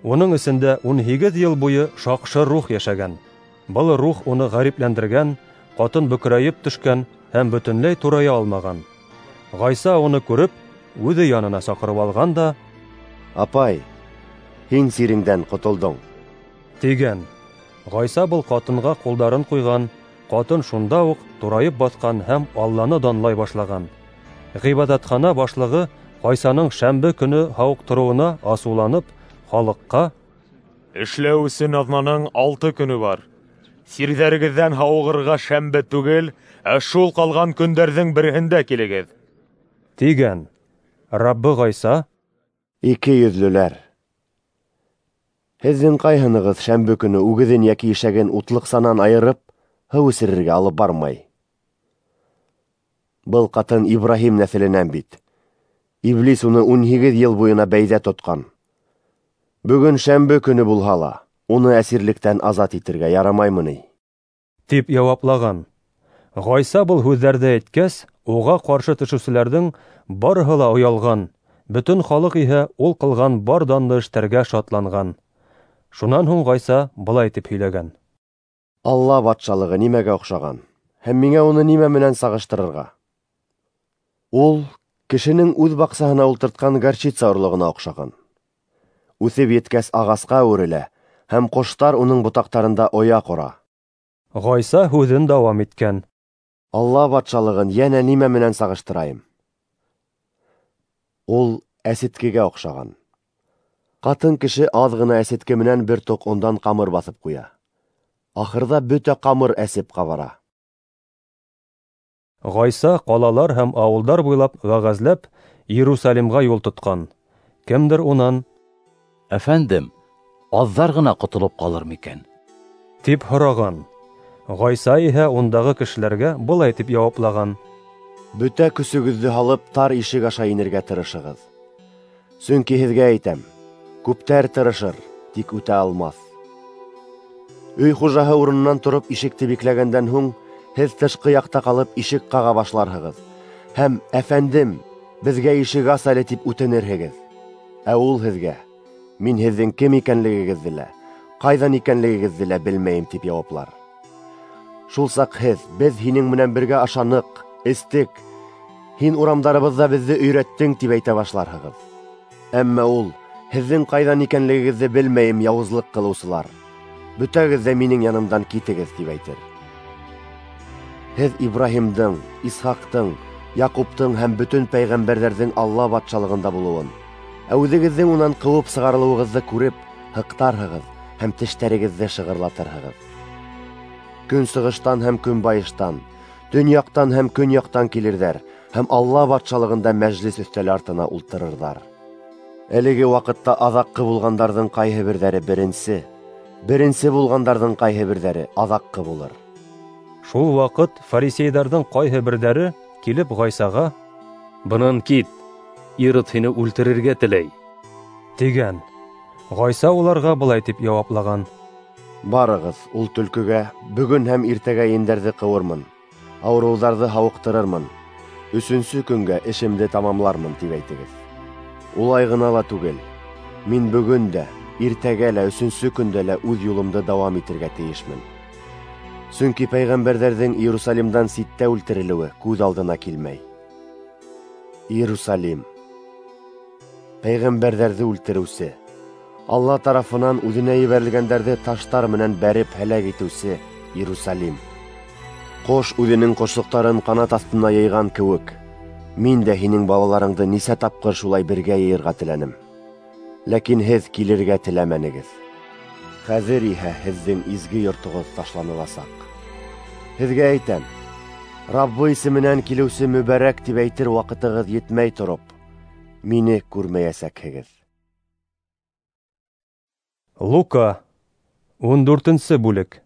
Уның эсендә ун һигеҙ йыл буйы шаҡшы рух йәшәгән. Был рух уны ғәрипләндергән, ҡатын бөкрәйеп төшкән һәм бөтөнләй турая алмаған. Ғайса уны күреп, үҙе янына саҡырып алған да: "Апай, һин сиреңдән ҡотолдоң", тигән. Ғайса был ҡатынға ҡулдарын ҡуйған, ҡатын шунда уҡ турайып баҫҡан һәм Алланы данлай башлаған. Ғибәҙәтхана башлығы Ғайсаның шәмбе көнө һауыҡтырыуына асыуланып, халыҡҡа: "Эшләү өсөн аҙнаның алты көнө бар. Сирҙәрегеҙҙән һауығырға шәмбе түгел, ә шул ҡалған көндәрҙең береһендә килегеҙ", тигән. Раббы Ғайса: "Ике йөҙлөләр! Һеҙҙең ҡайһынығыҙ шәмбе көнө үгеҙен йәки ишәген утлыҡсанан айырып, һыу эсерергә алып бармай? Был ҡатын Ибраһим нәҫеленән бит. Иблис уны ун һигеҙ йыл буйына бәйҙә тотҡан. Бөгөн шәмбе көнө булһа ла, уны әсирлектән азат итергә ярамаймы ни?" тип яуаплаған. Ғайса был һүҙҙәрҙе әйткәс, уға ҡаршы төшөүселәрҙең барыһы ла оялған, бөтөн халыҡ иһә ул ҡылған бар данлы эштәргә шатланған. Шунан һуң Ғайса былай тип һөйләгән: "Алла батшалығы нимәгә оҡшаған һәм миңә уны нимә менән сағыштырырға? Ул кешенең үҙ баҡсаһына ултыртҡан горчица орлоғона оҡшаған. Үҫеп еткәс ағасҡа әүерелә, һәм ҡоштар уның ботаҡтарында оя ҡора." Ғайса һүҙен дауам иткән: "Алла батшалығын йәнә нимә менән сағыштырайым? Ул әсеткегә оҡшаған. Ҡатын кеше аҙ ғына әсетке менән бер тоҡ ондан ҡамыр баҫып ҡуя. Ахырҙа бөтә ҡамыр әсеп ҡабара." Ғайса ҡалалар һәм ауылдар буйлап вәғәзләп, Иерусалимға юл тотҡан. Кемдер унан: "Әфәндем, аҙҙар ғына ҡотолоп ҡалыр микән?" тип һораған. Ғайса иһә ундағы кешеләргә былай тип яуаплаған: "Бөтә көсөгөҙҙө һалып тар ишек аша инергә тырышығыҙ. Сөнки һеҙгә әйтәм, күптәр тырышыр, тик үтә алмаҫ. Өй хужаһы урынынан тороп ишекте бикләгәндән һуң, һеҙ тышҡы яҡта ҡалып ишек ҡаға башларһығыҙ һәм: 'Әфәндем, беҙгә ишек ас әле' тип үтенерһегеҙ. Ә ул һеҙгә: 'Мин һеҙҙең кем икәнлегегеҙҙе лә, ҡайҙан икәнлегегеҙҙе лә белмәйем' тип яуаплар. Шул саҡ һеҙ: 'Беҙ һинең менән бергә ашаныҡ, эстек, һин урамдарыбыҙҙа беҙҙе өйрәттең' тип әйтә башларһығыҙ. Әммә ул: 'Һеҙҙең ҡайҙан икәнлегегеҙҙе белмәйем, яуызлыҡ ҡылыусылар, бөтәгеҙ ҙә минең янымдан китегеҙ' тип әйтер. Һеҙ Ибраһимдың, Исхаҡтың, Яҡуптың һәм бөтөн пәйғәмбәрҙәрҙең Алла батшалығында булыуын, ә үҙегеҙҙең унан ҡыуып сығарылыуығыҙҙы күреп, һыҡтарһығыҙ һәм тештәрегеҙҙе шығырлатырһығыҙ. Көнсығыштан һәм көнбайыштан, төньяҡтан һәм көньяҡтан килерҙәр һәм Алла батшалығында мәжлес өҫтәле артына ултырырҙар. Әлеге ваҡытта аҙаҡҡы булғандарҙың ҡайһы берҙәре беренсе, беренсе булғандарҙың ҡайһы берҙәре аҙаҡҡы булыр." Шул ваҡыт фарисейҙарҙың ҡайһы берҙәре килеп Ғайсаға: "Бынан кит, Ирод һине үлтерергә теләй", тигән. Ғайса уларға былай тип яуаплаған: "Барығыҙ ул төлкөгә: бөгөн һәм иртәгә ендәрҙе ҡыуырмын, ауырыуҙарҙы һауыҡтырырмын, өсөнсө көнгә эшемде тамамлармын, тип әйтегеҙ. Улай ғына ла түгел, мин бөгөн дә, иртәгә лә, өсөнсө көндә лә үҙ юлымды дауам итергә тейешмен. Сөнки пәйғәмбәрҙәрҙең Иерусалимдан ситтә үлтерелеүе күҙ алдына килмәй. Иерусалим, пәйғәмбәрҙәрҙе үлтереүсе, Алла тарафынан үҙенә ебәрелгәндәрҙе таштар менән бәреп һәләк итеүсе Иерусалим! Ҡош үҙенең ҡошсоҡтарын ҡанат аҫтына йыйған кеүек, мин дә һинең балаларыңды нисә тапҡыр шулай бергә йыйырға теләнем. Ләкин һеҙ килергә теләмәнегеҙ. Хәҙер иһә һеҙҙең изге йортоғоҙ ташланыласаҡ. Һеҙгә әйтәм, Раббы исеменән килеүсе мөбәрәк тип әйтер ваҡытығыҙ етмәй тороп, мине күрмәйәсәкһегеҙ. Лука, ун дүртенсе бүлек.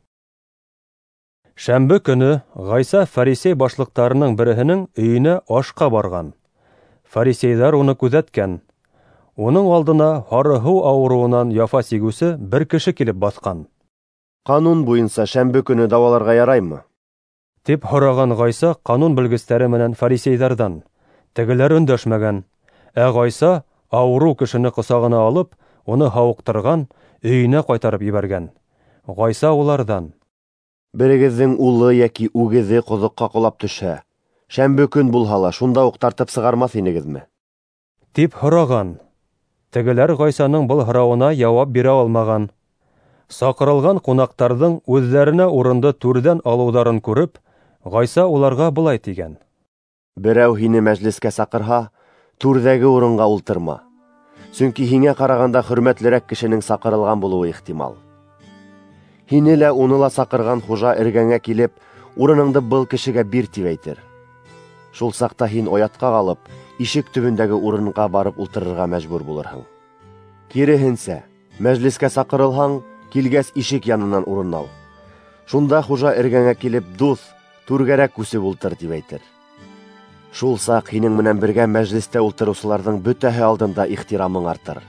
Шәмбе көнө Ғайса фарисей башлыҡтарының береһенең өйөнә ашҡа барған. Фарисейҙар уны күҙәткән. Уның алдына һары һыу ауырыуынан яфа сигеүсе бер кеше килеп баҫҡан. Ҡанун буйынса шәмбе көнө дауаларға яраймы? Тип һораған Ғайса ҡанун белгестәре менән фарисейҙарҙан. Тегеләр өндәшмәгән. Ә Ғайса ауырыу кешене ҡосағына алып, уны һауыҡтырған, өйөнә ҡайтарып ебәргән. Ғайса уларҙан: Берегеҙҙең улы йәки үгеҙе ҡоҙоҡҡа ҡолап төшһә, шәмбе көн булһа ла шунда уҡ тартып сығармаҫ инегеҙме? Тип һораған. Тегеләр Ғайсаның был һорауына яуап бирә алмаған. Саҡырылған ҡунаҡтарҙың үҙҙәренә урынды түрҙән алыуҙарын күреп, Ғайса уларға былай тигән: Берәү һине мәжлескә саҡырһа, түрҙәге урынға ултырма. Сөнки һиңә ҡарағанда хөрмәтлерәк кешенең саҡырылған булыуы ихтимал. Һине лә уны ла саҡырған хужа эргәңә килеп, урыныңды был кешегә бир тип әйтер. Шул саҡта һин оятҡа ҡалып, ишек төбөндәге урынға барып ултырырға мәжбүр булырһың. Киреһенсә, мәжлескә саҡырылһаң, килгәс ишек янынан урын ал. Шунда хужа эргәңә килеп, дуҫ, түргәрәк күсеп ултыр тип әйтер. Шул саҡ һинең менән бергә мәжлестә ултырыусыларҙың бөтәһе алдында ихтирамың артыр.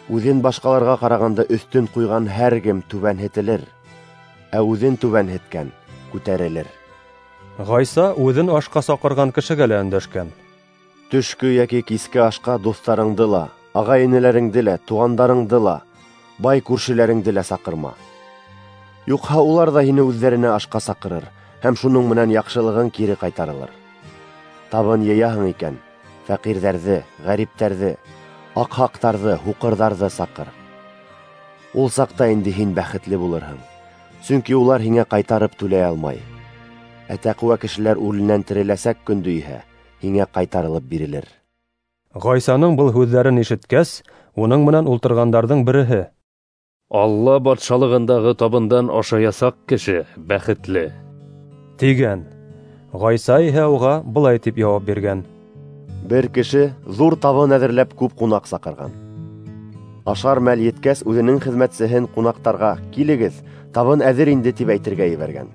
Үҙен башҡаларға ҡарағанда өҫтөн ҡуйған һәр кем түбәнһетелер, ә үҙен түбәнһеткән күтәрелер. Ғайса үҙен ашҡа саҡырған кешегә лә өндәшкән. Төшкө йәки киске ашҡа дуҫтарыңды ла, ағай-энеләреңде лә, туғандарыңды ла, бай күршеләреңде лә саҡырма. Юҡһа улар ҙа һине үҙҙәренә ашҡа саҡырыр һәм шуның менән яҡшылығың кире ҡайтарылыр. Табын йыяһың икән, фәҡирҙәрҙе, ғәриптәрҙе, аҡһаҡтарҙы, һуҡырҙарҙы саҡыр. Ул саҡта инде һин бәхетле булырһың, сөнки улар һиңә ҡайтарып түләй алмай. Ә тәҡүә кешеләр үленән тереләсәк көндө иһә һиңә ҡайтарылып бирелер. Ғайсаның был һүҙҙәрен ишеткәс, уның менән ултырғандарҙың береһе: Алла батшалығындағы табындан ашаясаҡ кеше бәхетле, тигән. Ғайса иһә уға былай тип яуап биргән: Бер кеше ҙур табын әҙерләп күп ҡунаҡ саҡырған. Ашар мәл еткәс, үҙенең хеҙмәтсеһен ҡунаҡтарға: «Килегеҙ, табын әҙер инде», тип әйтергә ебәргән.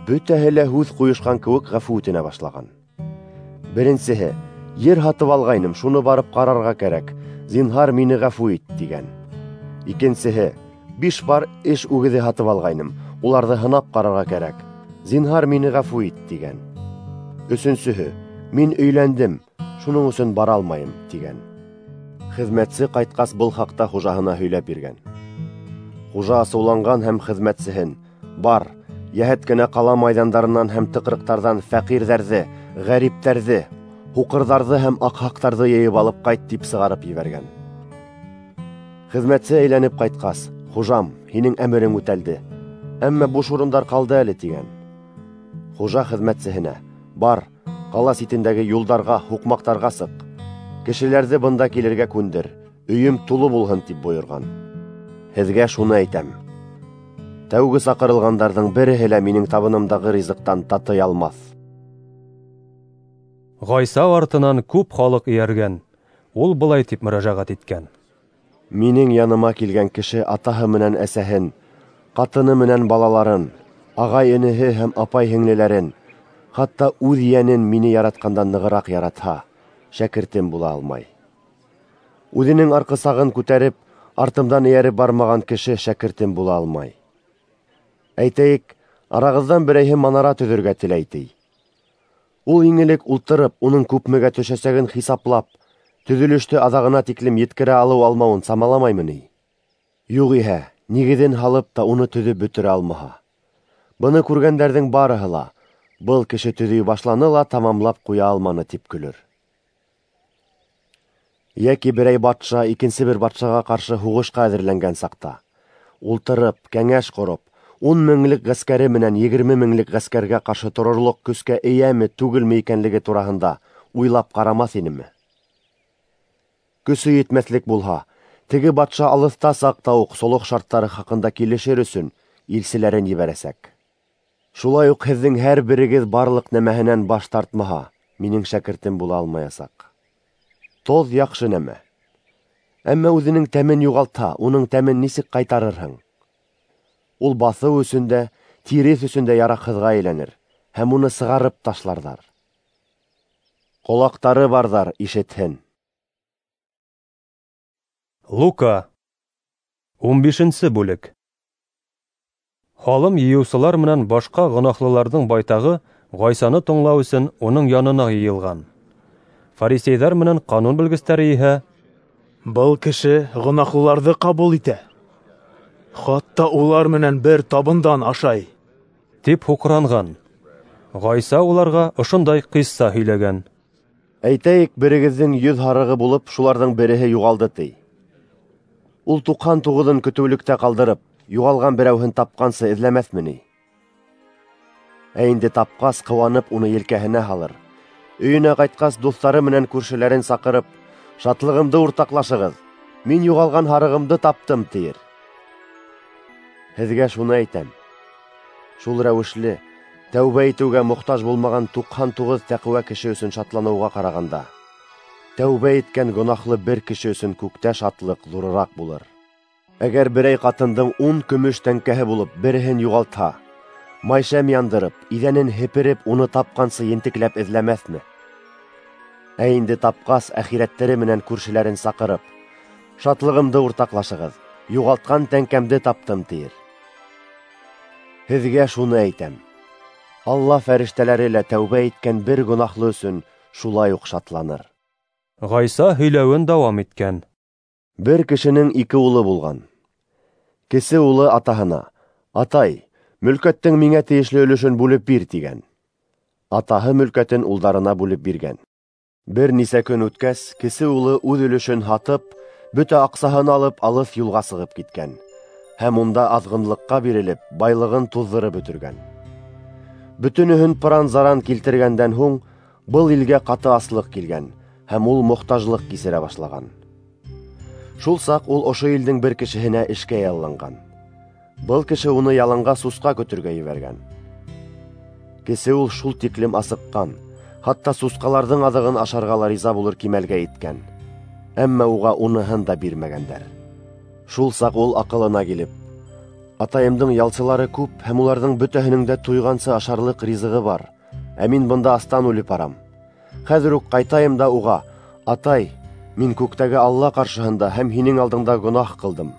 Бөтәһе лә һүҙ ҡуйышҡан кеүек ғәфү үтенә башлаған. Беренсеһе: «Ер һатып алғайным, шуны барып ҡарарға кәрәк, зинһар мине ғәфү ит», тигән. Икенсеһе: «Биш пар эш үгеҙе һатып алғайным, уларҙы һынап ҡарарға кәрәк, зинһар мине ғәфү ит», тигән. Өсөнсөһө: «Мин өйләндем, шуның өсөн бара алмайым», тигән. Хеҙмәтсе ҡайтҡас был хаҡта хужаһына һөйләп биргән. Хужа асыуланған һәм хеҙмәтсеһен: «Бар, йәһәт кенә ҡала майҙандарынан һәм тыҡрыҡтарҙан фәҡирҙәрҙе, ғәриптәрҙе, һуҡырҙарҙы һәм аҡһаҡтарҙы йыйып алып ҡайт», тип сығарып ебәргән. Хеҙмәтсе әйләнеп ҡайтҡас: «Хужам, һинең әмерең үтәлде, әммә буш урындар ҡалды әле», тигән. Хужа хеҙмәтсеһенә: «Бар, ҡала ситендәге юлдарға, һуҡмаҡтарға сыҡ, кешеләрҙе бында килергә күндер, өйөм тулы булһын», тип бойорған. Һеҙгә шуны әйтәм: тәүге саҡырылғандарҙың береһе лә минең табынымдағы ризыҡтан татый алмаҫ. Ғайса артынан күп халыҡ эйәргән. Ул былай тип мөрәжәғәт иткән: Минең яныма килгән кеше атаһы менән әсәһен, ҡатыны менән балаларын, ағай-энеһе һәм апай-һеңлеләрен, хатта үҙ йәнен мине яратҡандан нығыраҡ яратһа, шәкертем була алмай. Үҙенең арҡысағын күтәреп, артымдан эйәреп бармаған кеше шәкертем була алмай. Әйтәйек, арағыҙҙан берәйһе манара төҙөргә теләй ти. Ул иң элек ултырып, уның күпмегә төшәсәген хисаплап, төҙөлөштө аҙағына тиклем еткерә алыу-алмауын самаламаймы ни? Юғиһә, нигеҙен һалып та уны төҙөп бөтөрә алмаһа. Быны күргәндәрҙең барыһы ла: «Был кеше төҙөй башланы ла тамамлап ҡуя алманы», тип көлөр. Йәки берәй батша икенсе бер батшаға ҡаршы һуғышҡа әҙерләнгән саҡта, ултырып, кәңәш ҡороп, ун меңлек ғәскәре менән егерме меңлек ғәскәргә ҡаршы торорлоҡ көскә эйәме, түгелме икәнлеге тураһында уйлап ҡарамаҫ инеме? Көсө етмәҫлек булһа, Теге батша алыҫта саҡта уҡ солох шарттары хаҡында килешер өсөн илселәрен ебәрәсәк. Шулай уҡ һеҙҙең һәр берегеҙ барлыҡ нәмәһенән баш тартмаһа, минең шәкертем була алмаясаҡ. Тоҙ яҡшы нәмә. Әммә үҙенең тәмен юғалтһа, уның тәмен нисек ҡайтарырһың? Ул баҫыу өсөн дә, тиреҫ өсөн дә яраҡһыҙға әйләнер, һәм уны сығарып ташларҙар. Ҡолаҡтары барҙар ишетһен. Лука, ун бишенсе бүлек. Һалым йыйыусылар менән башҡа гонаһлыларҙың байтағы Ғайсаны тыңлау өсөн уның янына йыйылған. Фарисейҙар менән ҡанун белгестәре иһә: "Был кеше гонаһлыларҙы ҡабул итә, хатта улар менән бер табындан ашай", тип һуҡранған. Ғайса уларға ошондай ҡисса һөйләгән: Әйтәйек, берегеҙҙең йөҙ һарығы булып, шуларҙың береһе юғалды ти. Ул туҡһан туғыҙын көтөүлектә ҡалдырып, юғалған берәүһен тапҡансы эҙләмәҫме ни? Ә инде тапҡас, ҡыуанып уны елкәһенә һалыр. Өйөнә ҡайтҡас, дуҫтары менән күршеләрен саҡырып, шатлығымды уртаҡлашығыҙ, мин юғалған һарығымды таптым, тиер. Һеҙгә шуны әйтәм: шул рәүешле тәүбә итеүгә мохтаж булмаған туҡһан туғыҙ тәҡүә кеше өсөн шатланыуға ҡарағанда, тәүбә иткән гонаһлы бер кеше өсөн күктә шатлыҡ ҙурыраҡ булыр. Әгәр берәй ҡатындың ун көмөш тәңкәһе булып, береһен юғалтһа, майшәм яндырып, иҙәнен һепереп, уны тапҡансы ентекләп эҙләмәҫме? Ә инде тапҡас, әхирәттәре менән күршеләрен саҡырып, шатлығымды уртаҡлашығыҙ, юғалтҡан тәңкәмде таптым, тиер. Һеҙгә шуны әйтәм: Алла фәрештәләре лә тәүбә иткән бер гонаһлы өсөн шулай уҡ шатланыр. Ғайса һөйләүен дауам иткән: Бер кешенең ике улы булған. Кесе улы атаһына: "Атай, мөлкәттең миңә тейешле өлөшөн бүлеп бир", тигән. Атаһы мөлкәтен улдарына бүлеп биргән. Бер нисә көн үткәс, кесе улы үҙ өлөшөн һатып, бөтә аҡсаһын алып, алыҫ юлға сығып киткән һәм унда аҙғынлыҡҡа бирелеп, байлығын туҙҙырып бөтөргән. Бөтөнөһөн пыран-заран килтергәндән һуң, был илгә ҡаты аслыҡ килгән һәм ул мохтажлыҡ кисерә башлаған. Шул саҡ ул ошо илдең бер кешеһенә эшкә ялланған. Был кеше уны яланға сусҡа көтөргә ебәргән. Кесе ул шул тиклем асыҡҡан, хатта сусҡаларҙың аҙығын ашарға ла риза булыр кимәлгә еткән. Әммә уға уныһын да бирмәгәндәр. Шул саҡ ул аҡылына килеп: "Атайымдың ялсылары күп һәм уларҙың бөтәһенең дә туйғансы ашарлыҡ ризығы бар, ә мин бында астан үлеп барам. Хәҙер үк ҡайтайым да уға: Атай, мин күктәге Алла ҡаршыһында һәм һинең алдыңда гонаһ ҡылдым.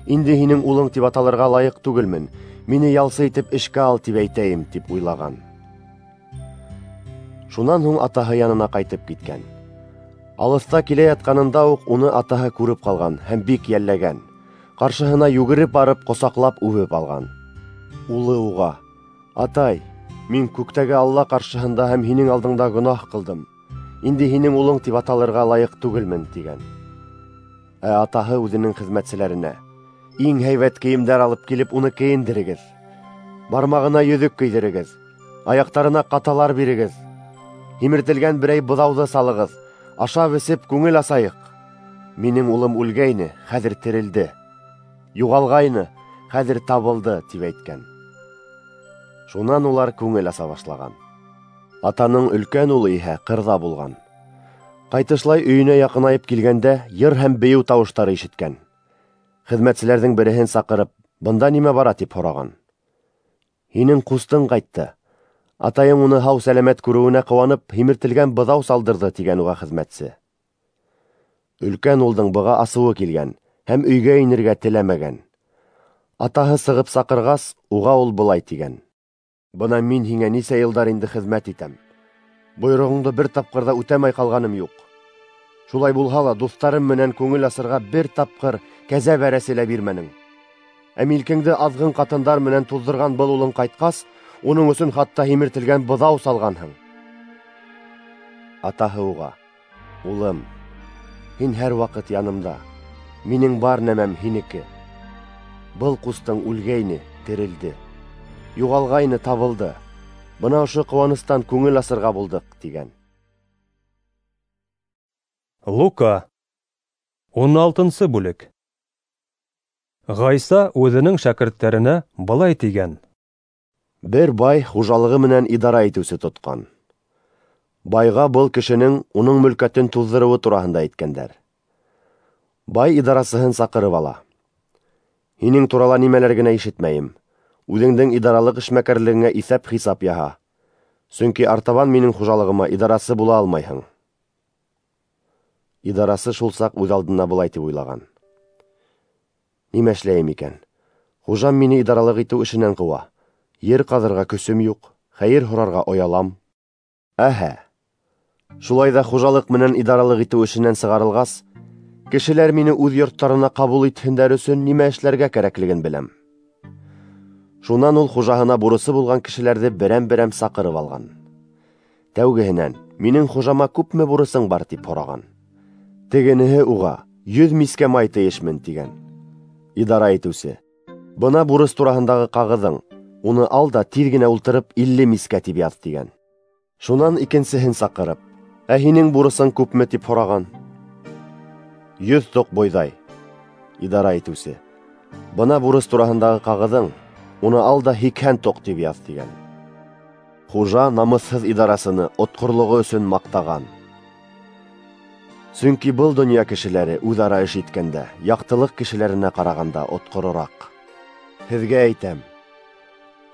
Инде һинең улың тип аталырға лайыҡ түгелмен, мине ялсы итеп эшкә ал, тип әйтәйем", тип уйлаған. Шунан һуң атаһы янына ҡайтып киткән. Алыҫта килә ятҡанында уҡ уны атаһы күреп ҡалған һәм бик йәлләгән. Ҡаршыһына йүгереп барып, ҡосаҡлап үбеп алған. Улы уға: "Атай, мин күктәге Алла ҡаршыһында һәм һинең алдыңда гонаһ ҡылдым. Инде һинең улың тип аталырға лайыҡ түгелмен", тигән. Ә атаһы үҙенең хеҙмәтселәренә: "Иң һәйбәт кейемдәр алып килеп, уны кейендерегеҙ. Бармағына йөҙөк кейҙерегеҙ, аяҡтарына ҡаталар бирегеҙ. Һимертелгән берәй быҙауҙы салығыҙ, ашап эсеп күңел асайыҡ. Минең улым үлгәйне, хәҙер терелде. Юғалғайны, хәҙер табылды", тип әйткән. Шунан улар күңел аса башлаған. Атаның өлкән улы иһә ҡырҙа булған. Ҡайтышлай өйөнә яҡынайып килгәндә, йыр һәм бейеү тауыштары ишеткән. Хеҙмәтселәрҙең береһен саҡырып, "Бында нимә бара?" тип һораған. "Һинең ҡустың ҡайтты. Атайың уны һау сәләмәт күреүенә ҡыуанып, һимертелгән быҙау салдырҙы", тигән уға хеҙмәтсе. Өлкән улдың быға асыуы килгән һәм өйгә инергә теләмәгән. Атаһы сығып саҡырғас, уға ул былай тигән: "Бына мин һиңә нисә йылдар инде хеҙмәт итәм. Бойороғоңдо бер тапҡыр ҙа үтәмәй ҡалғаным юҡ. Шулай булһа ла дуҫтарым менән күңел асырға бер тапҡыр кәзә бәрәсе лә бирмәнең. Ә милкеңде аҙғын ҡатындар менән туҙҙырған был улың ҡайтҡас, уның өсөн хатта һимертелгән быҙау салғанһың." Атаһы уға: "Улым, һин һәр ваҡыт янымда, минең бар нәмәм һинеке. Был ҡустың үлгәйне, терелде, юғалғайны, табылды. Бына ошо ҡыуаныстан күңел асырға булдыҡ", тигән. Лука, Ун алтынсы бүлек. Ғайса үҙенең шәкерттәренә былай тигән: Бер бай хужалығы менән идара итеүсе тотҡан. Байға был кешенең уның мөлкәтен туҙҙырыуы тураһында әйткәндәр. Бай идарасыһын саҡырып ала. Һинең турала нимәләр генә ишетмәйем. Үҙеңдең идаралыҡ эшмәкәрлегеңә иҫәп-хисап яһа. Сөнки артабан минең хужалығыма идарасы була алмайһың. Идарасы шул саҡ үҙ алдына былай тип уйлаған: Нимә эшләйем икән? Хужам мине идаралыҡ итеү эшенән ҡыуа. Ер ҡаҙырға көсөм юҡ, хәйер һорарға оялам. Әһә, шулай ҙа хужалыҡ менән идаралыҡ итеү эшенән сығарылғас, кешеләр мине үҙ йорттарына ҡабул итһендәр өсөн нимә эшләргә кәрәклеген беләм. Шунан ул хужаһына бурысы булған кешеләрҙе берәм-берәм саҡырып алған. Тәүгеһенән, минең хужама күпме бурысың бар, тип һораған. Тегенеһе уға, йөҙ мискә май тейешмен, тигән. Идара итеүсе: бына бурыс тураһындағы ҡағыҙың, уны ал да тиҙ генә ултырып илле мискә тип яҙ, тигән. Шунан икенсеһен саҡырып, ә һинең бурысың күпме, тип һораған. Йөҙ тоҡ бойҙай. Идара итеүсе: бына бурыс тураһындағы ҡағыҙың, уны ал да һикһән тоҡ тип яҙ, тигән. Хужа намыҫһыҙ идарасыны отҡорлоғо өсөн маҡтаған. Сөнки был донъя кешеләре үҙ-ара эш иткәндә яҡтылыҡ кешеләренә ҡарағанда отҡорораҡ. Һеҙгә әйтәм,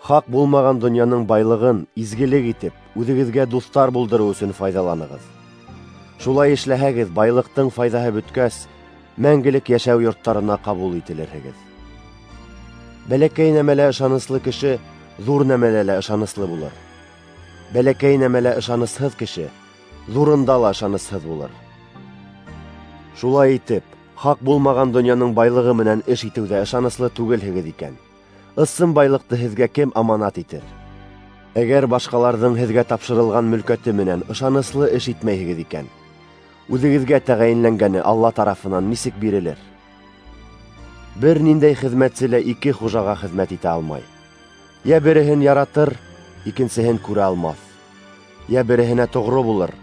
хаҡ булмаған донъяның байлығын изгелек итеп, үҙегеҙгә дуҫтар булдырыу өсөн файҙаланығыҙ. Шулай эшләһәгеҙ, байлыҡтың файҙаһы бөткәс, мәңгелек йәшәү йорттарына ҡабул ителерһегеҙ. Бәләкәй нәмәлә ышаныслы кеше ҙур нәмәлә лә ышаныслы булыр. Бәләкәй нәмәлә ышанысһыҙ кеше ҙурында ла ышанысһыҙ булыр. Шулай итеп, хаҡ булмаған донъяның байлығы менән эш итеүҙә ышаныслы түгелһегеҙ икән, ысын байлыҡты һеҙгә кем аманат итер? Әгәр башҡаларҙың һеҙгә тапшырылған мөлкәте менән ышаныслы эш итмәйһегеҙ икән, үҙегеҙгә тәғәйенләнгәне Алла тарафынан нисек бирелер? Бер ниндәй хеҙмәтсе лә ике хужаға хеҙмәт итә алмай. Йә береһен яратыр, икенсеһен күрә алмаҫ. Йә береһенә тоғро булыр,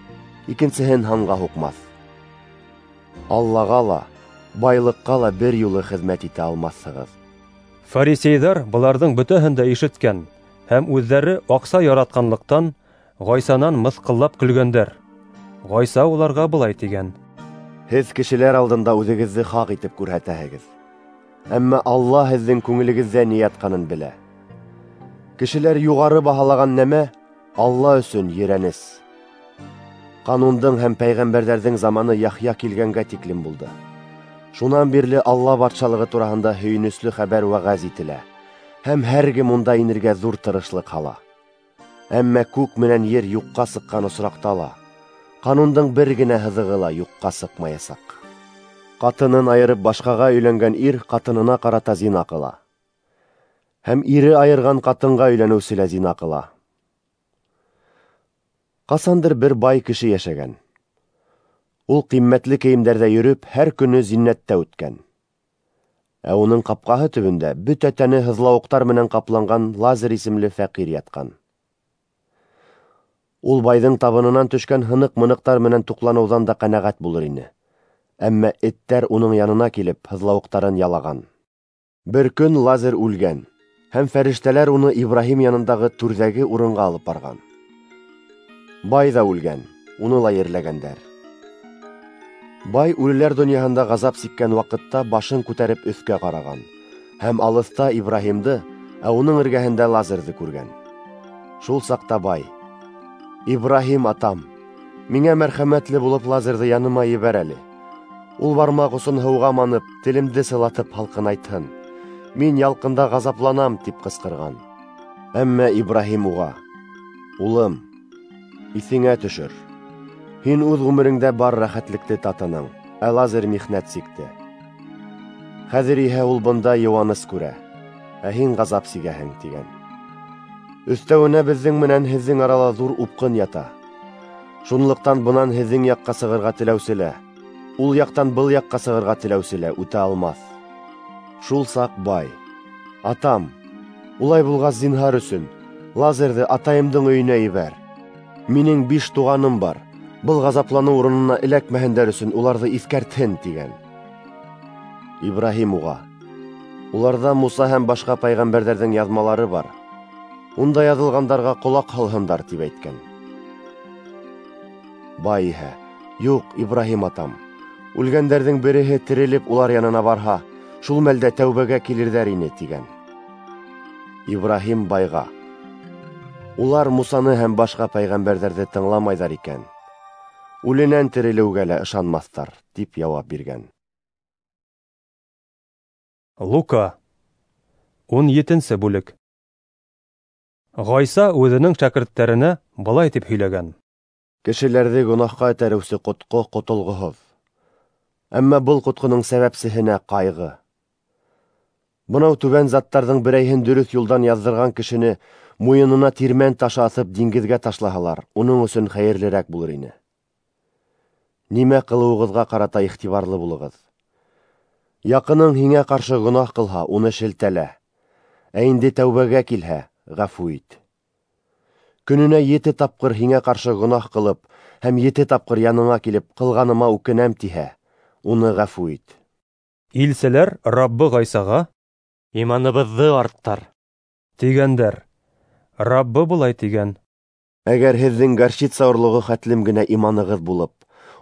икенсеһен һанға һуҡмаҫ. Аллаға ла, байлыҡҡа ла бер юлы хеҙмәт итә алмаҫһығыҙ. Фарисейҙар быларҙың бөтәһен дә ишеткән һәм үҙҙәре аҡса яратҡанлыҡтан Ғайсанан мыҫҡыллап көлгәндәр. Ғайса уларға былай тигән: Һеҙ кешеләр алдында үҙегеҙҙе хаҡ итеп күрһәтәһегеҙ, әммә Алла һеҙҙең күңелегеҙҙә ни ятҡанын белә. Кешеләр юғары баһалаған нәмә Алла өсөн ерәнес. Ҡанундың һәм пәйғәмбәрҙәрҙең заманы Яхъя килгәнгә тиклем булды. Шунан бирле Алла батшалығы тураһында һөйөнөслө хәбәр вәғәз ителә, һәм һәр кем унда инергә ҙур тырышлыҡ һала. Әммә күк менән ер юҡҡа сыҡҡан осраҡта ла ҡанундың бер генә һыҙығы ла юҡҡа сыҡмаясаҡ. Ҡатынын айырып башҡаға өйләнгән ир ҡатынына ҡарата зина ҡыла, һәм ире айырған ҡатынға өйләнеүсе лә зина ҡыла. Ҡасандыр бер бай кеше йәшәгән. Ул ҡиммәтле кейемдәрҙә йөрөп, һәр көнө зиннәттә үткән. Ә уның ҡапҡаһы төбөндә бөтә тәне һыҙлауыҡтар менән ҡапланған Лазар исемле фәҡир ятҡан. Ул байҙың табынынан төшкән һыныҡ-мыныҡтар менән туҡланыуҙан да ҡәнәғәт булыр ине. Әммә эттәр уның янына килеп, һыҙлауыҡтарын ялаған. Бер көн Лазар үлгән, һәм фәрештәләр уны Ибраһим янындағы түрҙәге урынға алып барған. Бай ҙа үлгән, уны ла ерләгәндәр. Бай үлеләр донъяһында ғазап сиккән ваҡытта башын күтәреп өҫкә ҡараған һәм алыҫта Ибраһимды, ә уның эргәһендә Лазарҙы күргән. Шул саҡта бай: Ибраһим атам, миңә мәрхәмәтле булып Лазарҙы яныма ебәр әле. Ул бармаҡ осон һыуға манып, телемде сылатып һалҡынайтһын. Мин ялҡында ғазапланам, тип ҡысҡырған. Әммә Ибраһим уға: Улым, иҫеңә төшөр. Һин үҙ ғүмереңдә бар рәхәтлекте татының, ә Лазар михнәт сикте. Хәҙер иһә ул бында йыуаныс күрә, ә һин ғазап сигәһең, тигән. Өҫтәүенә беҙҙең менән һеҙҙең арала ҙур упҡын ята. Шунлыҡтан бынан һеҙҙең яҡҡа сығырға теләүсе лә, ул яҡтан был яҡҡа сығырға теләүсе лә үтә алмаҫ. Шул саҡ бай: Атам, улай булғас зинһар өсөн Лазарҙы атайымдың өйөнә ебәр. Минең биш туғаным бар. Был ғазапланыу урынына эләкмәһендәр өсөн уларҙы иҫкәртһен, тигән. Ибраһим уға: Уларҙа Муса һәм башҡа пәйғәмбәрҙәрҙең яҙмалары бар. Унда яҙылғандарға ҡолаҡ һалһындар, тип әйткән. Бай иһә: Юҡ, Ибраһим атам, үлгәндәрҙең береһе терелеп улар янына барһа, шул мәлдә тәүбәгә килерҙәр ине, тигән. Ибраһим байға: Улар Мусаны һәм башҡа пәйғәмбәрҙәрҙе тыңламайҙар икән, үленән терелеүгә лә ышанмаҫтар, тип яуап биргән. Лука, ун етенсе бүлек. Ғайса үҙенең шәкерттәренә былай тип һөйләгән: Кешеләрҙе гонаһҡа этәреүсе ҡотҡо ҡотолғоһоҙ. Әммә был ҡотҡоноң сәбәпсеһенә ҡайғы. Бынау түбән заттарҙың берәйһен дөрөҫ юлдан яҙҙырған кешене муйынына тирмән ташы аҫып диңгеҙгә ташлаһалар, уның өсөн хәйерлерәк булыр ине. Нимә ҡылыуығыҙға ҡарата иғтибарлы булығыҙ. Яҡының һиңә ҡаршы гонаһ ҡылһа, уны шелтәлә. Ә инде тәүбәгә килһә, ғәфү ит. Көнөнә ете тапҡыр һиңә ҡаршы гонаһ ҡылып һәм ете тапҡыр яныңа килеп, ҡылғаныма үкенәм тиһә, уны ғәфү ит. Илселәр Раббы Ғайсаға: Иманыбыҙҙы арттыр, тигәндәр. Раббы былай тигән: Әгәр һеҙҙең горчица орлоғо хәтлем генә иманығыҙ булып,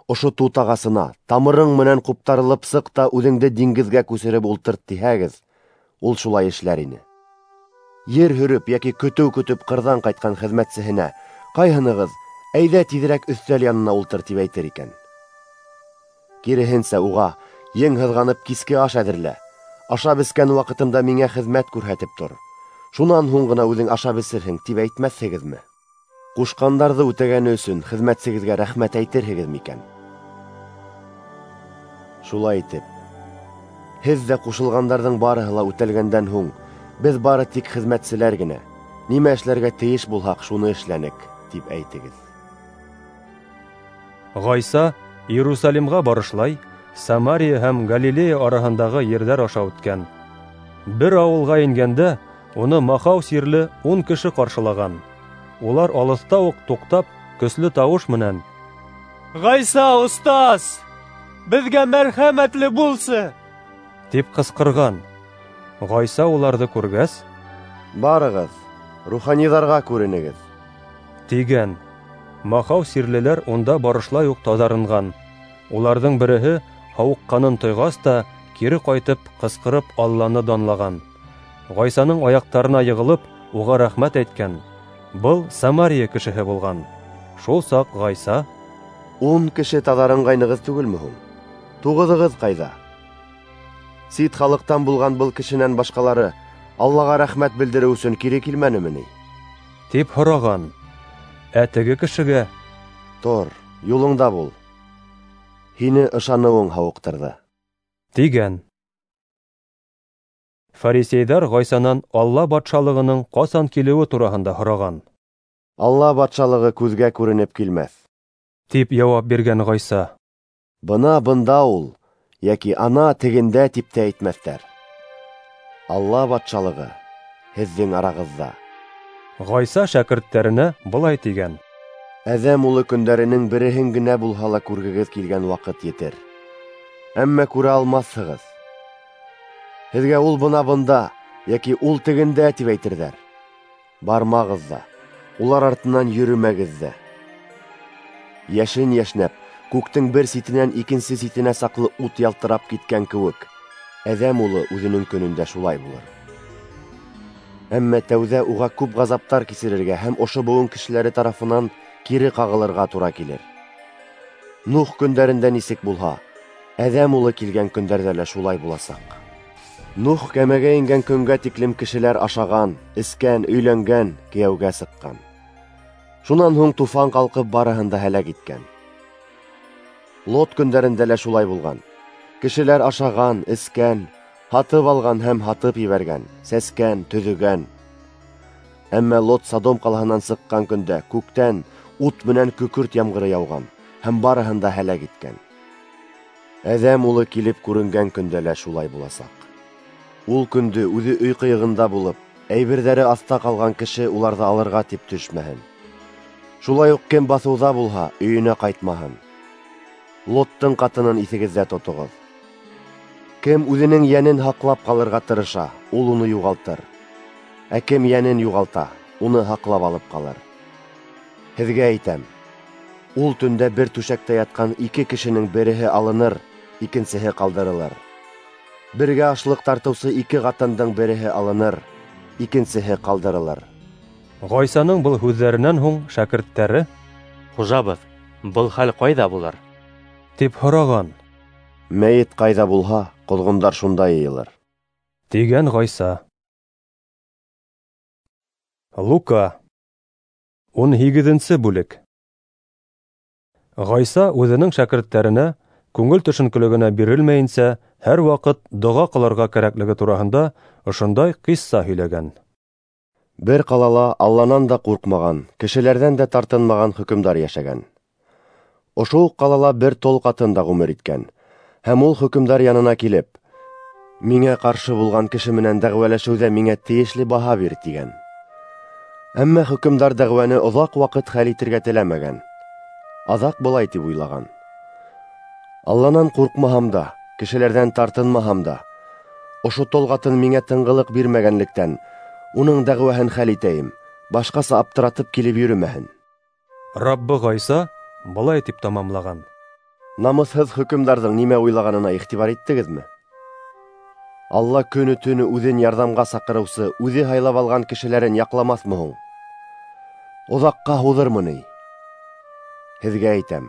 ошо тут ағасына тамырың менән ҡуптарылып сыҡ та үҙеңде диңгеҙгә күсереп ултырт тиһәгеҙ, ул шулай эшләр ине. Ер һөрөп йәки көтөү көтөп ҡырҙан ҡайтҡан хеҙмәтсеһенә ҡайһынығыҙ: Әйҙә тиҙерәк өҫтәл янына ултыр, тип әйтер икән? Киреһенсә, уға: Ең һыҙғанып киске аш әҙерлә, ашап эскән ваҡытымда миңә хеҙмәт күрһәтеп тор, шунан һуң ғына үҙең ашап эсерһең, тип әйтмәҫһегеҙме? Ҡушҡандарҙы үтәгәне өсөн хеҙмәтсегеҙгә рәхмәт әйтерһегеҙ микән? Шулай итеп, һеҙ ҙә ҡушылғандарҙың барыһы ла үтәлгәндән һуң, беҙ бары тик хеҙмәтселәр генә, нимә эшләргә тейеш булһаҡ, шуны эшләнек, тип әйтегеҙ. Ғайса Иерусалимға барышлай Самария һәм Галилея араһындағы ерҙәр аша үткән. Бер ауылға ингәндә уны махау сирле ун кеше ҡаршылаған. Улар алыҫта уҡ туҡтап, көслө тауыш менән: Ғайса, остаз, беҙгә мәрхәмәтле булсы, тип ҡысҡырған. Ғайса уларҙы күргәс: Барығыҙ, руханиҙарға күренегеҙ, тигән. Махау сирлеләр унда барышлай уҡ таҙарынған. Уларҙың береһе һауыҡҡанын тойғас та кире ҡайтып, ҡысҡырып Алланы данлаған. Ғайсаның аяҡтарына йығылып, уға рәхмәт әйткән. Был Самария кешеһе булған. Шул саҡ Ғайса: Ун кеше таҙарынғайнығыҙ түгелме һуң? Туғыҙығыҙ ҡайҙа? Сит халыҡтан булған был кешенән башҡалары Аллаға рәхмәт белдереү өсөн кире килмәнеме ни? Тип һораған. Ә теге кешегә: Тор, юлыңда бул, һине ышаныуың һауыҡтырҙы, тигән. Фарисейҙар Ғайсанан Алла батшалығының ҡасан килеүе тураһында һораған. Алла батшалығы күҙгә күренеп килмәҫ, тип яуап биргән Ғайса. Бына бында ул, йәки ана тегендә, тип тә әйтмәҫтәр. Алла батшалығы һеҙҙең арағыҙҙа. Ғайса шәкерттәренә былай тигән: Әҙәм улы көндәренең береһен генә булһа ла күргегеҙ килгән ваҡыт етер, әммә күрә алмаҫһығыҙ. Һеҙгә ул бына бында, йәки ул тегендә, тип әйтерҙәр. Бармағыҙ ҙа, улар артынан йөрөмәгеҙ ҙә. Йәшен йәшнәп, күктең бер ситенән икенсе ситенә саҡлы ут ялтырап киткән кеүек, Әҙәм улы үҙенең көнөндә шулай булыр. Әммә тәүҙә уға күп ғазаптар кисерергә һәм ошо быуын кешеләре тарафынан кире ҡағылырға тура килер. Нух көндәрендә нисек булһа, Әҙәм улы килгән көндәрҙә лә шулай буласаҡ. Нух кәмәгә ингән көнгә тиклем кешеләр ашаған, эскән, өйләнгән, кейәүгә сыҡҡан. Шунан һуң туфан ҡалҡып барыһын да һәләк иткән. Лот көндәрендә лә шулай булған. Кешеләр ашаған, эскән, һатып алған һәм һатып ебәргән, сәскән, төҙөгән. Әммә Лот Содом ҡалаһынан сыҡҡан көндә күктән ут менән көкөрт ямғыры яуған һәм барыһын да һәләк иткән. Әҙәм улы килеп күренгән көндә лә шулай буласаҡ. Ул көндө үҙе өй ҡыйығында булып, әйберҙәре аҫта ҡалған кеше уларҙы алырға тип төшмәһен. Шулай уҡ кем баҫыуҙа булһа, өйөнә ҡайтмаһын. Лоттың ҡатынын иҫегеҙҙә тотоғоҙ. Кем үҙенең йәнен һаҡлап ҡалырға тырыша, ул уны юғалтыр. Ә кем йәнен юғалта, уны һаҡлап алып ҡалыр. Һеҙгә әйтәм, ул төндә бер түшәктә ятҡан ике кешенең береһе алыныр, икенсеһе ҡалдырылыр. Бергә ашлыҡ тартыусы ике ҡатындың береһе алыныр, икенсеһе ҡалдырылыр. Ғайсаның был һүҙҙәренән һуң шәкерттәре: "Хужабыҙ, был хәл ҡайҙа булыр?" тип һораған. Мәйет ҡайҙа булһа, ҡоҙғондар шунда йыйылыр, тигән Ғайса. Лука ун һигеҙенсе бүлек. Ғайса үҙенең шәкерттәренә күңел төшөнкөлөгөнә бирелмәйенсә һәр ваҡыт доға ҡылырға кәрәклеге тураһында ошондай ҡисса һөйләгән. Бер ҡалала Алланан да ҡурҡмаған, кешеләрҙән дә тартынмаған хөкөмдар йәшәгән. Ошо уҡ ҡалала бер тол ҡатын да ғүмер иткән. Һәм ул хөкөмдар янына килеп, миңә ҡаршы булған кеше менән дәғүәләшеүҙә миңә тейешле баһа бир, тигән. Әммә хөкөмдар дәғүәне оҙаҡ ваҡыт хәл итергә теләмәгән. Аҙаҡ былай тип уйлаған: Алланан ҡурҡмаһам да, кешеләрҙән тартынмаһам да, ошо тол ҡатын миңә тынғылыҡ бирмәгәнлектән, уның дәғүәһен хәл итәйем, башҡаса аптыратып килеп йөрөмәһен. Раббы Ғайса былай тип тамамлаған: Намыҫһыҙ хөкөмдарҙың нимә уйлағанына иғтибар иттегеҙме? Алла көнө-төнө үҙен ярҙамға саҡырыусы, үҙе һайлап алған кешеләрен яҡламаҫмы һуң? Оҙаҡҡа һуҙырмы ни? Һеҙгә әйтәм,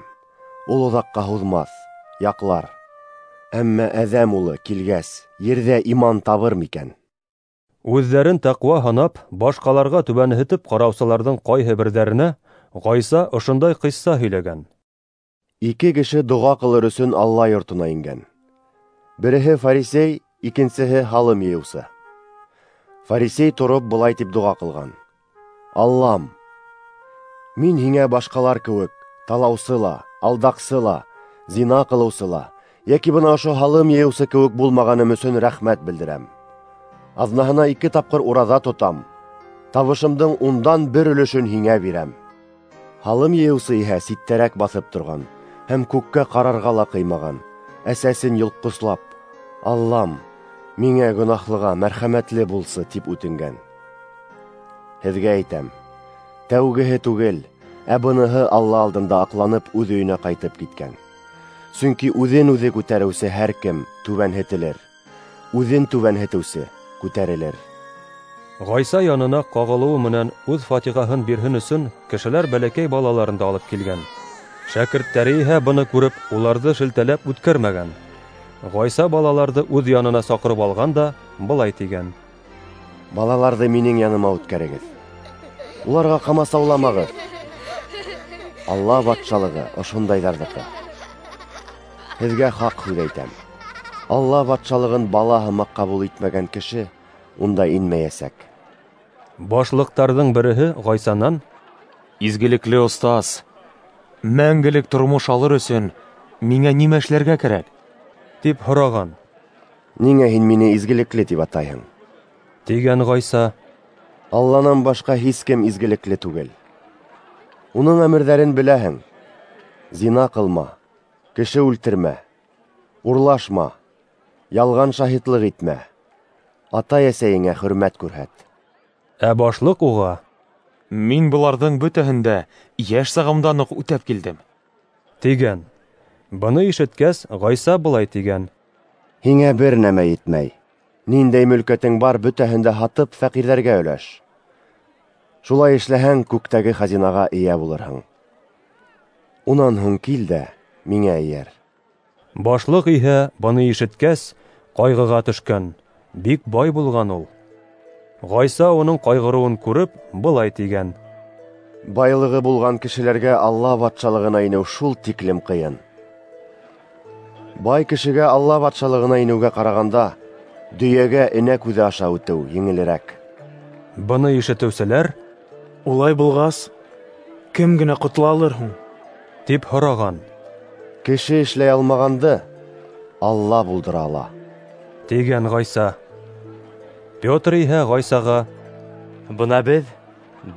ул оҙаҡҡа һуҙмаҫ, яҡлар. Әммә Әҙәм улы килгәс, ерҙә иман табыр микән? Үҙҙәрен тәҡүә һанап, башҡаларға түбәнһетеп ҡараусыларҙың ҡайһы берҙәренә Ғайса ошондай ҡисса һөйләгән. Ике кеше доға ҡылыр өсөн Алла йортона ингән. Береһе фарисей, икенсеһе һалым йыйыусы. Фарисей тороп былай тип доға ҡылған: Аллам, мин һиңә башҡалар кеүек талаусы ла, алдаҡсы ла, зина ҡылыусы ла, йәки бына ошо һалым йыйыусы кеүек булмағаным өсөн рәхмәт белдерәм. Аҙнаһына ике тапҡыр ураҙа тотам, табышымдың ундан бер өлөшөн һиңә бирәм. Һалым йыйыусы иһә ситтәрәк баҫып торған һәм күккә ҡарарға ла ҡыймаған, әсәсен йолҡҡослап, Аллам, миңә гонаһлыға мәрхәмәтле булсы, тип үтенгән. Һеҙгә әйтәм, тәүгеһе түгел, ә быныһы Алла алдында аҡланып үҙ өйөнә ҡайтып киткән. Сөнки үҙен үҙе күтәреүсе һәр кем түбәнһетелер, үҙен түбәнһетеүсе күтәрелер. Ғайса янына ҡағылыуы менән үҙ фатиғаһын бирһен өсөн кешеләр бәләкәй балаларын да алып килгән. Шәкерттәре иһә быны күреп, уларҙы шелтәләп үткәрмәгән. Ғайса балаларҙы үҙ янына саҡырып алған да былай тигән: Балаларҙы минең яныма үткәрегеҙ, уларға ҡамасауламағыҙ. Алла батшалығы ошондайҙарҙыҡы. Һеҙгә хаҡ һүҙ әйтәм, Алла батшалығын бала һымаҡ ҡабул итмәгән кеше унда инмәйәсәк. Башлыҡтарҙың береһе Ғайсанан: Изгелекле остаз, мәңгелек тормош алыр өсөн миңә нимә эшләргә кәрәк? Тип һораған. Ниңә һин мине изгелекле тип атайһың? Тигән Ғайса. Алланан башҡа һис кем изгелекле түгел. Уның әмерҙәрен беләһең: зина ҡылма, кеше үлтермә, урлашма, ялған шаһитлыҡ итмә, атай-әсәйеңә хөрмәт күрһәт. Ә башлыҡ уға: Мин быларҙың бөтәһен дә йәш сағымдан уҡ үтәп килдем, тигән. Быны ишеткәс, Ғайса былай тигән: Һиңә бер нәмә етмәй. Ниндәй мөлкәтең бар, бөтәһен дә һатып фәҡирҙәргә өләш. Шулай эшләһәң, күктәге хазинаға эйә булырһың. Унан һуң кил дә миңә эйәр. Башлыҡ иһә быны ишеткәс, ҡайғыға төшкән, бик бай булған ул. Ғайса уның ҡайғырыуын күреп, былай тигән: Байлығы булған кешеләргә Алла батшалығына инеү шул тиклем ҡыйын. Бай кешегә Алла батшалығына инеүгә ҡарағанда, дөйәгә энә күҙе аша үтеү еңелерәк. Быны ишетеүселәр: Улай булғас, кем генә ҡотола алыр һуң? Тип һораған. Кеше эшләй алмағанды Алла булдыра ала, тигән Ғайса. Петр иһә Ғайсаға: Бына беҙ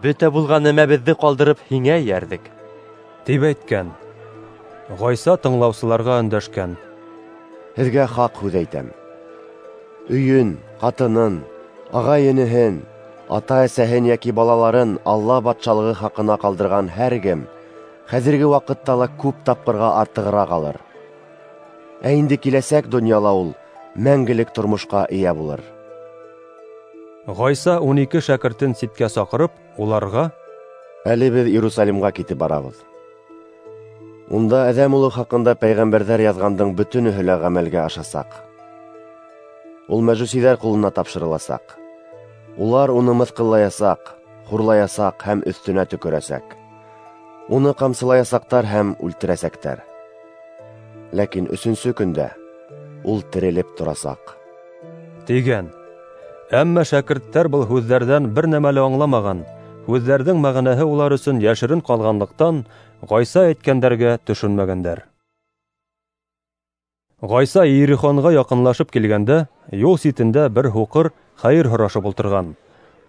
бөтә булған нәмәбеҙҙе ҡалдырып һиңә эйәрҙек, тип әйткән. Ғайса тыңлаусыларға өндәшкән: Һеҙгә хаҡ һүҙ әйтәм, Өйөн, ҡатынын, ағай-энеһен, ата-әсәһен йәки балаларын Алла батшалығы хаҡына ҡалдырған һәр кем хәҙерге ваҡытта ла күп тапҡырға артығыраҡ алыр. Ә инде киләсәк донъяла ул мәңгелек тормошҡа эйә булыр. Ғайса ун ике шәкертен ситкә саҡырып, уларға: Әле беҙ Иерусалимға китеп барабыҙ. Унда Әҙәм улы хаҡында пәйғәмбәрҙәр яҙғандың бөтөнөһө лә ғәмәлгә ашасаҡ. Ул мәжүсиҙәр ҡулына тапшырыласаҡ. Улар уны мыҫҡыллаясаҡ, хурлаясаҡ һәм өҫтөнә төкөрәсәк. Уны ҡамсылаясаҡтар һәм үлтерәсәктәр. Ләкин өсөнсө көндә ул терелеп торасаҡ, тигән. Әммә шәкерттәр был һүҙҙәрҙән бер нәмә лә аңламаған. Һүҙҙәрҙең мәғәнәһе улар өсөн йәшерен ҡалғанлыҡтан, Ғайса әйткәндәргә төшөнмәгәндәр. Ғайса Иерихонға яҡынлашып килгәндә, юл ситендә бер һуҡыр хәйер һорашып ултырған.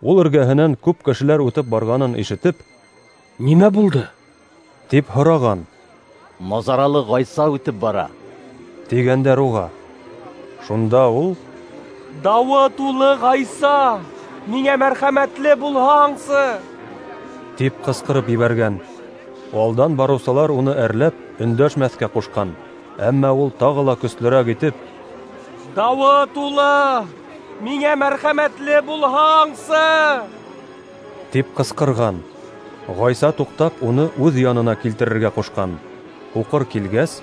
Ул эргәһенән күп кешеләр үтеп барғанын ишетеп, "Нимә булды?" тип һораған. Назаралы Ғайса үтеп бара, тигәндәр уға. Шунда ул: "Дауыт улы Ғайса, миңә мәрхәмәтле булһаңсы!" тип ҡысҡырып ебәргән. Алдан барыусылар уны әрләп, өндәшмәҫкә ҡушҡан. Әммә ул тағы ла көслөрәк итеп: "Дауыт улы, миңә мәрхәмәтле булһаңсы!" тип ҡысҡырған. Ғайса туҡтап, уны үҙ янына килтерергә ҡушҡан. Һуҡыр килгәс: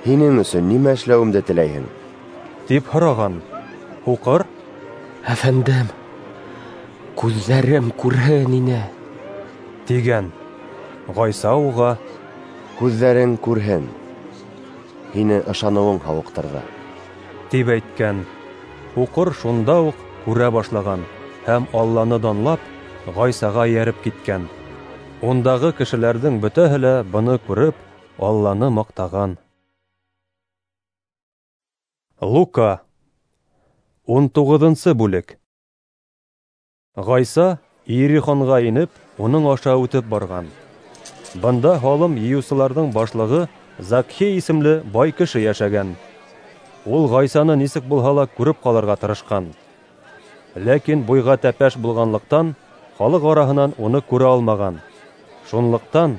"Һинең өсөн нимә эшләүемде теләйһең?" тип һораған. Һуҡыр: "Әфәндем, күҙҙәрем күрһен ине", тигән. Ғайса уға: "Күҙҙәрең күрһен, һине ышаныуың һауыҡтырҙы", тип әйткән. Һуҡыр шунда уҡ күрә башлаған һәм Алланы данлап, Ғайсаға эйәреп киткән. Ундағы кешеләрҙең бөтәһе лә быны күреп, Алланы маҡтаған. Лука, ун туғыҙынсы бүлек. Ғайса Иерихонға инеп, уның аша үтеп барған. Бында һалым йыйыусыларҙың башлығы Закхей исемле бай кеше йәшәгән. Ул Ғайсаны нисек булһа ла күреп ҡалырға тырышҡан. Ләкин буйға тәпәш булғанлыҡтан, халыҡ араһынан уны күрә алмаған. Шунлыҡтан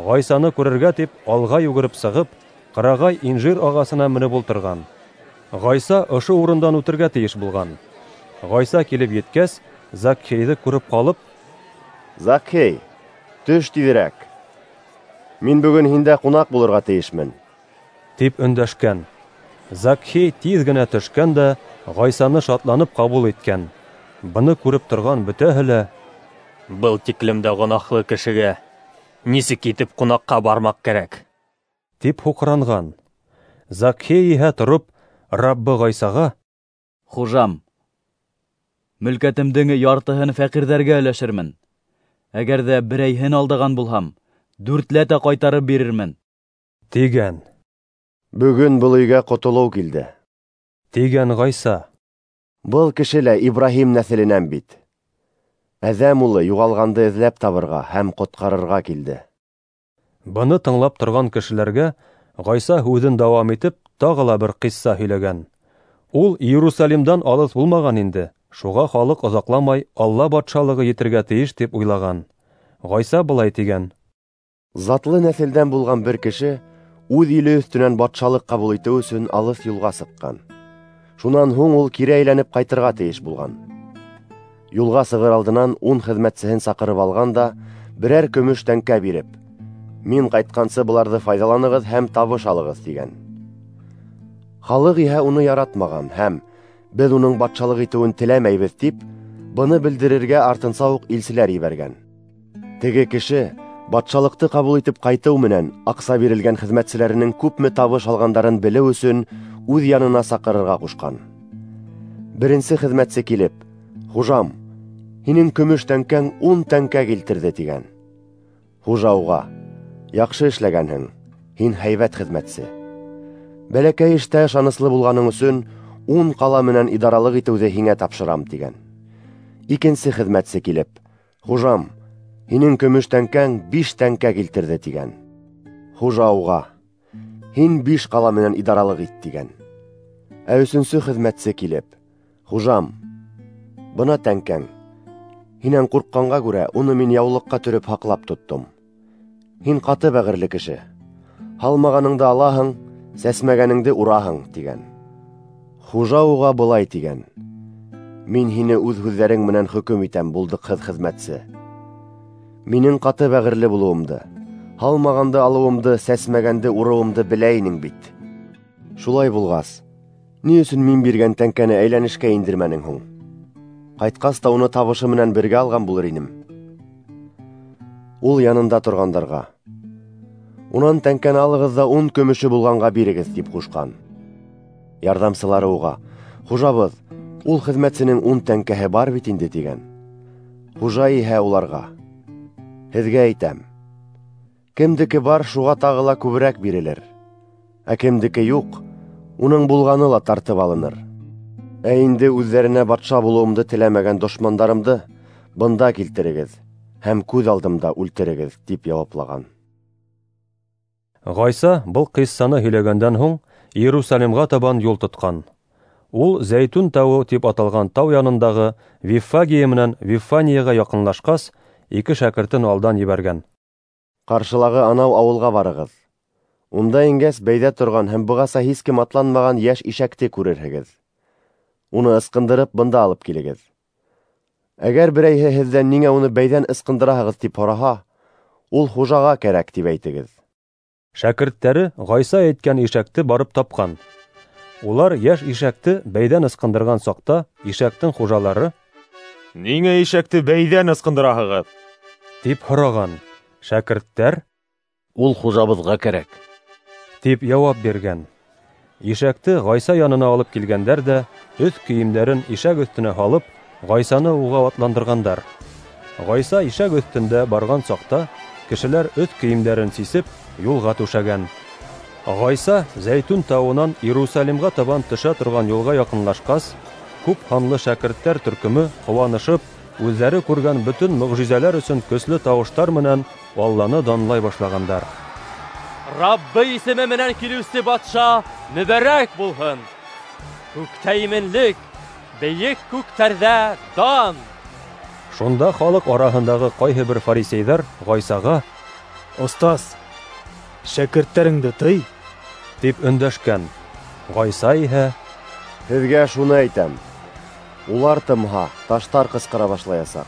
Ғайсаны күрергә тип алға йүгереп сығып, ҡырағай инжир ағасына менеп ултырған. Ғайса ошо урындан үтергә тейеш булған. Ғайса килеп еткәс, Закхейҙе күреп ҡалып: "Закхей, төш тиҙерәк. Мин бөгөн һиндә ҡунаҡ булырға тейешмен", тип өндәшкән. Закхей тиҙ генә төшкән дә Ғайсаны шатланып ҡабул иткән. Быны күреп торған бөтәһе лә: "Был тиклем дә гонаһлы кешегә нисек итеп ҡунаҡҡа бармаҡ кәрәк?" тип һуҡранған. Закхей иһә тороп, Раббы Ғайсаға: "Хужам, мөлкәтемдең яртыһын фәҡирҙәргә өләшермен. Әгәр ҙә берәйһен алдаған булһам, дүртләтә ҡайтарып бирермен", тигән. "Бөгөн был өйгә ҡотолоу килде", тигән Ғайса. "Был кеше лә Ибраһим нәҫеленән бит. Әҙәм улы юғалғанды эҙләп табырға һәм ҡотҡарырға килде." Быны тыңлап торған кешеләргә Ғайса һүҙен дауам итеп, тағы ла бер ҡисса һөйләгән. Ул Иерусалимдан алыҫ булмаған инде, шуға халыҡ оҙаҡламай Алла батшалығы етергә тейеш тип уйлаған. Ғайса былай тигән: "Затлы нәҫелдән булған бер кеше үҙ иле өҫтөнән батшалыҡ ҡабул итеү өсөн алыҫ юлға сыҡҡан. Шунан һуң ул кире әйләнеп ҡайтырға тейеш булған. Юлға сығыр алдынан ун хеҙмәтсеһен саҡырып алған да берәр көмөш тәңкә биреп, мин ҡайтҡансы быларҙы файҙаланығыҙ һәм табыш алығыҙ, тигән. Халыҡ иһә уны яратмаған һәм беҙ уның батшалыҡ итеүен теләмәйбеҙ тип, быны белдерергә артынса уҡ илселәр ебәргән. Теге кеше батшалыҡты ҡабул итеп ҡайтыу менән аҡса бирелгән хеҙмәтселәренең күпме табыш алғандарын белеү өсөн үҙ янына саҡырырға ҡушҡан. Беренсе хеҙмәтсе килеп, хужам, һинең көмөш тәңкәң ун тәңкә килтерҙе, тигән. Хужа уға: яҡшы эшләгәнһең, һин һәйбәт хеҙмәтсе. Бәләкәй эштә ышаныслы булғаның өсөн ун ҡала менән идаралыҡ итеүҙе һиңә тапшырам, тигән. Икенсе хеҙмәтсе килеп, хужам, һинең көмөш тәңкәң биш тәңкә килтерҙе, тигән. Хужа уға: һин биш ҡала менән идаралыҡ ит, тигән. Ә өсөнсө хеҙмәтсе килеп, Хужам, бына тәңкәң. Һинән ҡурҡҡанға күрә уны мин яулыҡҡа төрөп һаҡлап тоттом. Һин ҡаты бәғерле кеше. Һалмағаныңды алаһың, сәсмәгәнеңде ураһың, тигән. Хужа уға былай тигән: Мин һине үҙ һүҙҙәрең менән хөкөм итәм, булдыҡһыҙ хеҙмәтсе. Минең ҡаты бәғерле булыуымды, һалмағанды алыуымды, сәсмәгәнде урыуымды белә инең бит. Шулай булғас, ни өсөн мин биргән тәңкәне әйләнешкә индермәнең һуң? Ҡайтҡас та уны табышы менән бергә алған булыр инем. Ул янында торғандарға: Унан тәңкәне алығыҙ ҙа ун көмөшө булғанға бирегеҙ, тип ҡушҡан. Ярҙамсылары уға: Хужабыҙ, ул хеҙмәтсенең ун тәңкәһе бар бит инде, тигән. Хужа иһә уларға: Һеҙгә әйтәм, кемдеке бар, шуға тағы ла күберәк бирелер, ә кемдеке юҡ, уның булғаны ла тартып алыныр. Ә инде үҙҙәренә батша булыуымды теләмәгән дошмандарымды бында килтерегеҙ һәм күҙ алдымда үлтерегеҙ, тип яуаплаған. Ғайса был ҡиссаны һөйләгәндән һуң Иерусалимға табан юл тотҡан. Ул Зәйтүн тауы тип аталған тау янындағы Виффагия менән Вифанияға яҡынлашҡас, ике шәкертен алдан ебәргән. Ҡаршылағы анау ауылға барығыҙ. Унда ингәс, бәйҙә торған һәм бығаса һис кем атланмаған йәш ишәкте күрерһегеҙ. Уны ысҡындырып бында алып килегеҙ. Әгәр берәйһе һеҙҙән ниңә уны бәйҙән ысҡындыраһығыҙ тип һораһа, ул хужаға кәрәк тип әйтегеҙ. Шәкерттәре Ғайса әйткән ишәкте барып тапҡан. Улар йәш ишәкте бәйҙән ысҡындырған саҡта ишәктең хужалары: Ниңә ишәкте бәйҙән ысҡындыраһығыҙ? тип һораған. Шәкерттәр: Ул хужабыҙға кәрәк, тип яуап биргән. Ишәкте Ғайса янына алып килгәндәр ҙә, өҫ кейемдәрен ишәк өҫтөнә һалып, Ғайсаны уға атландырғандар. Ғайса ишәк өҫтөндә барған саҡта кешеләр өҫ кейемдәрен сисеп, юлға түшәгән. Ғайса Зәйтүн тауынан Иерусалимға табан төшә торған юлға яҡынлашҡас, күп һанлы шәкерттәр төркөмө ҡыуанышып, үҙҙәре күргән бөтөн мөғжизәләр өсөн көслө тауыштар менән Алланы данлай башлағандар. Раббы исеме менән килеүсе батша мөбәрәк булһын! Күктә именлек, бейек күктәрҙә дан! Шунда халыҡ араһындағы ҡайһы бер фарисейҙар Ғайсаға: Остаз, шәкерттәреңде тый, тип өндәшкән. Ғайса иһә: Һеҙгә шуны әйтәм, улар тымһа, таштар ҡысҡыра башлаясаҡ,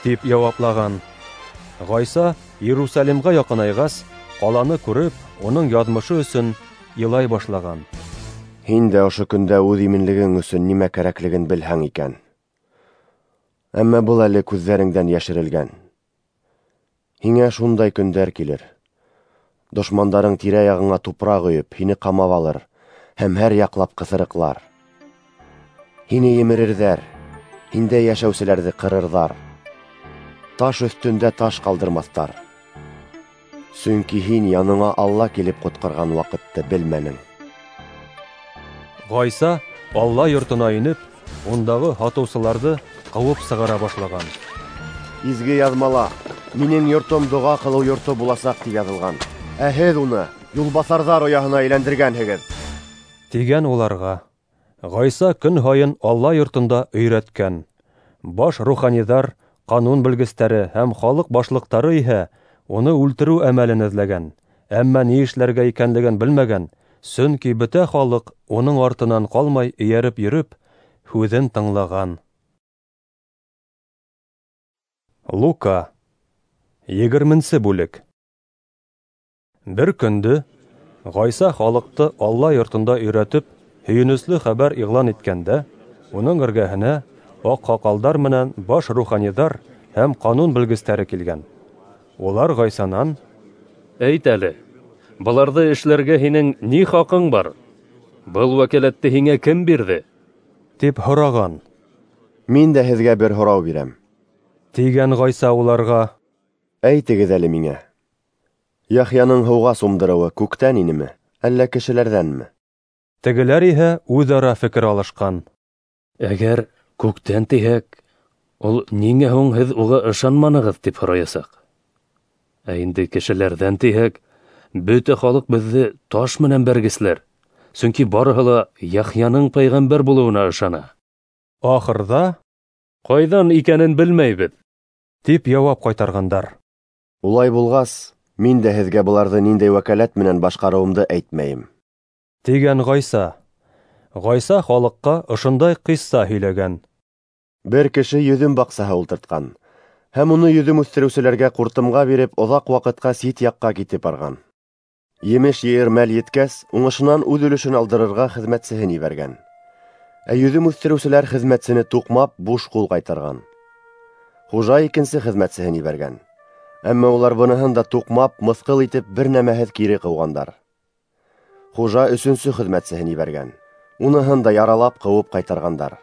тип яуаплаған. Ғайса Иерусалимға яҡынайғас, ҡаланы күреп, уның яҙмышы өсөн илай башлаған. Һин дә ошо көндә үҙ именлегең өсөн нимә кәрәклеген белһәң икән. Әммә был әле күҙҙәреңдән йәшерелгән. Һиңә шундай көндәр килер. Дошмандарың тирә-яғыңа тупраҡ өйөп, һине ҡамап алыр һәм һәр яҡлап ҡыҫырыҡлар. Һине емерерҙәр, һиндә йәшәүселәрҙе ҡырырҙар. Таш өҫтөндә таш ҡалдырмаҫтар. Сөнки һин яныңа Алла килеп ҡотҡарған ваҡытты белмәнең. Ғайса Алла йортона инеп, ундағы һатыусыларҙы ҡыуып сығара башлаған. Изге яҙмала: Минең йортом доға ҡылыу йорто буласаҡ, тип яҙылған. Ә һеҙ уны юлбаҫарҙар ояһына әйләндергәнһегеҙ, тигән уларға. Ғайса көн һайын Алла йортонда өйрәткән. Баш руханиҙар, ҡанун белгестәре һәм халыҡ башлыҡтары иһә уны үлтереү әмәлен эҙләгән, әммә ни эшләргә икәнлеген белмәгән, сөнки бөтә халыҡ уның артынан ҡалмай эйәреп йөрөп, һүҙен тыңлаған. Лука, егерменсе бүлек. Бер көндө Ғайса халыҡты Алла йортонда өйрәтеп, һөйөнөслө хәбәр иғлан иткәндә, уның эргәһенә аҡһаҡалдар менән баш руханиҙар һәм ҡанун белгестәре килгән. Улар Ғайсанан: Әйт әле, быларҙы эшләргә һинең ни хаҡың бар? Был вәкәләтте һиңә кем бирҙе? Тип һораған. Мин дә һеҙгә бер һорау бирәм, тигән Ғайса уларға. Әйтегеҙ әле миңә, Яхъяның һыуға сумдырыуы күктән инеме, әллә кешеләрҙәнме? Тегеләр иһә үҙ-ара фекер алышҡан. Әгәр күктән тиһәк, ул ниңә һуң һеҙ уға ышанманығыҙ, тип һораясаҡ. Ә инде кешеләрҙән тиһәк, бөтә халыҡ беҙҙе таш менән бәргесләр, сөнки барыһы ла Яхъяның пәйғәмбәр булыуына ышана. Ахырҙа: "Ҡайҙан икәнен белмәйбеҙ", тип яуап ҡайтарғандар. Улай булғас, мин дә һеҙгә быларҙы ниндәй вәкәләт менән башҡарыуымды әйтмәйем, тигән Ғайса. Ғайса халыҡҡа ошондай ҡисса һөйләгән: Бер кеше йөҙөм баҡсаһы ултыртҡан һәм уны йөҙөм үҫтереүселәргә ҡуртымға биреп, оҙаҡ ваҡытҡа сит яҡҡа китеп барған. Емеш йыйыр мәл еткәс, уңышынан үҙ өлөшөн алдырырға хеҙмәтсеһен ебәргән. Ә йөҙөм үҫтереүселәр хеҙмәтсене туҡмап, буш ҡул ҡайтарған. Хужа икенсе хеҙмәтсеһен ебәргән. Әммә улар быныһын да туҡмап, мыҫҡыл итеп, бер нәмәһеҙ кире ҡыуғандар. Хужа өсөнсө хеҙмәтсеһен ебәргән. Уныһын да яралап, ҡыуып ҡайтарғандар.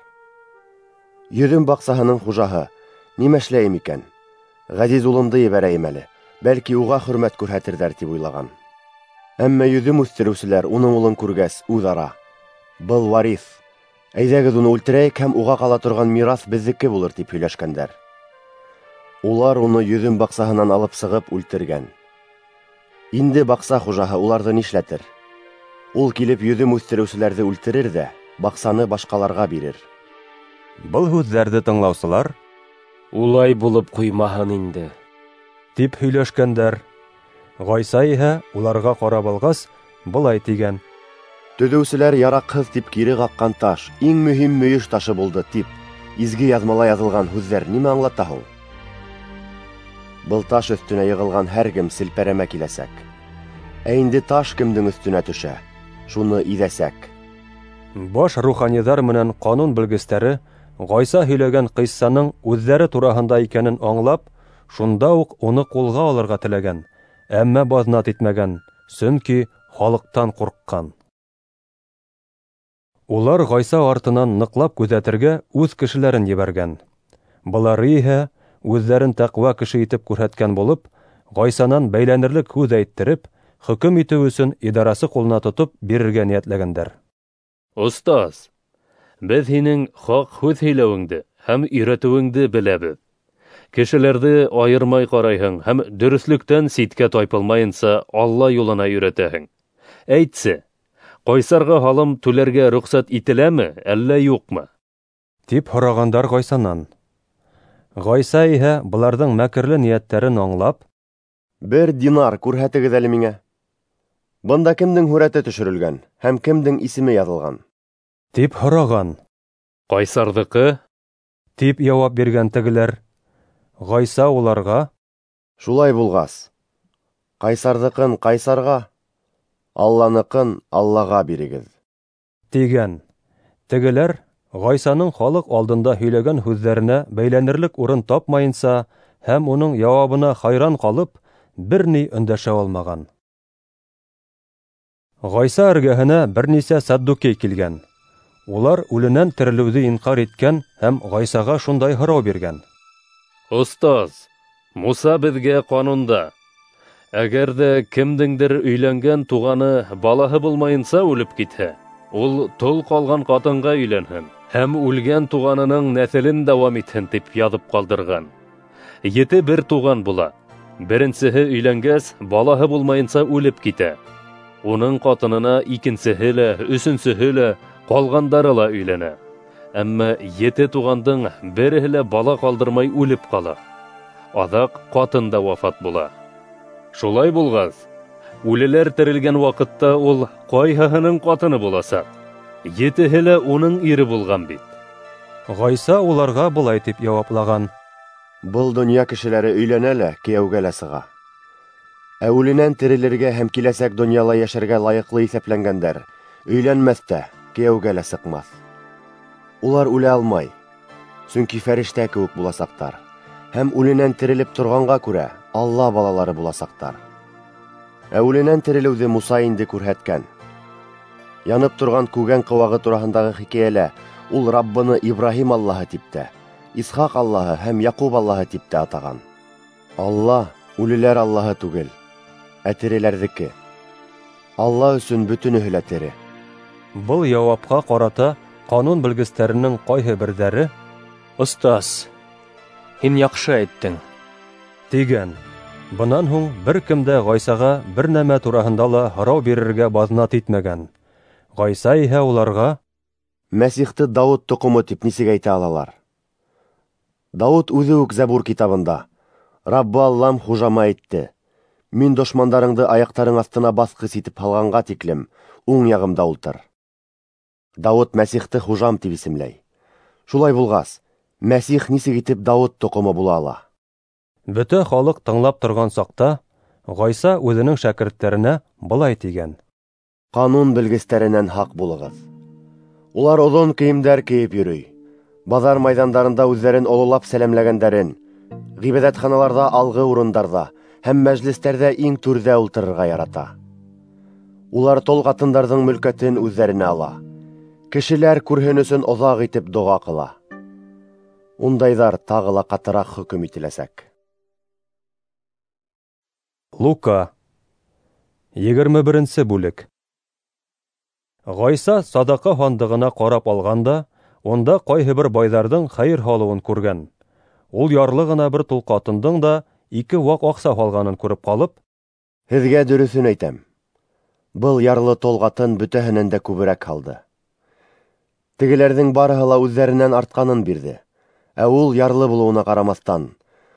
Йөҙөм баҡсаһының хужаһы: "Нимә эшләйем икән? Ғәзиз улымды ебәрәйем әле, бәлки уға хөрмәт күрһәтерҙәр", тип уйлаған. Әммә йөҙөм үҫтереүселәр уның улын күргәс, үҙ-ара: "Был вариф, әйҙәгеҙ уны үлтерәйек һәм уға ҡала торған мираҫ беҙҙеке булыр", тип һөйләшкәндәр. Улар уны йөҙөм баҡсаһынан алып сығып үлтергән. Инде баҡса хужаһы уларҙы нишләтер? Ул килеп йөҙөм үҫтереүселәрҙе үлтерер ҙә баҡсаны башҡаларға бирер. Был һүҙҙәрҙе тыңлаусылар: "Улай булып ҡуймаһын инде", тип һөйләшкәндәр. Ғайса иһә уларға ҡарап алғас, былай тигән: Төҙөүселәр яраҡһыҙ тип кире ҡаҡҡан таш иң мөһим мөйөш ташы булды тип изге яҙмала яҙылған һүҙҙәр нимә аңлата һуң? Был таш өҫтөнә йығылған һәр кем селпәрәмә киләсәк. Ә инде таш кемдең өҫтөнә төшә, шуны иҙәсәк. Баш руханиҙар менән ҡанун белгестәре Ғайса һөйләгән ҡиссаның үҙҙәре тураһында икәнен аңлап, шунда уҡ уны ҡулға алырға теләгән, әммә баҙнат итмәгән, сөнки халыҡтан ҡурҡҡан. Улар Ғайса артынан ныҡлап күҙәтергә үҙ кешеләрен ебәргән. Былары иһә үҙҙәрен тәҡүә кеше итеп күрһәткән булып, Ғайсанан бәйләнерлек һүҙ әйттереп, хөкөм итеү өсөн идарасы ҡулына тотоп бирергә ниәтләгәндәр. Остаз, беҙ һинең хаҡ һүҙ һөйләүеңде һәм өйрәтеүеңде беләбеҙ. Кешеләрҙе айырмай ҡарайһың һәм дөрөҫлөктән ситкә тайпылмайынса Алла юлына өйрәтәһең. Әйтсе, ҡайсарға һалым түләргә рөхсәт ителәме, әллә юҡмы? Тип һорағандар Ғайсанан. Ғайса иһә быларҙың мәкерле ниәттәрен аңлап: "Бер динар күрһәтегеҙ әле миңә. Бында кемдең һүрәте төшөрөлгән һәм кемдең исеме яҙылған?" тип һораған. "Ҡайсарҙыҡы", тип яуап биргән тегеләр. Ғайса уларға: "Шулай булғас, ҡайсарҙыҡын ҡайсарға, Алланыҡын Аллаға бирегеҙ", тигән. Тегеләр Ғайсаның халыҡ алдында һөйләгән һүҙҙәренә бәйләнерлек урын тапмайынса һәм уның яуабына хайран ҡалып, бер ни өндәшә алмаған. Ғайса эргәһенә бер нисә саддукей килгән. Улар үленән терелеүҙе инҡар иткән һәм Ғайсаға шундай һорау биргән: "Остаз, Муса беҙгә ҡанунда: әгәр ҙә кемдеңдер өйләнгән туғаны балаһы булмайынса үлеп китһә, ул тол ҡалған ҡатынға өйләнһен һәм үлгән туғанының нәҫелен дауам итһен, тип яҙып ҡалдырған. Ете бер туған була. Беренсеһе өйләнгәс, балаһы булмайынса үлеп китә. Уның ҡатынына икенсеһе лә, өсөнсөһө лә, ҡалғандары ла өйләнә. Әммә ете туғандың береһе лә бала ҡалдырмай үлеп ҡала. Аҙаҡ ҡатын да вафат була. Шулай булғас, үлеләр терелгән ваҡытта ул ҡайһыһының ҡатыны буласаҡ? Етеһе лә уның ире булған бит." Ғайса уларға былай тип яуаплаған: "Был донъя кешеләре өйләнә лә, кейәүгә лә сыға. Ә үленән терелергә һәм киләсәк донъяла йәшәргә лайыҡлы иҫәпләнгәндәр өйләнмәҫ тә, кейәүгә лә сыҡмаҫ. Улар үлә алмай, сөнки фәрештә кеүек буласаҡтар һәм үленән терелеп торғанға күрә Алла балалары буласаҡтар. Ә үленән терелеүҙе Муса инде күрһәткән. Янып торған күгән ҡыуағы тураһындағы хикәйәлә ул Раббыны Ибраһим Аллаһы тип тә, Исхаҡ Аллаһы һәм Яҡуб Аллаһы тип тә атаған. Алла үлеләр Аллаһы түгел, ә тереләрҙеке. Алла өсөн бөтөнөһө лә тере." Был яуапҡа ҡарата ҡанун белгестәренең ҡайһы берҙәре: "Остаз, һин яҡшы әйттең", тигән. Бынан һуң бер кем дә Ғайсаға бер нәмә тураһында ла һорау бирергә баҙнат итмәгән. Ғайса иһә уларға: Мәсихте Дауыт тоҡомо тип нисек әйтә алалар? Дауыт үҙе үк Зәбур китабында: Раббы Аллам хужама әйтте: Мин дошмандарыңды аяҡтарың аҫтына баҫҡыс итеп һалғанға тиклем уң яғымда ултыр. Дауыт Мәсихте хужам тип исемләй. Шулай булғас, Мәсих нисек итеп Дауыт тоҡомо була ала? Бөтә халыҡ тыңлап торған саҡта Ғайса үҙенең шәкерттәренә былай тигән: Ҡанун белгестәренән һаҡ булығыҙ. Улар оҙон кейемдәр кейеп йөрөй, баҙар майҙандарында үҙҙәрен ололап сәләмләгәндәрен, ғибәҙәтханаларҙа алғы урындарҙа һәм мәжлестәрҙә иң түрҙә ултырырға ярата. Улар тол ҡатындарҙың мөлкәтен үҙҙәренә ала, кешеләр күрһен өсөн оҙаҡ итеп доға ҡыла. Ундайҙар тағы ла ҡатыраҡ хөкөм ителәсәк. Лука, егерме беренсе бүлек. Ғайса садаҡа һандығына ҡарап алған да, унда ҡайһы бер байҙарҙың хәйер һалыуын күргән. Ул ярлы ғына бер тол ҡатындың да ике ваҡ аҡса һалғанын күреп ҡалып: Һеҙгә дөрөҫөн әйтәм, был ярлы тол ҡатын бөтәһенән дә күберәк һалды. Тегеләрҙең барыһы ла үҙҙәренән артҡанын бирҙе, ә ул ярлы булыуына ҡарамаҫтан,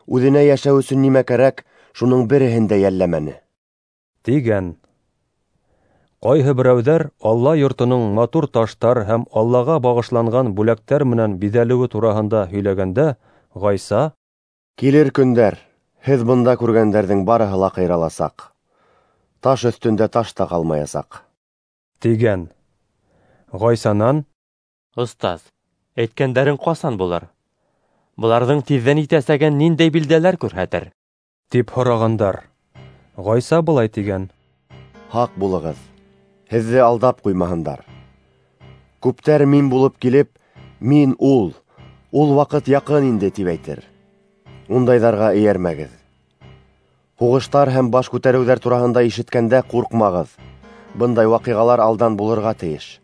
үҙенә йәшәү өсөн нимә кәрәк, шуның береһен дә йәлләмәне. Тигән. Ҡайһы берәүҙәр Алла йортоноң матур таштар һәм Аллаға бағышланған бүләктәр менән биҙәлеүе тураһында һөйләгәндә, Ғайса: Килер көндәр, һеҙ бында күргәндәрҙең барыһы ла ҡыйраласаҡ, таш өҫтөндә таш та ҡалмаясаҡ, тигән. Ғайсанан: Остаз, әйткәндәрең ҡасан булыр? Быларҙың тиҙҙән итәсәген ниндәй билдәләр күрһәтер? Тип һорағандар. Ғайса былай тигән: Һаҡ булығыҙ, һеҙҙе алдап ҡуймаһындар. Күптәр мин булып килеп, мин ул, ул ваҡыт яҡын инде, тип әйтер. Ундайҙарға эйәрмәгеҙ. Һуғыштар һәм баш күтәреүҙәр тураһында ишеткәндә ҡурҡмағыҙ. Бындай ваҡиғалар алдан булырға тейеш.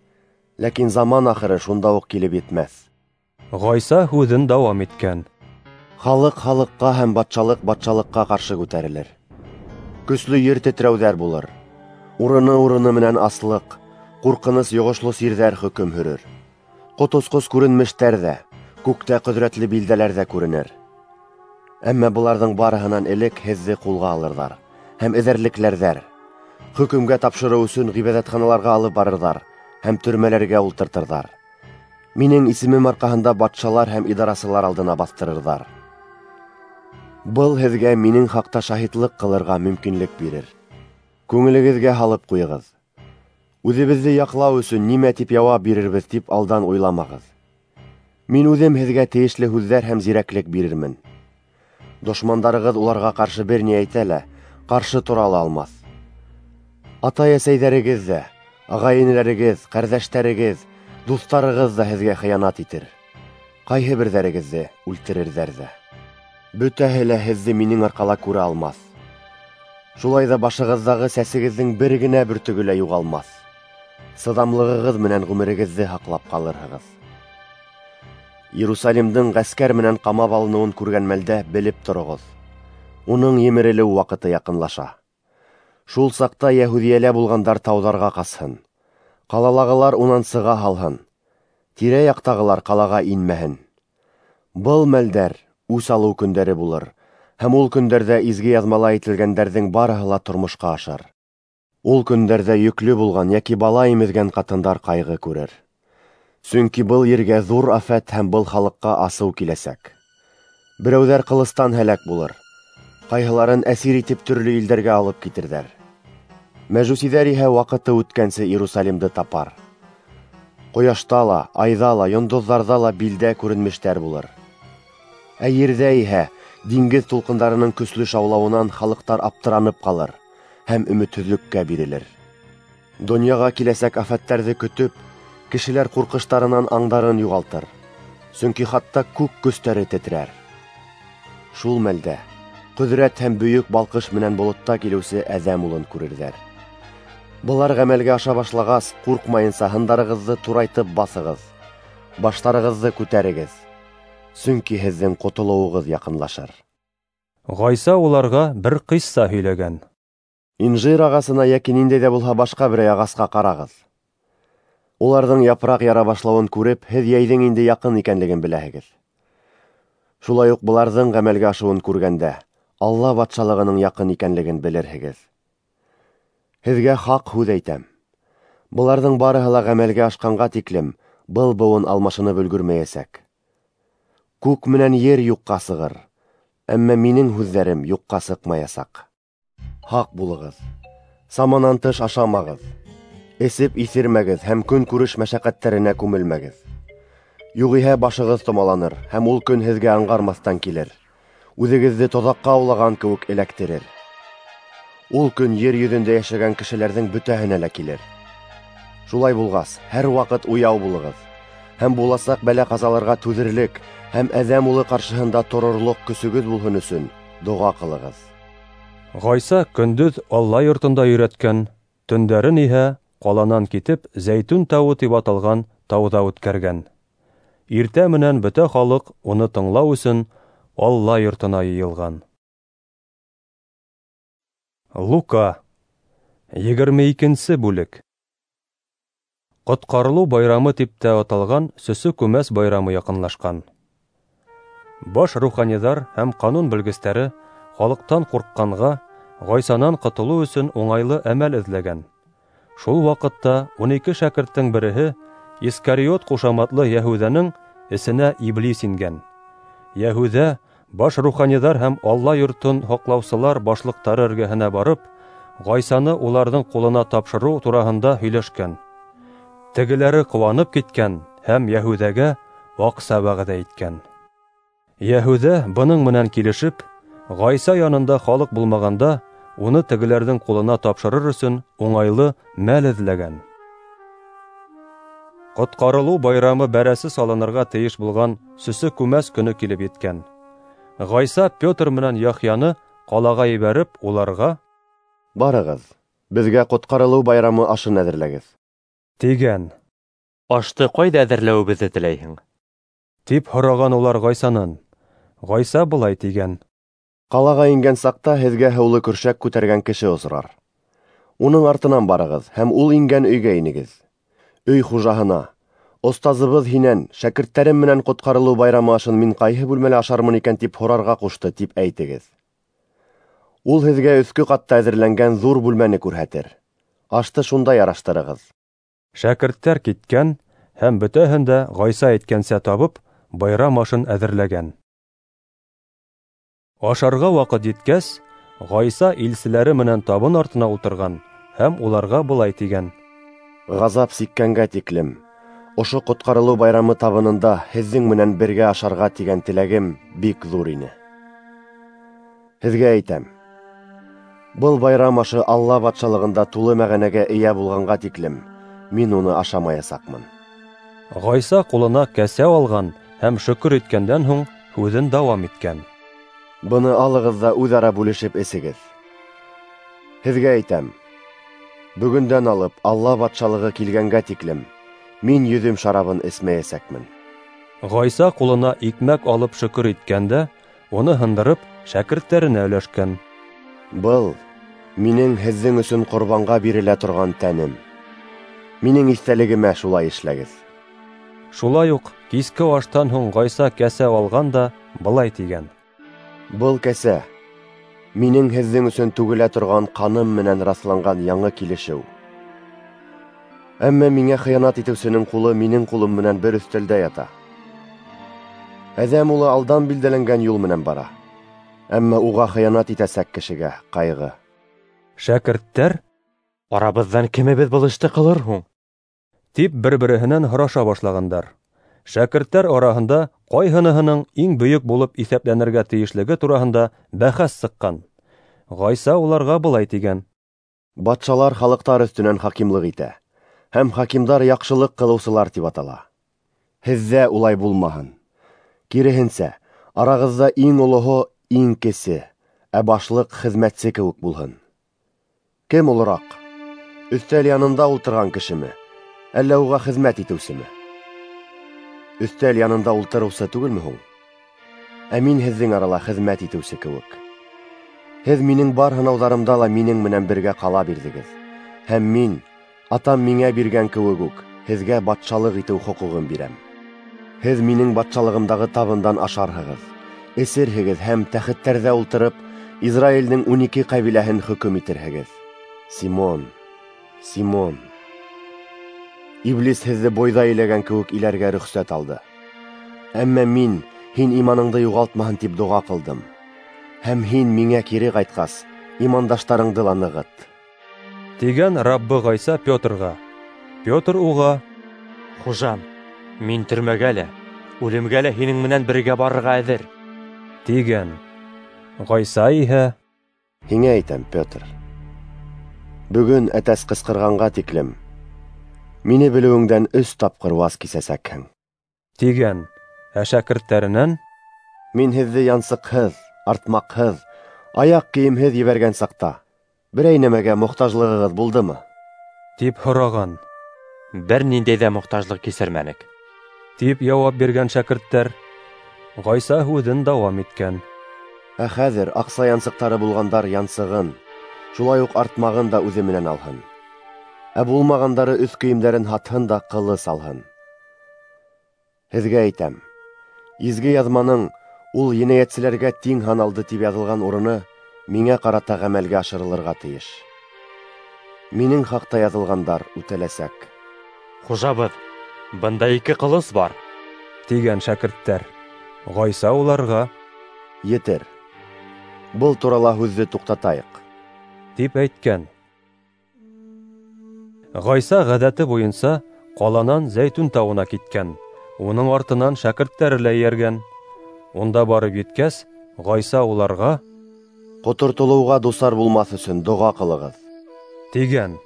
Ләкин заман ахыры шунда уҡ килеп етмәҫ. Ғайса һүҙен дауам иткән: Халыҡ халыҡҡа һәм батшалыҡ батшалыҡҡа ҡаршы күтәрелер. Көслө ер тетрәүҙәр булыр. Урыны-урыны менән аслыҡ, ҡурҡыныс йоғошло сирҙәр хөкөм һөрөр. Ҡотосҡос күренмештәр ҙә, күктә ҡөҙрәтле билдәләр ҙә күренер. Әммә быларҙың барыһынан элек һеҙҙе ҡулға алырҙар һәм эҙәрлекләрҙәр. Хөкөмгә тапшырыу өсөн ғибәҙәтханаларға алып барырҙар һәм төрмәләргә ултыртырҙар. Минең исемем арҡаһында батшалар һәм идарасылар алдына баҫтырырҙар. Был һеҙгә минең хаҡта шаһитлыҡ ҡылырға мөмкинлек бирер. Күңелегеҙгә һалып ҡуйығыҙ. Үҙебеҙҙе яҡлау өсөн нимә тип яуап бирербеҙ тип алдан уйламағыҙ. Мин үҙем һеҙгә тейешле һүҙҙәр һәм зирәклек бирермен. Дошмандарығыҙ уларға ҡаршы бер ни әйтә лә, ҡаршы тора ла алмаҫ. Атай-әсәйҙәрегеҙ ҙә, ағай-энеләрегеҙ, ҡәрҙәштәрегеҙ, дуҫтарығыҙ ҙа һеҙгә хыянат итер. Ҡайһы берҙәрегеҙҙе үлтерерҙәр ҙә. Бөтәһе лә һеҙҙе минең арҡала күрә алмаҫ. Шулай ҙа башығыҙҙағы сәсегеҙҙең бер генә бөртөгө лә юғалмаҫ. Сыҙамлығығыҙ менән ғүмерегеҙҙе һаҡлап ҡалырһығыҙ. Иерусалимдың ғәскәр менән ҡамап алыныуын күргән мәлдә белеп тороғоҙ: уның емерелеү ваҡыты яҡынлаша. Шул саҡта Йәһүҙиәлә булғандар тауҙарға ҡасһын, ҡалалағылар унан сыға һалһын, тирә-яҡтағылар ҡалаға инмәһен. Был мәлдәр үс алыу көндәре булыр, һәм ул көндәрҙә изге яҙмала әйтелгәндәрҙең барыһы ла тормошҡа ашар. Ул көндәрҙә йөклө булған йәки бала имеҙгән ҡатындар ҡайғы күрер. Сөнки был ергә ҙур афәт һәм был халыҡҡа асыу киләсәк. Берәүҙәр ҡылыстан һәләк булыр, ҡайһыларын әсир итеп төрлө илдәргә алып китерҙәр. Мәжүсиҙәр иһә ваҡыты үткәнсе Иерусалимды тапар. Ҡояшта ла, айҙа ла, йондоҙҙарҙа ла билдә күренмештәр булыр. Ә ерҙә иһә диңгеҙ тулҡындарының көслө шаулауынан халыҡтар аптыранып ҡалыр һәм өмөтһөҙлөккә бирелер. Донъяға киләсәк афәттәрҙе көтөп, кешеләр ҡурҡыштарынан аңдарын юғалтыр, сөнки хатта күк көстәре тетрәр. Шул мәлдә ҡөҙрәт һәм бөйөк балҡыш менән болотта килеүсе Әҙәм улын күрерҙәр. Былар ғәмәлгә аша башлағас, ҡурҡмайынса һындарығыҙҙы турайтып баҫығыҙ, баштарығыҙҙы күтәрегеҙ, сөнки һеҙҙең ҡотолоуығыҙ яҡынлашыр. Ғайса уларға бер ҡисса һөйләгән. Инжир ағасына йәки ниндәй ҙә булһа башҡа берәй ағасҡа ҡарағыҙ. Уларҙың япраҡ яра башлауын күреп, һеҙ йәйҙең инде яҡын икәнлеген беләһегеҙ. Шулай уҡ быларҙың ғәмәлгә ашыуын күргәндә, Алла батшалығының яҡын икәнлеген белерһегеҙ. Һеҙгә хаҡ һүҙ әйтәм: быларҙың барыһы ла ғәмәлгә ашҡанға тиклем был быуын алмашынып өлгөрмәйәсәк. Күк менән ер юҡҡа сығыр, әммә минең һүҙҙәрем юҡҡа сыҡмаясаҡ. Һаҡ булығыҙ, саманан тыш ашамағыҙ, эсеп иҫермәгеҙ һәм көнкүреш мәшәҡәттәренә күмелмәгеҙ. Юғиһә башығыҙ томаланыр, һәм ул көн һеҙгә аңғармаҫтан килер, үҙегеҙҙе тоҙаҡҡа аулаған кеүек эләктерер. Ул көн ер йөҙөндә йәшәгән кешеләрҙең бөтәһенә лә килер. Шулай булғас, һәр ваҡыт уяу булығыҙ, һәм буласаҡ бәлә-ҡазаларға түҙерлек һәм Әҙәм улы ҡаршыһында торорлоҡ көсөгөҙ булһын өсөн доға ҡылығыҙ. Ғайса көндөҙ Алла йортонда өйрәткән, төндәрен иһә ҡаланан китеп Зәйтүн тауы тип аталған тауҙа үткәргән. Иртә менән бөтә халыҡ уны тыңлау өсөн Алла йортона йыйылған. Лука, егерме икенсе бүлек. Ҡотҡарылыу байрамы тип тә аталған Сөсө күмәс байрамы яҡынлашҡан. Баш руханиҙар һәм ҡанун белгестәре халыҡтан ҡурҡҡанға Ғайсанан ҡотолоу өсөн уңайлы әмәл эҙләгән. Шул ваҡытта ун ике шәкерттең береһе Искариот ҡушаматлы Йәһүҙәнең эсенә иблис ингән. Йәһүҙә баш руханиҙар һәм Алла йортон һаҡлаусылар башлыҡтары эргәһенә барып, Ғайсаны уларҙың ҡулына тапшырыу тураһында һөйләшкән. Тегеләре ҡыуанып киткән һәм Йәһүҙәгә аҡса вәғәҙә иткән. Йәһүҙә бының менән килешеп, Ғайса янында халыҡ булмағанда уны тегеләрҙең ҡулына тапшырыр өсөн уңайлы мәл эҙләгән. Ҡотҡарылыу байрамы бәрәсе салынырға тейеш булған Сөсө күмәс көнө килеп еткән. Ғайса Петр менән Яхъяны ҡалаға ебәреп, уларға: "Барығыҙ, беҙгә ҡотҡарылыу байрамы ашын әҙерләгеҙ", тигән. "Ашты ҡайҙа әҙерләүебеҙҙе теләйһең?" тип һораған улар Ғайсанан. Ғайса былай тигән: "Ҡалаға ингән саҡта һеҙгә һыулы көршәк күтәргән кеше осрар. Уның артынан барығыҙ һәм ул ингән өйгә инегеҙ. Өй хужаһына: «Остазыбыҙ һинән, шәкерттәрем менән ҡотҡарылыу байрамы ашын мин ҡайһы бүлмәлә ашармын икән тип һорарға ҡушты», тип әйтегеҙ. Ул һеҙгә өҫкө ҡатта әҙерләнгән ҙур бүлмәне күрһәтер. Ашты шунда яраштырығыҙ. Шәкерттәр киткән һәм бөтәһен дә Ғайса әйткәнсә табып, байрам ашын әҙерләгән. Ашарға ваҡыт еткәс, Ғайса илселәре менән табын артына ултырған һәм уларға былай тигән: "Ғазап сиккәнгә тиклем ошо ҡотҡарылыу байрамы табынында һеҙҙең менән бергә ашарға тигән теләгем бик ҙур ине. Һеҙгә әйтәм, был байрам ашы Алла батшалығында тулы мәғәнәгә эйә булғанға тиклем мин уны ашамаясаҡмын." Ғайса ҡулына кәсә алған һәм шөкөр иткәндән һуң һүҙен дауам иткән: "Быны алығыҙ ҙа үҙ-ара бүлешеп эсегеҙ. Һеҙгә әйтәм, бөгөндән алып Алла батшалығы килгәнгә тиклем мин йөҙөм шарабын эсмәйәсәкмен." Ғайса ҡулына икмәк алып шөкөр иткән дә, уны һындырып, шәкерттәренә өләшкән: "Был минең һеҙҙең өсөн ҡорбанға бирелә торған тәнем. Минең иҫтәлегемә шулай эшләгеҙ." Шулай уҡ киске аштан һуң Ғайса кәсә алған да былай тигән: "Был кәсә минең һеҙҙең өсөн түгелә торған ҡаным менән раҫланған яңы килешеү. Әммә миңә хыянат итеүсенең ҡулы минең ҡулым менән бер өҫтәлдә ята. Әҙәм улы алдан билдәләнгән юл менән бара, әммә уға хыянат итәсәк кешегә ҡайғы." Шәкерттәр: "Арабыҙҙан кемебеҙ был эште ҡылыр һуң?" тип бер-береһенән һораша башлағандар. Шәкерттәр араһында ҡайһыныһының иң бөйөк булып иҫәпләнергә тейешлеге тураһында бәхәс сыҡҡан. Ғайса уларға былай тигән: "Батшалар халыҡтар өҫтөнән хакимлыҡ итә, һәм хакимдар яҡшылыҡ ҡылыусылар тип атала. Һеҙҙә улай булмаһын. Киреһенсә, арағыҙҙа иң олоһо иң кесе, ә башлыҡ хеҙмәтсе кеүек булһын. Кем олораҡ? Өҫтәл янында ултырған кешеме, әллә уға хеҙмәт итеүсеме? Өҫтәл янында ултырыусы түгелме һуң? Ә мин һеҙҙең арала хеҙмәт итеүсе кеүек. Һеҙ минең бар һынауҙарымда ла минең менән бергә ҡала бирҙегеҙ, һәм мин, Атам миңә биргән кеүек үк, һеҙгә батшалыҡ итеү хоҡуғын бирәм. Һеҙ минең батшалығымдағы табындан ашарһығыҙ, эсерһегеҙ һәм тәхеттәрҙә ултырып, Израилдең ун ике ҡәбиләһен хөкөм итерһегеҙ. Симон, Симон, Иблис һеҙҙе бойҙай иләгән кеүек иләргә рөхсәт алды. Әммә мин һин иманыңды юғалтмаһын тип доға ҡылдым. Һәм һин миңә кире ҡайтҡас, имандаштарыңды ла нығыт. Тигән Раббы Ғайса Петрға. Петр уға: Хужам, мин төрмәгә лә, үлемгә лә һинең менән бергә барырға әҙер, тигән. Ғайса иһә: Һиңә әйтәм, Петр, бөгөн әтәс ҡысҡырғанға тиклем мине белеүеңдән өс тапҡыр ваз кисәсәкһең, тигән. Ә шәкерттәренән: Мин һеҙҙе янсыҡһыҙ, артмаҡһыҙ, аяҡ кейемһеҙ ебәргән саҡта берәй нәмәгә мохтажлығығыҙ булдымы? Тип һораған. Бер ниндәй ҙә мохтажлыҡ кисермәнек, тип яуап биргән шәкерттәр. Ғайса һүҙен дауам иткән: Ә хәҙер аҡса янсыҡтары булғандар янсығын, шулай уҡ артмағын да үҙе менән алһын. Ә булмағандары өҫ кейемдәрен һатһын да ҡылыс алһын. Һеҙгә әйтәм, изге яҙманың ул енәйәтселәргә тиң һаналды тип яҙылған урыны миңә ҡарата ғәмәлгә ашырылырға тейеш. Минең хаҡта яҙылғандар үтәләсәк. Хужабыҙ, бында ике ҡылыс бар, тигән шәкерттәр. Ғайса уларға: Етер, был турала һүҙҙе туҡтатайыҡ, тип әйткән. Ғайса ғәҙәте буйынса ҡаланан Зәйтүн тауына киткән. Уның артынан шәкерттәре лә эйәргән. Унда барып еткәс, Ғайса уларға: Ҡотортолоуға дусар булмаҫ өсөн доға ҡылығыҙ, тигән.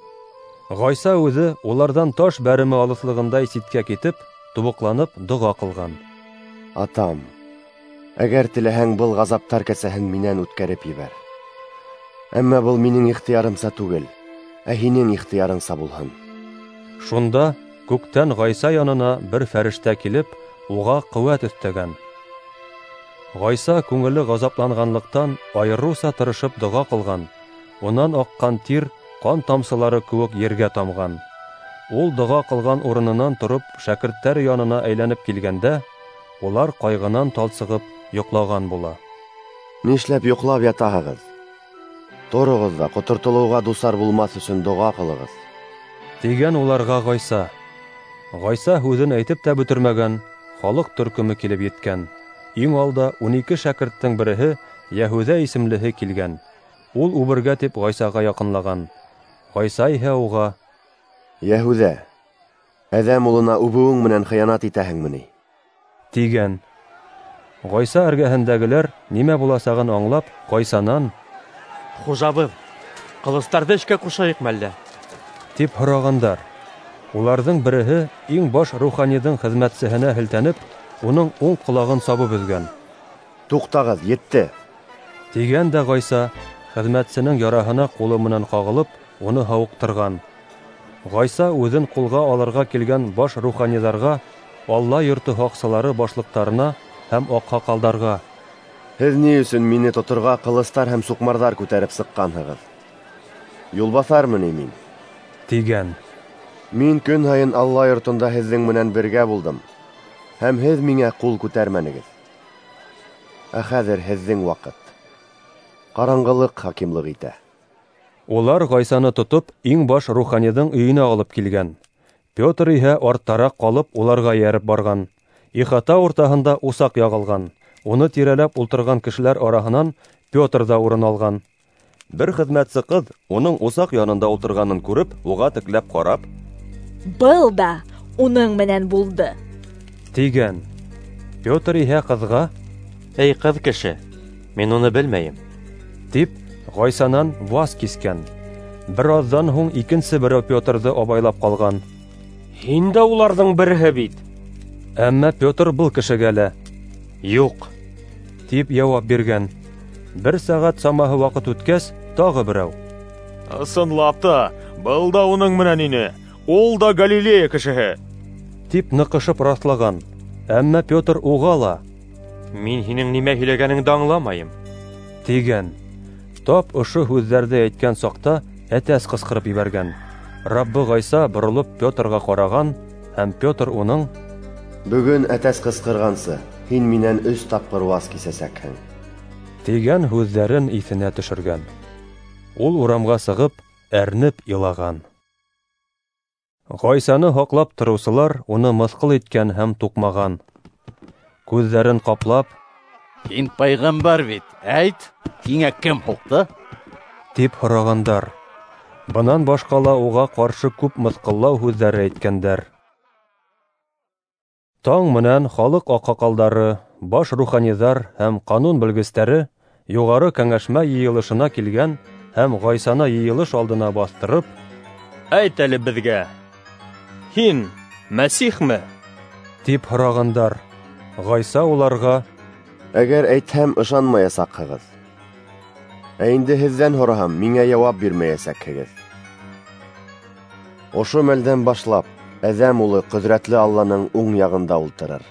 Ғайса үҙе уларҙан таш бәреме алыҫлығындай ситкә китеп, тубыҡланып доға ҡылған. Атам, әгәр теләһәң, был ғазаптар кәсәһен минән үткәреп ебәр. Әммә был минең ихтыярымса түгел, ә һинең ихтыярыңса булһын. Шунда күктән Ғайса янына бер фәрештә килеп, уға ҡеүәт өҫтәгән. Ғайса күңеле ғазапланғанлыҡтан айырыуса тырышып доға ҡылған. Унан аҡҡан тир ҡан тамсылары кеүек ергә тамған. Ул доға ҡылған урынынан тороп шәкерттәр янына әйләнеп килгәндә, улар ҡайғынан талсығып йоҡлаған була. Нишләп йоҡлап ятаһығыҙ? Тороғоҙ ҙа ҡотортолоуға дусар булмаҫ өсөн доға ҡылығыҙ, тигән уларға Ғайса. Ғайса һүҙен әйтеп тә бөтөрмәгән, халыҡ төркөмө килеп еткән. Иң алда ун ике шәкерттең береһе Йәһүҙә исемлеһе килгән. Ул үбергә тип Ғайсаға яҡынлаған. Ғайса иһә уға: Йәһүҙә, әҙәм улына үбеүең менән хыянат итәһеңме ни? Тигән. Ғайса эргәһендәгеләр нимә буласағын аңлап, Ғайсанан: Хужабыҙ, ҡылыстарҙы эшкә ҡушайыҡмы әллә? Тип һорағандар. Уларҙың береһе иң баш руханиҙың хеҙмәтсеһенә һелтәнеп, уның уң ҡолағын сабып өҙгән. Туҡтағыҙ, етте, тигән дә Ғайса хеҙмәтсенең яраһына ҡулы менән ҡағылып, уны һауыҡтырған. Ғайса үҙен ҡулға алырға килгән баш руханиҙарға, Алла йорто һаҡсылары башлыҡтарына һәм аҡһаҡалдарға: Һеҙ ни өсөн мине тоторға ҡылыстар һәм суҡмарҙар күтәреп сыҡҡанһығыҙ? Юлбаҫармы ни мин? Тигән. Мин көн һайын Алла йортонда һеҙҙең менән бергә булдым, һәм һеҙ миңә ҡул күтәрмәнегеҙ. Ә хәҙер һеҙҙең ваҡыт. Ҡараңғылыҡ хакимлыҡ итә. Улар Ғайсаны тотоп, иң баш руханиҙың өйөнә алып килгән. Петр иһә арттараҡ ҡалып, уларға эйәреп барған. Ихата уртаһында усаҡ яғылған. Уны тирәләп ултырған кешеләр араһынан Петр ҙа урын алған. Бер хеҙмәтсе ҡыҙ уның усаҡ янында ултырғанын күреп, уға текләп ҡарап: Был да уның менән булды, тигән. Петр иһә ҡыҙға: Эй, ҡыҙ кеше, мин уны белмәйем, тип Ғайсанан ваз кискән. Бер аҙҙан һуң икенсе берәү Петрҙы абайлап ҡалған. Һин дә уларҙың береһе бит. Әммә Петр был кешегә лә: Юҡ, тип яуап биргән. Бер сәғәт самаһы ваҡыт үткәс, тағы берәү: Ысынлап та, был да уның менән ине, ул да Галилея кешеһе, тип ныҡышып раҫлаған. Әммә Петр уға ла: Мин һинең нимә һөйләгәнеңде аңламайым, тигән. Тап ошо һүҙҙәрҙе әйткән саҡта әтәс ҡысҡырып ебәргән. Раббы Ғайса боролоп Петрға ҡараған Һәм Петр уның: "Бөгөн әтәс ҡысҡырғансы, һин минән өс тапҡыр ваз кисәсәкһең" тигән һүҙҙәрен иҫенә төшөргән. Ул урамға сығып, әрнеп илаған. Ғайсаны һаҡлап тороусылар уны мыҫҡыл иткән һәм туҡмаған. Күҙҙәрен ҡаплап: "Һин пәйғәмбәр бит, әйт, һиңә кем һуҡты?" тип һорағандар. Бынан башҡа ла уға ҡаршы күп мыҫҡыллау һүҙҙәре әйткәндәр. Таң менән халыҡ аҡһаҡалдары, баш руханиҙар һәм ҡанун белгестәре юғары кәңәшмә йыйылышына килгән һәм Ғайсаны йыйылыш алдына баҫтырып: "Әйт әле беҙгә, һин Мәсихме?" тип һорағандар. Ғайса уларға: "Әгәр әйтһәм, ышанмаясаҡһығыҙ. Ә инде һеҙҙән һораһам, миңә яуап бирмәйәсәкһегеҙ. Ошо мәлдән башлап Әҙәм улы ҡөҙрәтле Алланың уң яғында ултырыр"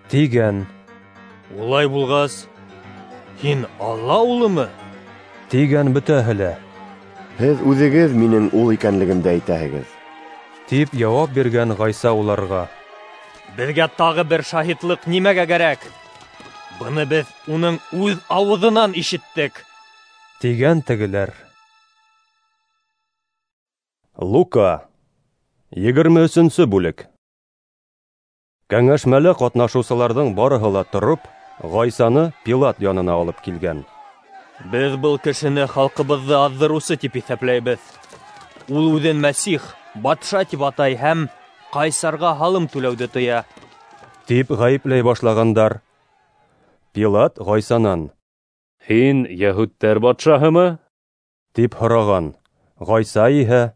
тигән. "Улай булғас, һин Алла улымы?" тигән бөтәһе лә. "Һеҙ үҙегеҙ минең ул икәнлегемде әйтәһегеҙ" тип яуап биргән Ғайса уларға. "Беҙгә тағы бер шаһитлыҡ нимәгә кәрәк? Быны беҙ уның үҙ ауыҙынан ишеттек" тигән тегеләр. Лука, егерме өсөнсө бүлек. Кәңәшмәлә ҡатнашыусыларҙың барыһы ла тороп, Ғайсаны Пилат янына алып килгән. "Беҙ был кешене халҡыбыҙҙы аҙҙырыусы тип иҫәпләйбеҙ. Ул үҙен Мәсих, батша тип атай һәм ҡайсарға һалым түләүҙе тыя" тип ғәйепләй башлағандар. Пилат Ғайсанан: "Һин йәһүдтәр батшаһымы?" тип һораған. Ғайса иһә: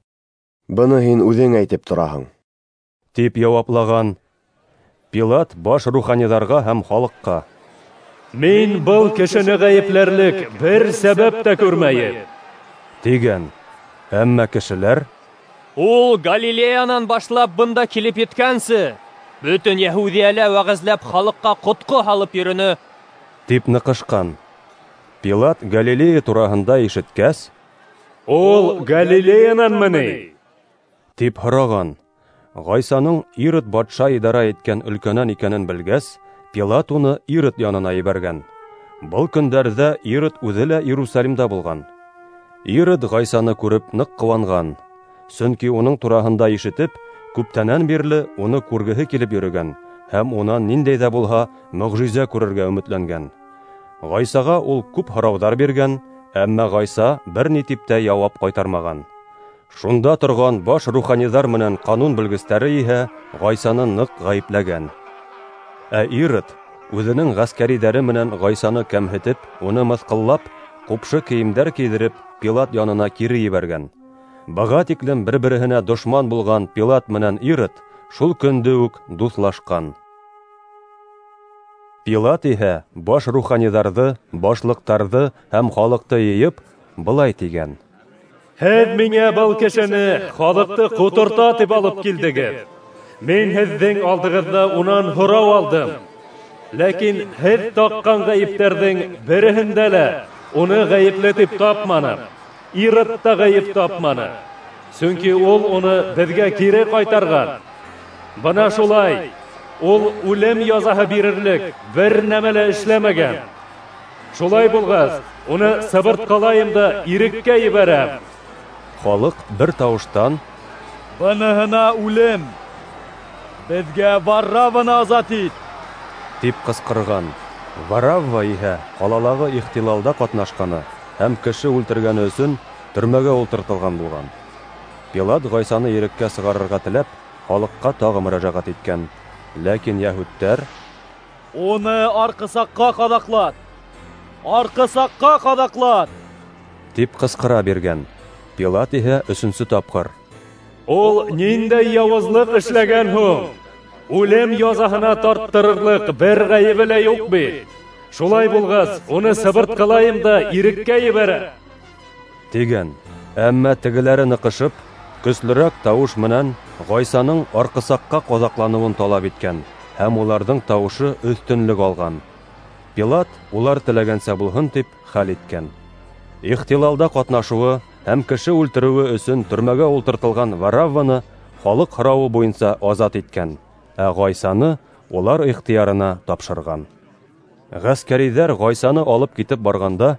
"Быны һин үҙең әйтеп тораһың" тип яуаплаған. Пилат баш руханиҙарға һәм халыҡҡа: "Мин был кешене ғәйепләрлек бер сәбәп тә күрмәйем" тигән. Әммә кешеләр: "Ул Галилеянан башлап бында килеп еткәнсе, бөтөн Йәһүҙиәлә вәғәзләп халыҡҡа ҡотҡо һалып йөрөнө" тип ныҡышҡан. Пилат Галилея тураһында ишеткәс: "Ул Галилеянанмы ни?" тип һораған. Ғайсаның Ирод батша идара иткән өлкәнән икәнен белгәс, Пилат уны Ирод янына ебәргән. Был көндәрҙә Ирод үҙе лә Иерусалимда булған. Ирод Ғайсаны күреп ныҡ ҡыуанған, сөнки уның тураһында ишетеп, күптәнән бирле уны күргеһе килеп йөрөгән һәм унан ниндәй ҙә булһа мөғжизә күрергә өмөтләнгән. Ғайсаға ул күп һорауҙар биргән, әммә Ғайса бер ни тип тә яуап ҡайтармаған. Шунда торған баш руханиҙар менән ҡанун белгестәре иһә Ғайсаны ныҡ ғәйепләгән. Ә Ирод үҙенең ғәскәриҙәре менән Ғайсаны кәмһетеп, уны мыҫҡыллап, ҡупшы кейемдәр кейҙереп, Пилат янына кире ебәргән. Быға тиклем бер-береһенә дошман булған Пилат менән Ирод шул көндө үк дуҫлашҡан. Пилат иһә баш руханиҙарҙы, башлыҡтарҙы һәм халыҡты йыйып, былай тигән: "Һеҙ миңә был кешене халыҡты ҡоторта тип алып килдегеҙ. Мин һеҙҙең алдығыҙҙа унан һорау алдым. Ләкин һеҙ таҡҡан ғәйептәрҙең береһендә лә уны ғәйепле тип тапманым. Ирод та ғәйеп тапманы, сөнки ул уны беҙгә кире ҡайтарған. Бына шулай, ул үлем язаһы бирерлек бер нәмә лә эшләмәгән. Шулай булғас, уны сыбыртҡылайым да иреккә ебәрәм." Халыҡ бер тауыштан: "Быныһына үлем! Беҙгә Варавваны азат ит!" тип ҡысҡырған. Варавва иһә ҡалалағы ихтилалда ҡатнашҡаны һәм кеше үлтергәне өсөн төрмәгә ултыртылған булған. Пилат Ғайсаны иреккә сығарырға теләп, халыҡҡа тағы мөрәжәғәт иткән. Ләкин йәһүдтәр: "Уны арҡысаҡҡа ҡаҙаҡлат! Арҡысаҡҡа ҡаҙаҡлат!" тип ҡысҡыра биргән. Пилат иһә өсөнсө тапҡыр: "Ул ниндәй яуызлыҡ эшләгән һуң? Үлем язаһына тарттырырлыҡ бер ғәйебе лә юҡ бит. Шулай булғас, уны сыбыртҡылайым да иреккә ебәрәм" тигән. Әммә тегеләре ныҡышып, көслөрәк тауыш менән Ғайсаның арҡысаҡҡа ҡаҙаҡланыуын талап иткән һәм уларҙың тауышы өҫтөнлөк алған. Пилат улар теләгәнсә булһын тип хәл иткән. Ихтилалда ҡатнашыуы һәм кеше үлтереүе өсөн төрмәгә ултыртылған Варавваны халыҡ һорауы буйынса азат иткән, ә Ғайсаны улар ихтыярына тапшырған. Ғәскәриҙәр Ғайсаны алып китеп барғанда,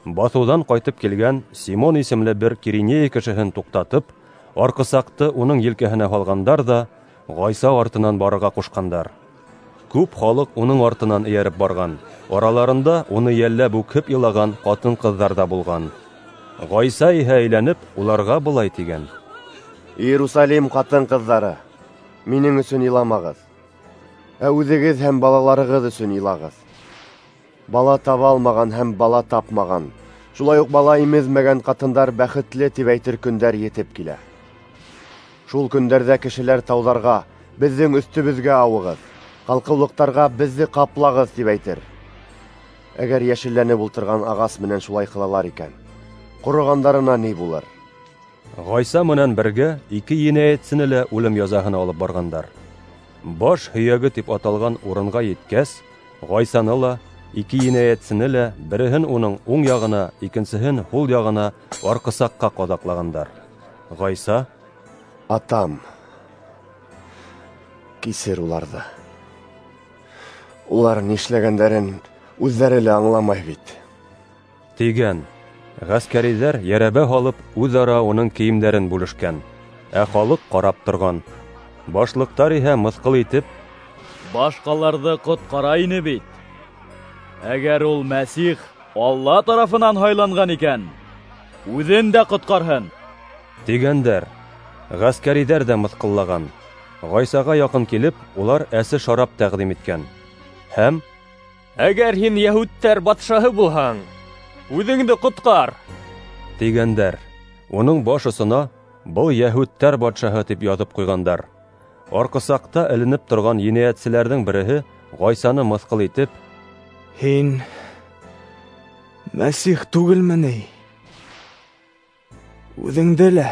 баҫыуҙан ҡайтып килгән Симон исемле бер Киринея кешеһен туҡтатып, арҡысаҡты уның елкәһенә һалғандар ҙа Ғайса артынан барырға ҡушҡандар. Күп халыҡ уның артынан эйәреп барған, араларында уны йәлләп үкһеп илаған ҡатын-ҡыҙҙар ҙа булған. Ғайса иһә әйләнеп, уларға былай тигән: Иерусалим ҡатын-ҡыҙҙары, минең өсөн иламағыҙ, ә үҙегеҙ һәм балаларығыҙ өсөн илағыҙ. Бала таба алмаған һәм бала тапмаған, шулай уҡ бала имеҙмәгән ҡатындар бәхетле тип әйтер көндәр етеп килә. Шул көндәрҙә кешеләр тауҙарға: беҙҙең өҫтөбөҙгә ауығыҙ, ҡалҡыулыҡтарға беҙҙе ҡаплағыҙ тип әйтер. Әгәр йәшелләнеп ултырған ағас менән шулай ҡылалар икән, ҡороғандарына ни булыр? Ғайса менән бергә ике енәйәтсене лә үлем язаһына алып барғандар. Баш һөйәге тип аталған урынға еткәс, Ғайсаны ла, ике енәйәтсене лә береһен уның уң яғына, икенсеһен һул яғына арҡысаҡҡа ҡаҙаҡлағандар. Ғайса: Атам, кисер уларҙы. Улар нишләгәндәрен үҙҙәре лә аңламай бит, тигән. Ғәскәриҙәр йәрәбә һалып үҙ-ара уның кейемдәрен бүлешкән, ә халыҡ ҡарап торған. Башлыҡтар иһә мыҫҡыл итеп: Башҡаларҙы ҡотҡара ине бит. Әгәр ул Мәсих Алла тарафынан һайланған икән, үҙен дә ҡотҡарһын, тигәндәр. Ғәскәриҙәр ҙә мыҫҡыллаған. Ғайсаға яҡын килеп, улар әсе шарап тәҡдим иткән. Һәм: Әгәр һин йәһүдтәр батшаһы булһаң, үҙеңде ҡотҡар, тигәндәр. Уның баш осона «Был йәһүдтәр батшаһы» тип яҙып ҡуйғандар. Арҡысаҡта эленеп торған енәйәтселәрҙең береһе Ғайсаны мыҫҡыл итеп: Һин Мәсих түгелме ни? Үҙеңде лә,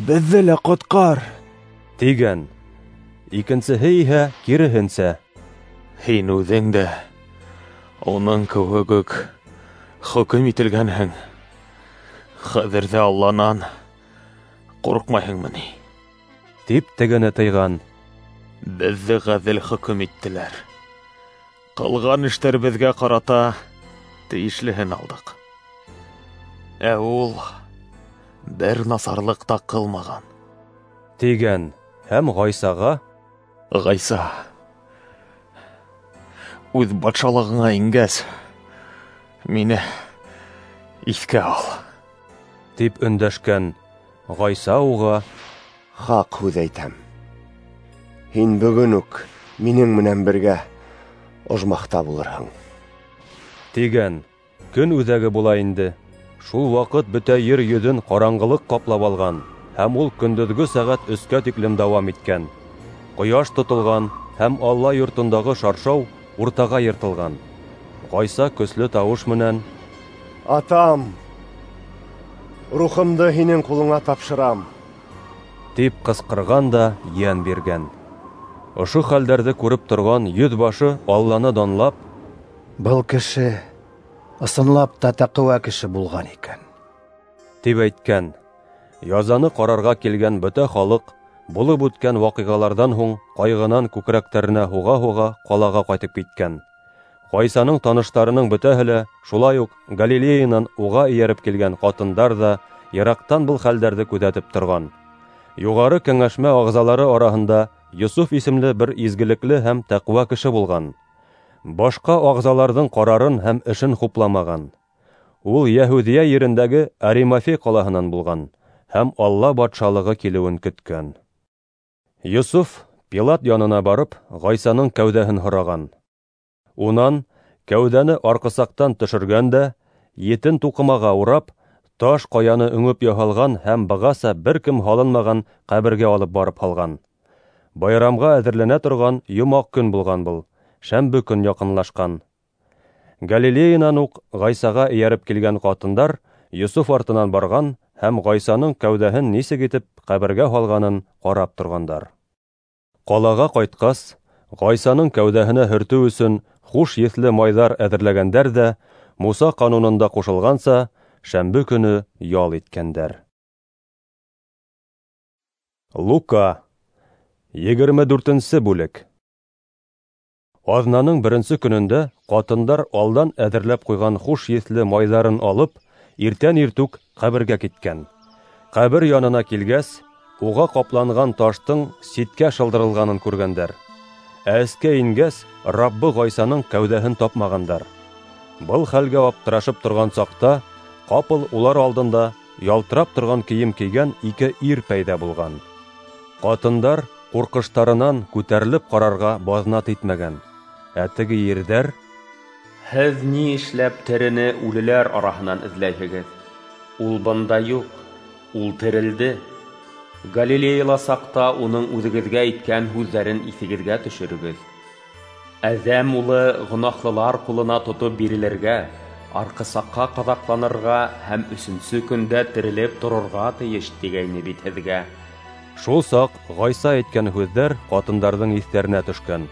беҙҙе лә ҡотҡар, тигән. Икенсеһе иһә киреһенсә: Һин үҙең дә уның кеүек үк хөкөм ителгәнһең. Хәҙер ҙә Алланан ҡурҡмайһыңмы ни? Тип тегене тыйған. Беҙҙе ғәҙел хөкөм иттеләр. Ҡылған эштәребеҙгә ҡарата тейешлеһен алдыҡ. Ә ул бер насарлыҡ та ҡылмаған, тигән. Һәм Ғайсаға: Ғайса, үҙ батшалығыңа ингәс, мине иҫкә ал, тип өндәшкән. Ғайса уға: Хаҡ һүҙ әйтәм, һин бөгөн үк минең менән бергә ожмахта булырһың, тигән. Көн үҙәге була инде. Шул ваҡыт бөтә ер йөҙөн ҡараңғылыҡ ҡаплап алған, һәм ул көндөҙгө сәғәт өскә тиклем дауам иткән. Ҡояш тотолған һәм Алла йортондағы шаршау уртаға йыртылған. Ғайса көслө тауыш менән: Атам, рухымды һинең ҡулыңа тапшырам, тип ҡысҡырған да йән биргән. Ошо хәлдәрҙе күреп торған йөҙ башы Алланы данлап: Был кеше ысынлап та тәҡүә кеше булған икән, тип әйткән. Язаны ҡарарға килгән бөтә халыҡ булып үткән ваҡиғаларҙан һуң ҡайғынан күкрәктәренә һуға-һуға ҡалаға ҡайтып киткән. Ғайсаның таныштарының бөтәһе лә, шулай уҡ Галилеянан уға эйәреп килгән ҡатындар ҙа йыраҡтан был хәлдәрҙе күҙәтеп торған. Юғары кәңәшмә ағзалары араһында Йософ исемле бер изгелекле һәм тәҡүә кеше булған. Башҡа ағзаларҙың ҡарарын һәм эшен хупламаған. Ул Йәһүҙиә ерендәге Аримафей ҡалаһынан булған һәм Алла батшалығы килеүен көткән. Йософ Пилат янына барып, Ғайсаның кәүҙәһен һораған. Унан кәүҙәне арҡысаҡтан төшөргән дә, етен туҡымаға урап, таш ҡаяны өңөп яһалған һәм бығаса бер кем һалынмаған ҡәбергә алып барып һалған. Байрамға әҙерләнә торған йомаҡ көн булған был, шәмбе көн яҡынлашҡан. Галилеянан уҡ Ғайсаға эйәреп килгән ҡатындар Йософ артынан барған һәм Ғайсаның кәүҙәһен нисек итеп ҡәбергә һалғанын ҡарап торғандар. Ҡалаға ҡайтҡас, Ғайсаның кәүҙәһенә һөртөү өсөн хуш еҫле майҙар әҙерләгәндәр ҙә, Муса ҡанунында ҡушылғанса, шәмбе көнө ял иткәндәр. Лука, егерме дүртенсе бүлек. Аҙнаның беренсе көнөндә ҡатындар алдан әҙерләп ҡуйған хуш еҫле майҙарын алып, иртән иртүк ҡәбергә киткән. Ҡәбер янына килгәс, уға ҡапланған таштың ситкә шылдырылғанын күргәндәр. Ә эскә ингәс, Раббы Ғайсаның кәүҙәһен тапмағандар. Был хәлгә аптырашып торған саҡта, ҡапыл улар алдында ялтырап торған кейем кейгән ике ир пәйҙә булған. Ҡатындар ҡурҡыштарынан күтәрелеп ҡарарға баҙнат итмәгән. Ә теге ирҙәр: «Һеҙ ни эшләп терене үлеләр араһынан эҙләйһегеҙ? Ул бында юҡ, ул терелде. Галилеяла саҡта уның үҙегеҙгә әйткән һүҙҙәрен иҫегеҙгә төшөрөгөҙ. Әҙәм улы гонаһлылар ҡулына тотоп бирелергә, арҡысаҡҡа ҡаҙаҡланырға һәм өсөнсө көндә терелеп торорға тейеш тигәйне бит һеҙгә». Шул саҡ Ғайса әйткән һүҙҙәр ҡатындарҙың иҫтәренә төшкән.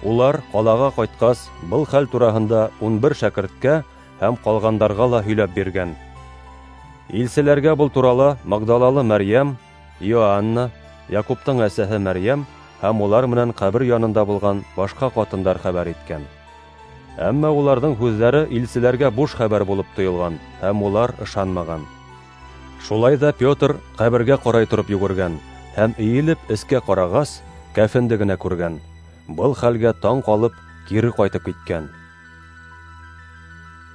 Улар ҡалаға ҡайтҡас, был хәл тураһында ун бер шәкерткә һәм ҡалғандарға ла һөйләп биргән. Илселәргә был турала Магдалалы Мәрйәм, Иоанна, Яҡуптың әсәһе Мәрйәм һәм улар менән ҡәбер янында булған башҡа ҡатындар хәбәр иткән. Әммә уларҙың һүҙҙәре илселәргә буш хәбәр булып тойолған һәм улар ышанмаған. Шулай ҙа Петр ҡәбергә ҡарай тороп йүгергән һәм эйелеп эскә ҡарағас, кәфенде генә күргән. Был хәлгә таң ҡалып, кире ҡайтып киткән.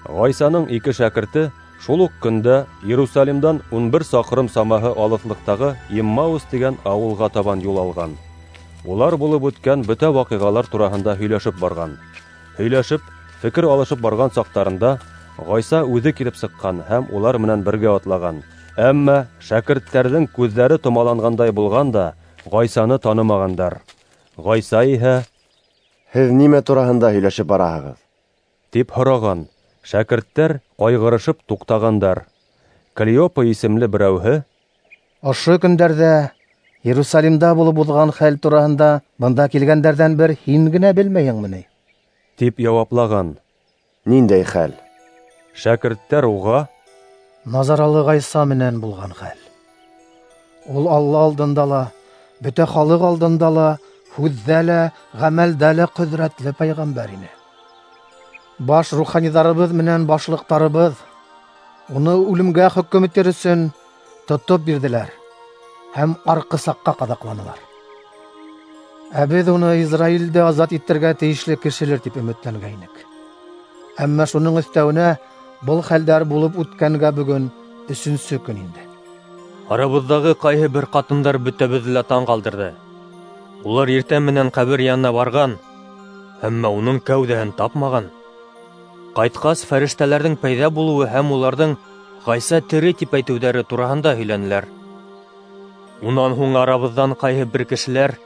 Ғайсаның ике шәкерте шул уҡ көндә Иерусалимдан ун бер саҡрым самаһы алыҫлыҡтағы Иммаус тигән ауылға табан юл алған. Улар булып үткән бөтә ваҡиғалар тураһында һөйләшеп барған. Һөйләшеп, фекер алышып барған саҡтарында Ғайса үҙе килеп сыҡҡан һәм улар менән бергә атлаған. Әммә шәкерттәрҙең күҙҙәре томаланғандай булған да Ғайсаны танымағандар. Ғайса иһә: «Һеҙ нимә тураһында һөйләшеп бараһығыҙ?» — тип һораған. Шәкерттәр ҡайғырышып туҡтағандар. Клеопа исемле берәүһе: «Ошо көндәрҙә Иерусалимда булып уҙған хәл тураһында бында килгәндәрҙән бер һин генә белмәйһеңме ни?» — тип яуаплаған. «Ниндәй хәл?» Шәкерттәр уға: «Назаралы Ғайса менән булған хәл. Ул Алла алдында ла, бөтә халыҡ алдында ла, һүҙҙә лә, ғәмәлдә лә ҡөҙрәтле пәйғәмбәр ине. Баш руханиҙарыбыҙ менән башлыҡтарыбыҙ уны үлемгә хөкөм итер өсөн тотоп бирҙеләр һәм арҡысаҡҡа ҡаҙаҡланылар. Ә беҙ уны Израилде азат итергә тейешле кешелер тип өмөтләнгәйнек. Әммә шуның өҫтәүенә был хәлдәр булып үткәнгә бөгөн өсөнсө көн инде». Арабыҙҙағы ҡайһы бер ҡатындар бөтәбеҙҙе лә таң ҡалдырҙы. Улар иртә менән ҡәбер янына барған, әммә уның кәүҙәһен тапмаған. Ҡайтҡас, фәрештәләрҙең пәйҙә булыуы һәм уларҙың Ғайса тере тип әйтеүҙәре тураһында һөйләнеләр. Унан һуң арабыҙҙан ҡайһы бер кешеләр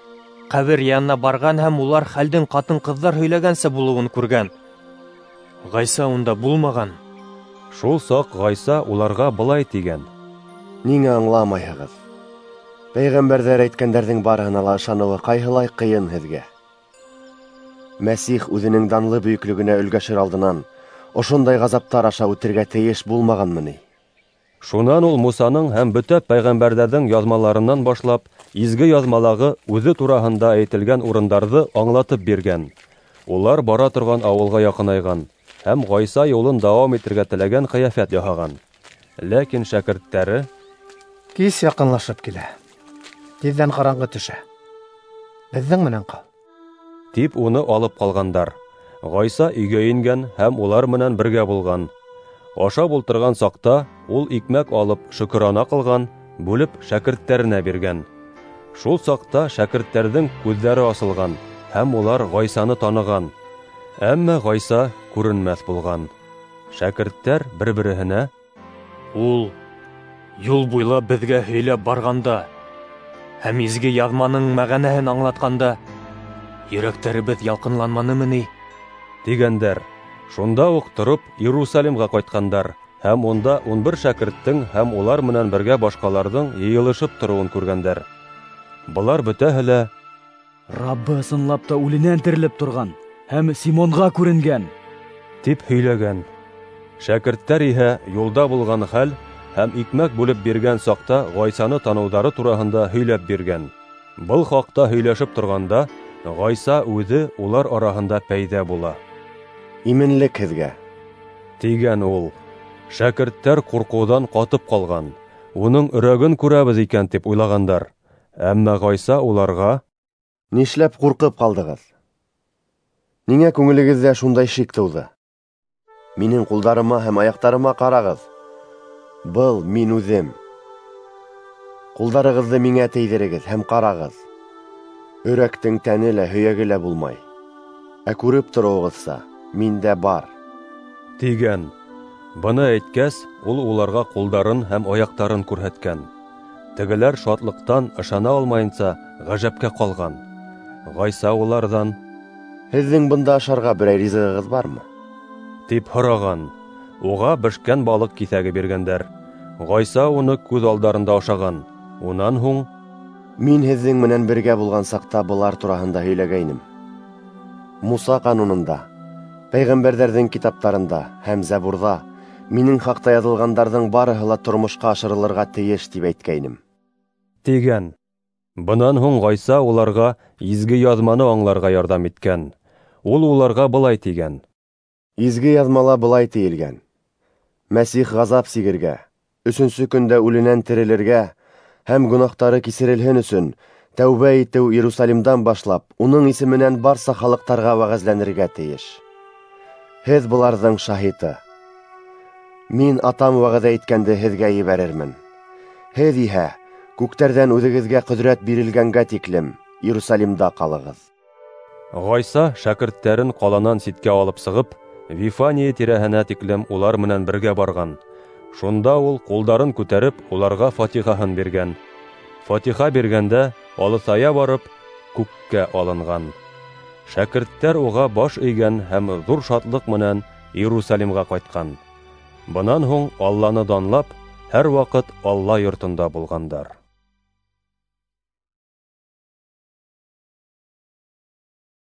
ҡәбер янына барған һәм улар хәлдең ҡатын-ҡыҙҙар һөйләгәнсә булыуын күргән. Ғайса унда булмаған. Шул саҡ Ғайса уларға былай тигән: «Ниңә аңламайһығыҙ? Пәйғәмбәрҙәр әйткәндәрҙең барыһына ла ышаныуы ҡайһылай ҡыйын һеҙгә. Мәсих үҙенең данлы бөйөклөгөнә өлгәшер алдынан ошондай ғазаптар аша үтергә тейеш булмағанмы ни?» Шунан ул Мусаның һәм бөтә пәйғәмбәрҙәрҙең яҙмаларынан башлап изге яҙмалағы үҙе тураһында әйтелгән урындарҙы аңлатып биргән. Улар бара торған ауылға яҡынайған һәм Ғайса юлын дауам итергә теләгән ҡиәфәт яһаған. Ләкин шәкерттәре: «Кис яҡынлашып килә, тиҙҙән ҡараңғы төшә, беҙҙең менән ҡал», тип уны алып ҡалғандар. Ғайса өйгә ингән һәм улар менән бергә булған. Ашап ултырған саҡта ул икмәк алып шөкөрана ҡылған, бүлеп шәкерттәренә биргән. Шул саҡта шәкерттәрҙең күҙҙәре асылған һәм улар Ғайсаны таныған. Әммә Ғайса күренмәҫ булған. Шәкерттәр бер-береһенә: «Ул юл буйлап беҙгә һөйләп барғанда һәм изге яҙманың мәғәнәһен аңлатҡанда йөрәктәребеҙ ялҡынланманымы ни?» — тигәндәр. Шунда уҡ тороп Иерусалимға ҡайтҡандар һәм унда ун бер шәкерттең һәм улар менән бергә башҡаларҙың йыйылышып тороуын күргәндәр. Былар бөтәһе лә: «Раббы ысынлап та үленән терелеп торған һәм Симонға күренгән», тип һөйләгән. Шәкерттәр иһә юлда булған хәл һәм икмәк бүлеп биргән саҡта Ғайсаны таныуҙары тураһында һөйләп биргән. Был хаҡта һөйләшеп торғанда, Ғайса үҙе улар араһында пәйҙә була. Именлек һеҙгә, тигән ул. Шәкерттәр ҡурҡыуҙан ҡатып ҡалған, уның өрәген күрәбеҙ икән тип уйлағандар. Әммә Ғайса уларға: Нишләп ҡурҡып ҡалдығыҙ? Ниңә күңелегеҙҙә шундай шик тыуҙы? Минең ҡулдарыма һәм аяҡтарыма ҡарағыҙ. Был мин үҙем. Ҡулдарығыҙҙы миңә тейҙерегеҙ һәм ҡарағыҙ. Өрәктең тәне лә, һөйәге лә булмай. Ә күреп тороуығыҙса, миндә бар, тигән. Быны әйткәс, ул уларға ҡулдарын һәм аяҡтарын күрһәткән. Тегеләр шатлыҡтан ышана алмайынса ғәжәпкә ҡалған. Ғайса уларҙан: Һеҙҙең бында ашарға берәй ризығығыҙ бармы? тип һораған. Уға бешкән балыҡ киҫәге биргәндәр. Ғайса уны күҙ алдарында ашаған. Унан һуң: Мин һеҙҙең менән бергә булған саҡта былар тураһында һөйләгәйнем. Муса ҡанунында, пәйғәмбәрҙәрҙең китаптарында һәм Зәбурҙа минең хаҡта яҙылғандарҙың барыһы ла тормошҡа ашырылырға тейеш, тип әйткәйнем, тигән. Бынан һуң Ғайса уларға изге яҙманы аңларға ярҙам иткән. Ул уларға былай тигән: Изге яҙмала былай тейелгән: Мәсих ғазап сигергә, өсөнсө көндә үленән терелергә һәм гөнаһтары кисерелһен өсөн тәүбә итеү Иерусалимдан башлап уның исеменән барса халыҡтарға вәғәзләнергә тейеш. Һеҙ быларҙың шаһиты. Мин Атам вәғәҙә иткәнде һеҙгә ебәрермен. Һеҙ иһә күктәрҙән үҙегеҙгә ҡөҙрәт бирелгәнгә тиклем Иерусалимда ҡалығыҙ. Ғайса шәкерттәрен ҡаланан ситкә алып сығып, Вифания тирәһенә тиклем улар менән бергә барған. Шунда ул ҡулдарын күтәреп, уларға фатихаһын биргән. Фатиха биргәндә алыҫая барып, күккә алынған. Шәкерттәр уға баш эйгән һәм ҙур шатлыҡ менән Иерусалимға ҡайтҡан. Бынан һуң Алланы данлап, һәр ваҡыт Алла йортонда булғандар.